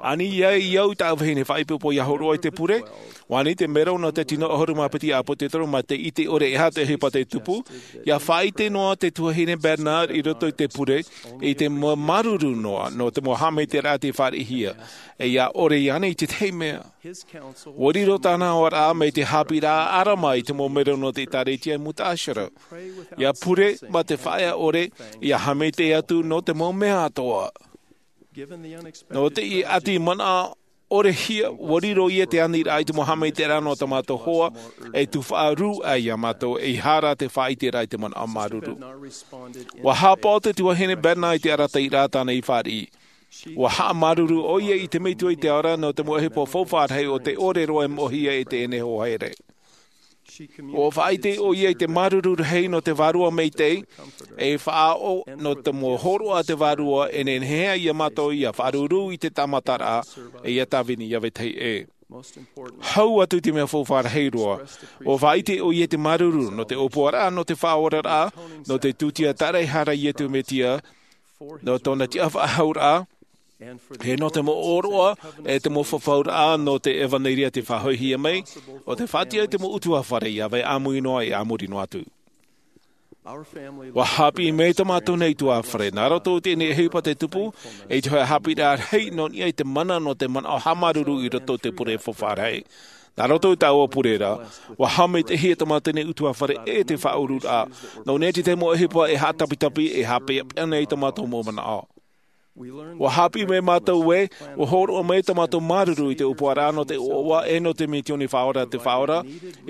Ani ia i au i tāʻu vahine faʻaipoipo ʻia hōroʻa i te pure, ʻua ani te mero nō te tino ʻahuru mā piti ʻāpōtetoro mā te ʻite ʻore e aha te ʻohipa tei tupu, ʻia faʻaʻite noa te tuahine Bednar i roto i te pure, i te mau māuruuru noa, nō te mau haʻamaitaʻiraʻa tei fāriʻihia, e ʻia ʻore iāna i te tahi mea. ʻUa riro tāna aʻoraʻa mai te haʻapiʻiraʻa ʻĀrama i te mau mero nō te ʻĒtārētia i Muta'assara. ʻIa pure mā te faʻaea ʻore, ʻia haʻamaitaʻi atu nō te mau mea atoʻa. Nō te ʻati manaʻo ʻorehia, ʻua riro ia te aniraʻa i te mau haʻamaitaʻiraʻa nō tā mātou hoa, e tufaʻa rū ai iā mātou, ʻeiaha rā te faʻaʻiteraʻa i te manaʻo māuruuru. ʻUa haʻapaʻo te tuahine Bednar i te arataʻiraʻa tāna i fāriʻi. ʻUa haʻamāuruuru ʻoia i te Metua i te ao ra nō te mau ʻohipa faufaʻa rahi o te ʻore roa e moʻehia e teie nei hoa here. ʻUa faʻaʻite ʻoia i te māuruuru rahi nō te Vārua Maitaʻi, e faʻaʻo nō te mau hōroʻa a te Vārua e nehenehe ai iā mātou ʻia faʻaruru i te tāmataraʻa, e ʻia tāvini ʻia vetahi ʻē. Hau atu i te mea faufaʻa rahi roa. ʻUa faʻaʻite ʻoia i te māuruuru nō te ʻōpuaraʻa, nō te faʻaoraraʻa, nō te tūtia tāraehara a Iesu Mesia, nō tōna tiʻafaʻahouraʻa, e nō te mau ʻōroʻa, e te mau fafauraʻa nō te ʻevanelia tei faʻahoʻihia mai, ʻo te faʻatiʻa i te mau ʻutuāfare ʻia vai ʻāmui noa, e a muri noa atu. ʻUa haʻapiʻi mai tō mātou nei ʻutuāfare, nā roto i teie nei ʻohipa tei tupu, i te hōʻē haʻapiʻiraʻa rahi nō niʻa i te mana nō te manaʻo haʻamāuruuru i roto i te pure faufaʻa rahi. Nā roto i taua pure ra, ʻua haʻamaitaʻihia tō mātou nei ʻutuāfare e te faʻaururaʻa, nō niʻa i te mau ʻohipa e haʻatapitapi, e haʻapeʻapeʻa nei tō mātou mau manaʻo. ʻUa haʻapiʻi mai mātou ē, ʻua hōroʻa mai tō mātou māuruuru i te ʻōpuaraʻa nō te ʻoaʻoa e nō te misiōni Faʻaora a te Faʻaora,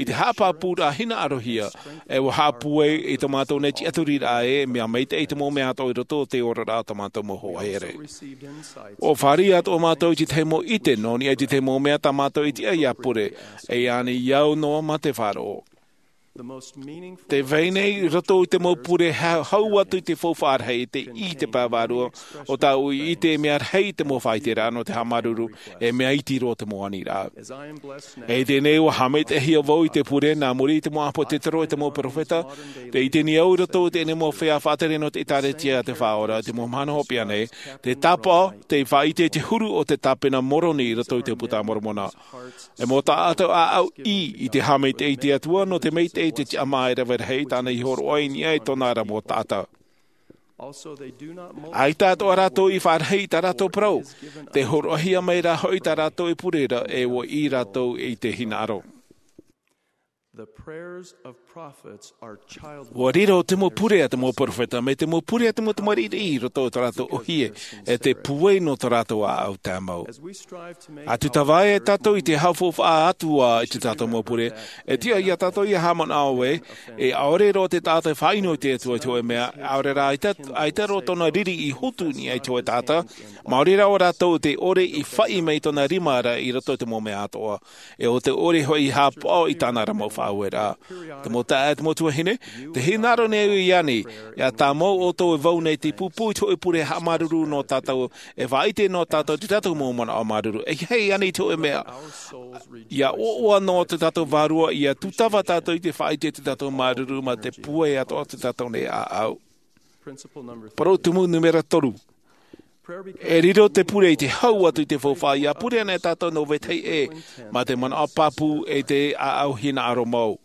i te haʻapāpūraʻa hinaʻarohia, e ʻua haʻapūai i tō mātou nei tiʻaturiraʻa ē, mea maitaʻi te mau mea atoʻa i roto i te oraraʻa o tō mātou mau hoa here. ʻUa fāriʻi atoʻa mātou i te tahi mau ʻite, nō niʻa i te tahi mau mea tā mātou i tiʻa ʻia pure, e ani au noa mā te faʻaroʻo. Te vai nei i roto i te mau pure hau atu i te faufaʻa rahi, te ʻī i te pae vārua o tāʻu i ʻite e mea rahi te mau faʻaiteraʻa nō te haʻamāuruuru, e mea iti roa te mau aniraʻa. E teie nei ua haʻamaitaʻihia vau i te pure nā muri i te mau ʻāpōsetolo e te mau peropheta. Te ʻite nei au i roto i teie nei mau feiā faʻatere nō te ʻēkālesia a te Faʻaora, te mau mahana hopeʻa nei, te tāpaʻo, te faʻaite i te huru o te tāpena Moroni i roto i te Puta a Moromona. E mau taʻata ʻāʻau ʻī i te haʻamaitaʻi i te Atua nō te maitaʻi i te tiʻamā e rave rahi tāna i hōroʻa i niʻa i tōna ra mau taʻata. ʻAita atoʻa rātou i faʻarahi i tā rātou parau. Te hōroʻahia mai rā hoʻi tā rātou e pure ra, e ʻua ʻī rātou i te hinaʻaro. Ua riro te mau pure a te mau peropheta mai te mau pure a te mau tamariʻi i roto i tā rātou ʻohie, e te puai nō tā rātou ʻāʻau tāmau. A tūtava ai tātou i te haʻafaufaʻa atu ā i tā tātou mau pure, e tiʻa ia tātou ia haʻamanaʻo ē, e ʻaore roa te taʻata e faʻaʻino i te Atua i te hōʻē mea, ʻaore rā ʻaita, ʻaita roa tōna riri i hotu i niʻa i te hōʻē taʻata, maori rā ʻo rātou te ʻore i faʻi mai tōna rima ra i roto i te mau mea atoʻa, e ʻo te ʻore hoʻi i haʻapaʻo i tāna ra mau faʻaueraʻa. Te mau taeaʻe, te mau tuahine, tē hinaʻaro nei au iāna, ʻia tāmau ʻoutou e vau nei te pūpū i te hōʻē pure haʻamāuruuru nō tātou, e faʻaʻite nō tātou te tātou mau manaʻo māuruuru. E ʻeiaha ānei te hōʻē mea, ʻia ʻoaʻoa noa tō tātou Vārua, ʻia tūtava tātou i te faʻaʻite i tō tātou māuruuru mā te puai atoʻa o tō tātou nei ʻāʻau. Parau tumu nūmera toru. E riro te pure i te hau atu i te faufaʻa, ʻia pure ana tātou nō vetahi ʻē, mā te manaʻo pāpū e te ʻāʻau hinaʻaro mau.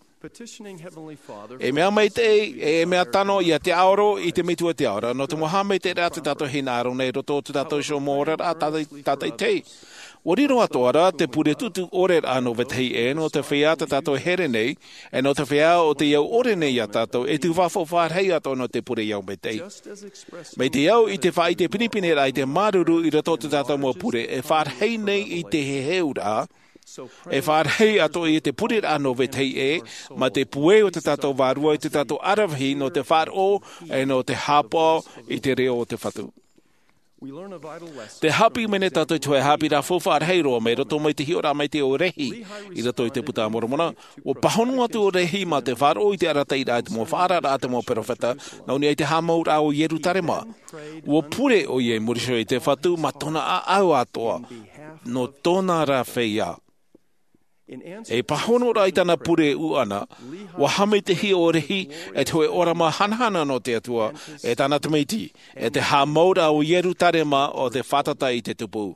E mea maitaʻi, e mea tano ʻia te ʻaoro i te Metua te Ao ra, nō te mau haʻamaitaʻiraʻa tō tātou hinaʻaro nei i roto i tō tātou iho mau oraraʻa tātaʻitahi. Ua riro atoʻa ra te pure tuʻutuʻu ʻore ra nō vetahi ʻē, nō te feiā tā tātou e here nei, e nō te feiā ʻo tei au ʻore nei iā tātou, e tū faʻafaufaʻa rahi atoʻa nō te pure i au maitaʻi. Mai te au i te faʻaʻite pinepine ra i te māuruuru i roto i tō tātou mau pure, e faʻarahi nei i te heheuraʻa, e faʻarahi atoʻa i te pureraʻa nō vetahi ʻē, mā te puai o tō tātou Vārua i tō tātou ʻaravihi nō te faʻaroʻo, e nō te haʻapaʻo i te reo o te Fatu. Te haʻapiʻi mai nei tātou i te hōʻē haʻapiʻiraʻa faufaʻa rahi roa mai roto mai te hiʻoraʻa maitaʻi o Rehi, i roto i te Puta a Moromona. Ua pāhono atu ʻo Rehi mā te faʻaroʻo i te arataʻiraʻa i te mau faʻaararaʻa a te mau peropheta, nā niʻa i te haʻamauraʻa o Ierutarema. Ua pure ʻoia i muri iho i te Fatu mā tōna ʻāʻau atoʻa, nō tōna ra feiā. E pāhono ra i tāna pure ʻuʻana, ua haʻamaitaʻihia ʻo Rehi e te hōʻē ʻōrama hanahana nō te Atua, e tāna tamaiti, e te haʻamauraʻa o Ierutarema ʻo te fātata i te tupu.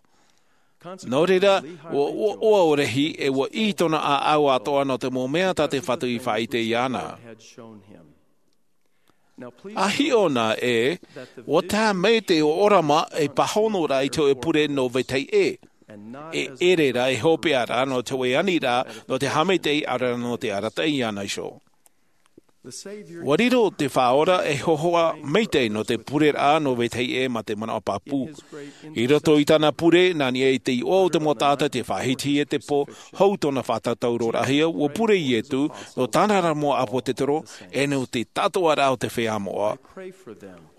Nō reira, ua ʻoaʻoa ʻo Rehi, e ua ʻī tōna ʻāʻau atoʻa nō te mau mea tā te Fatu i faʻaʻite iāna. ʻA hiʻo na ē, ʻua tae mai te ʻōrama e pāhono ra i te hōʻē pure nō vetahi ʻē, e ʻere ra e hopeʻa ra nō te hōʻē aniraʻa, nō te haʻamaitaʻi ʻaore rā nō te arataʻi iāna iho. Ua riro te Faʻaora e hōhoʻa maitaʻi nō te pureraʻa nō vetahi ʻē mā te manaʻo pāpū. I roto i tāna pure, nā niʻa i te iʻoa o te mau taʻata tei faʻahitihia te pō, hou tōna faʻatātauroraʻahia, ua pure Ietu, nō tāna ra mau ʻāpōsetolo, e nō te tātoʻaraʻa o te feiā moʻa.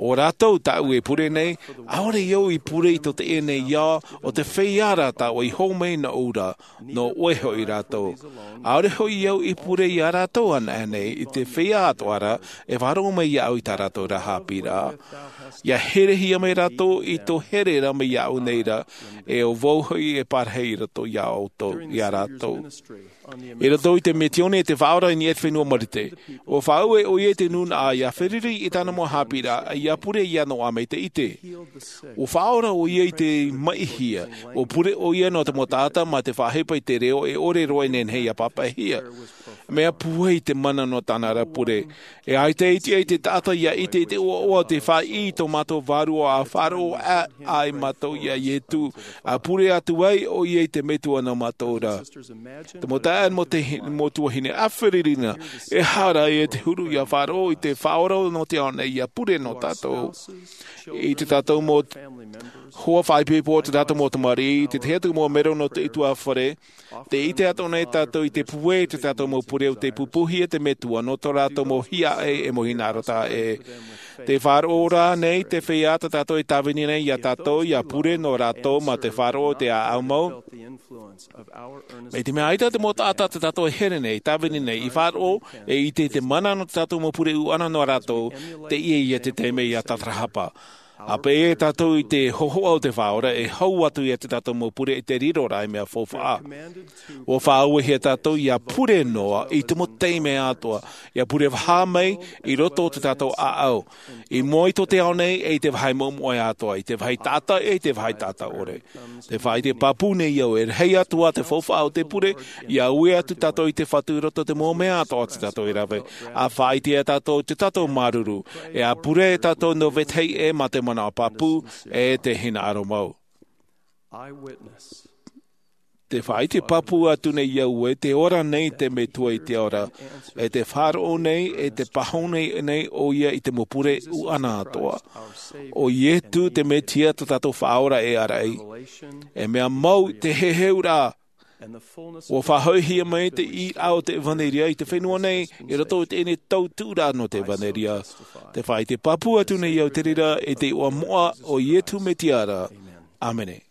ʻO rātou tāʻu e pure nei, ʻaore au i pure i tō teie nei ao, ʻo te feiā rā tāʻu i hō mai nōʻu ra, nō ʻoe hoʻi rātou. ʻAore hoʻi au i pure iā rātou anaʻe nei, i te feiā atoʻa ra, e faʻaroʻo mai iāʻu i tā rātou ra haʻapiʻiraʻa. ʻIa herehia mai rātou i tō here ra mai iāʻu nei ra, e ʻo vau hoʻi e parahi i roto iā ʻoutou, iā rātou. I roto i te misiōni a te Faʻaora i niʻa i te fenua Marite, ʻua faʻaue ʻoia i te nūnaʻa ʻia feruri i tāna mau haʻapiʻiraʻa, ʻia pure iāna ʻo ʻāmaitaʻi ʻite. ʻUa faʻaora ʻoia i te maʻihia, ʻua pure ʻoia nō te mau taʻata mā te faʻaʻohipa i te reo e ʻore roa e nehenehe ʻia pāpaʻihia. Mea puai te mana nō tāna ra pure. E ʻaita e tiʻa i te taʻata ʻia ʻite i te ʻoaʻoa o te faʻaʻī i tō mātou Vārua ʻa faʻaroʻo aʻe ai mātou iā Ietu, ʻa pure atu ai ʻoia i te Metua nō mātou ra. Te mau taeaʻe, mau te hi-, mau tuahine, ʻa feruri na, e aha rā e te huru ʻia faʻaroʻo i te Faʻaora nō te ao nei ʻia pure nō tātou. I tō tātou mau hoa faʻaipoipo, tō tātou mau tamariʻi, i te tahi atu mau melo nō te ʻutuāfare, tē ʻite atoʻa nei tātou i te puai o tō tātou mau pure. pure o te pupuhi e te metua nō tō rātou mau hiaʻai e mau hinaʻaro taʻa ʻē. Te faʻaroʻo rā nei te feiā tā tātou e tāvini nei iā tātou ia pure nō rātou mā te faʻaroʻo o te ʻāʻau mau. Mai te mea ʻaita te mau taʻata tā tātou e here nei, tāvini nei, i faʻaroʻo, e ʻite i te mana nō tā tātou mau pure ʻuʻana nō rātou, teie ia te taime ia tātarahapa. ʻA peʻe tātou i te hōhoʻa o te Faʻaora, e hau atu ia tā tātou mau pure i te riro ra ei mea faufaʻa. ʻUa faʻauehia tātou ia pure noa i te mau taime atoʻa, ia pure vaha mai i roto o tā tātou ʻāʻau, i mua i tō te ao nei, e i te vāhi moʻemoʻe atoʻa, i te vāhi taʻata, e i te vāhi taʻata ʻore. Te faʻaʻite pāpū nei au, e rahi atu ā te faufaʻa o te pure, ia ui atu tātou i te Fatu i roto i te mau mea atoʻa tā tātou e rave. ʻA faʻaʻite ia tātou i tō tātou māuruuru, e ʻa pure tātou nō vetahi ʻē mā te manaʻo pāpū, e te hinaʻaro mau. Te faʻaʻite pāpū atu nei au ē, tē ora nei te Metua i te ao ra, e tē faʻaroʻo nei, e tē pāhono nei ʻoia i te mau pure ʻuʻana atoʻa. ʻO Ietu te Mesia tā tātou Faʻaora e āraʻi. E mea mau te heheuraʻa. ʻUa faʻahoʻihia mai te ʻīraʻa o te ʻevanelia i te fenua nei, i roto i teie nei tautuʻuraʻa nō te ʻevanelia. Te faʻaʻite pāpū atu nei au te reira i te iʻoa moʻa o Ietu Mesia ra. ʻĀmene.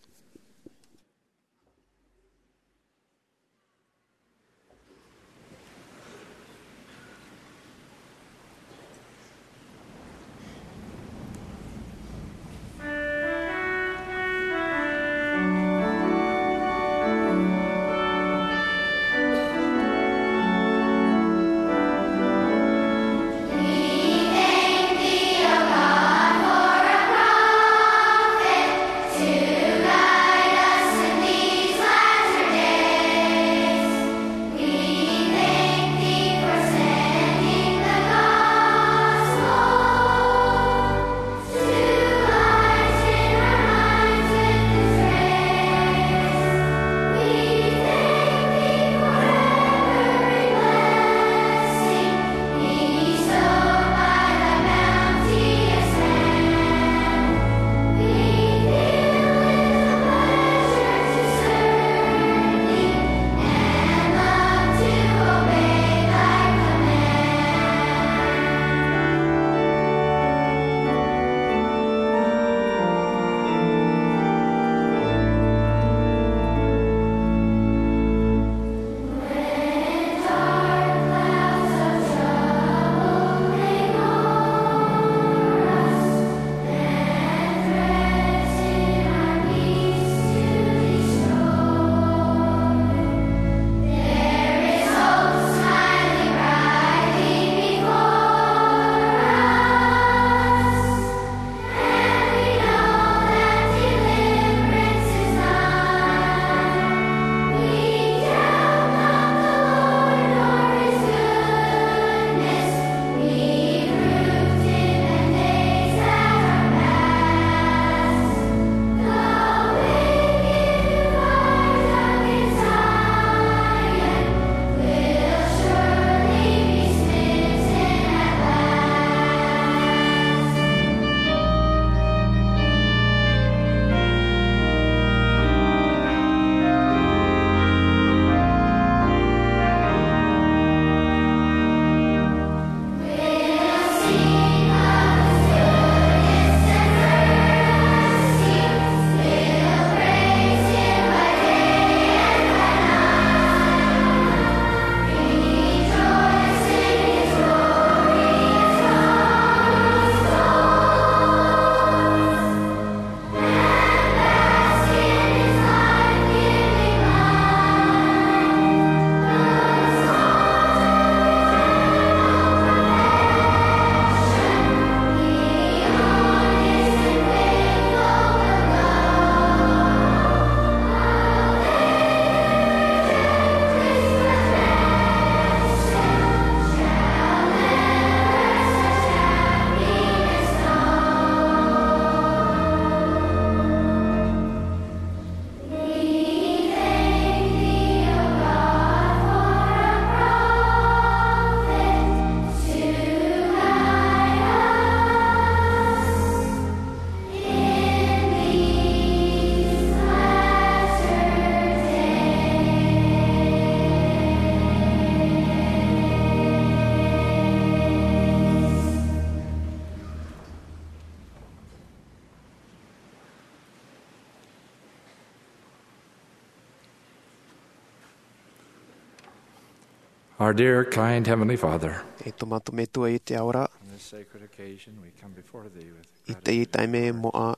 Our dear, kind Heavenly Father, e tō mātou Metua i te ao ra, on this sacred occasion, we come before thee with i teie taime moʻa,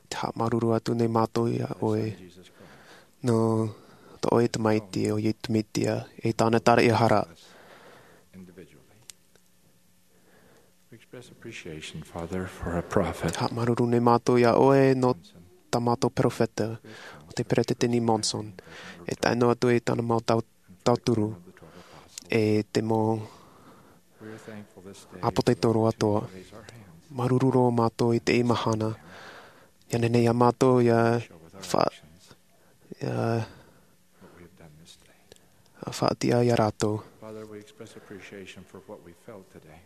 te haʻamāuruuru atu nei mātou iā ʻoe, nō tō ʻoe Tamaiti ʻo Iesu Mesia, e tāna taraʻehara. Individually. We express appreciation, Father, for a prophet. Haʻamāuruuru nei mātou iā ʻoe nō tā mātou peropheta, ʻo te Peresideni Monson. E tae noa atu i tāna mau tau-, tauturu, e te mau ʻāpōsetolo atoʻa. Māuruuru roa mātou i teie mahana. ʻIa nehenehe iā mātou ʻia fa-, ʻia faʻatiʻa iā rātou. Father, we express appreciation for what we felt today.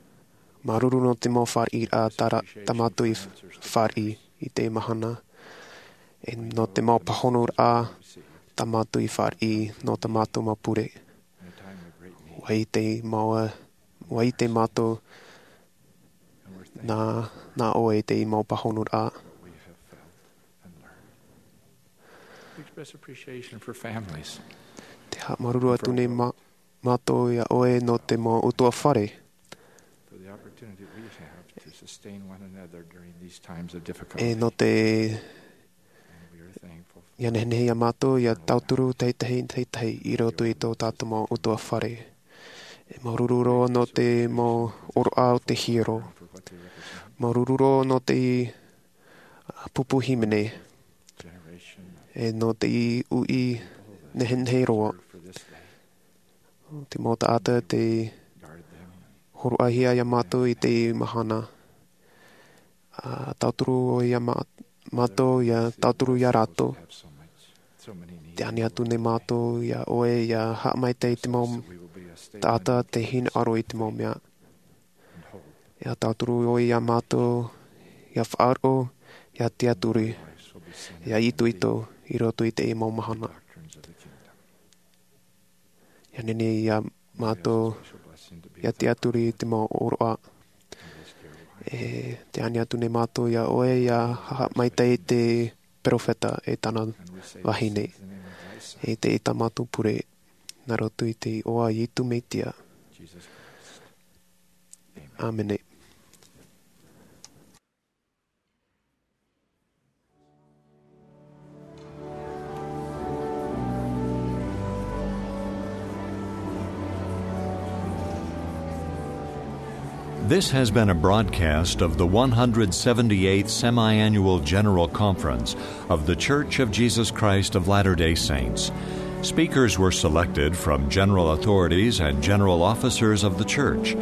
Māuruuru nō te mau fāriʻiraʻa tā ra-, tā mātou i fāriʻi i teie mahana. E nō te mau pāhonoraʻa tā mātou i fāriʻi nō tā mātou mau pure. In a time of great need. ʻUa ʻite mau, ʻua ʻite mātou nā, nā ʻoe i teie mau pāhonoraʻa. We have felt and learned. We express appreciation for families. Te haʻamāuruuru atu nei mā-, mātou iā ʻoe nō te mau ʻutuāfare. For the opportunity we have to sustain one another during these times of difficulty. E nō te, and we are thankful for ʻia nehenehe iā mātou ʻia tauturu tētahi, tētahi i roto i tō tātou mau ʻutuāfare. E māuruuru roa nō te mau ʻōroʻa o te hiero. Māuruuru roa nō te, ā, pupu hīmene. E nō te uʻi nehenehe roa. Te mau taʻata tei hōroʻahia iā mātou i teie mahana. Ā, tauturu ʻoe iā mā-, mātou, ʻia tauturu iā rātou. Te ani atu nei mātou iā ʻoe, ʻia haʻamaitaʻi i te mau taʻata tei hinaʻaro i te mau mea. ʻIa tauturu ʻoe iā mātou, ʻia faʻaroʻo, ʻia tiʻaturi, ʻia itoito i roto i teie mau mahana. ʻIa nehenehe iā mātou, ʻia tiʻaturi i te mau ʻōroʻa. E te ani atu nei mātou iā ʻoe, ʻia haʻamaitaʻi i te peropheta e tāna vahine. E te, i tā mātou pure, nā roto i te iʻoa o Iesu Mesia. ʻĀmene. This has been a broadcast of the one hundred seventy-eighth Semi-Annual General Conference of The Church of Jesus Christ of Latter-day Saints. Speakers were selected from general authorities and general officers of the church.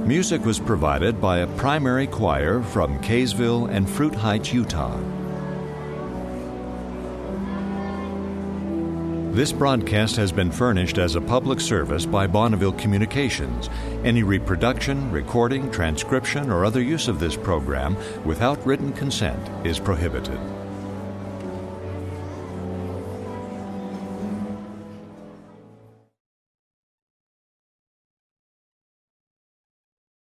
Music was provided by a primary choir from Kaysville and Fruit Heights, Utah. This broadcast has been furnished as a public service by Bonneville Communications. Any reproduction, recording, transcription, or other use of this program without written consent is prohibited.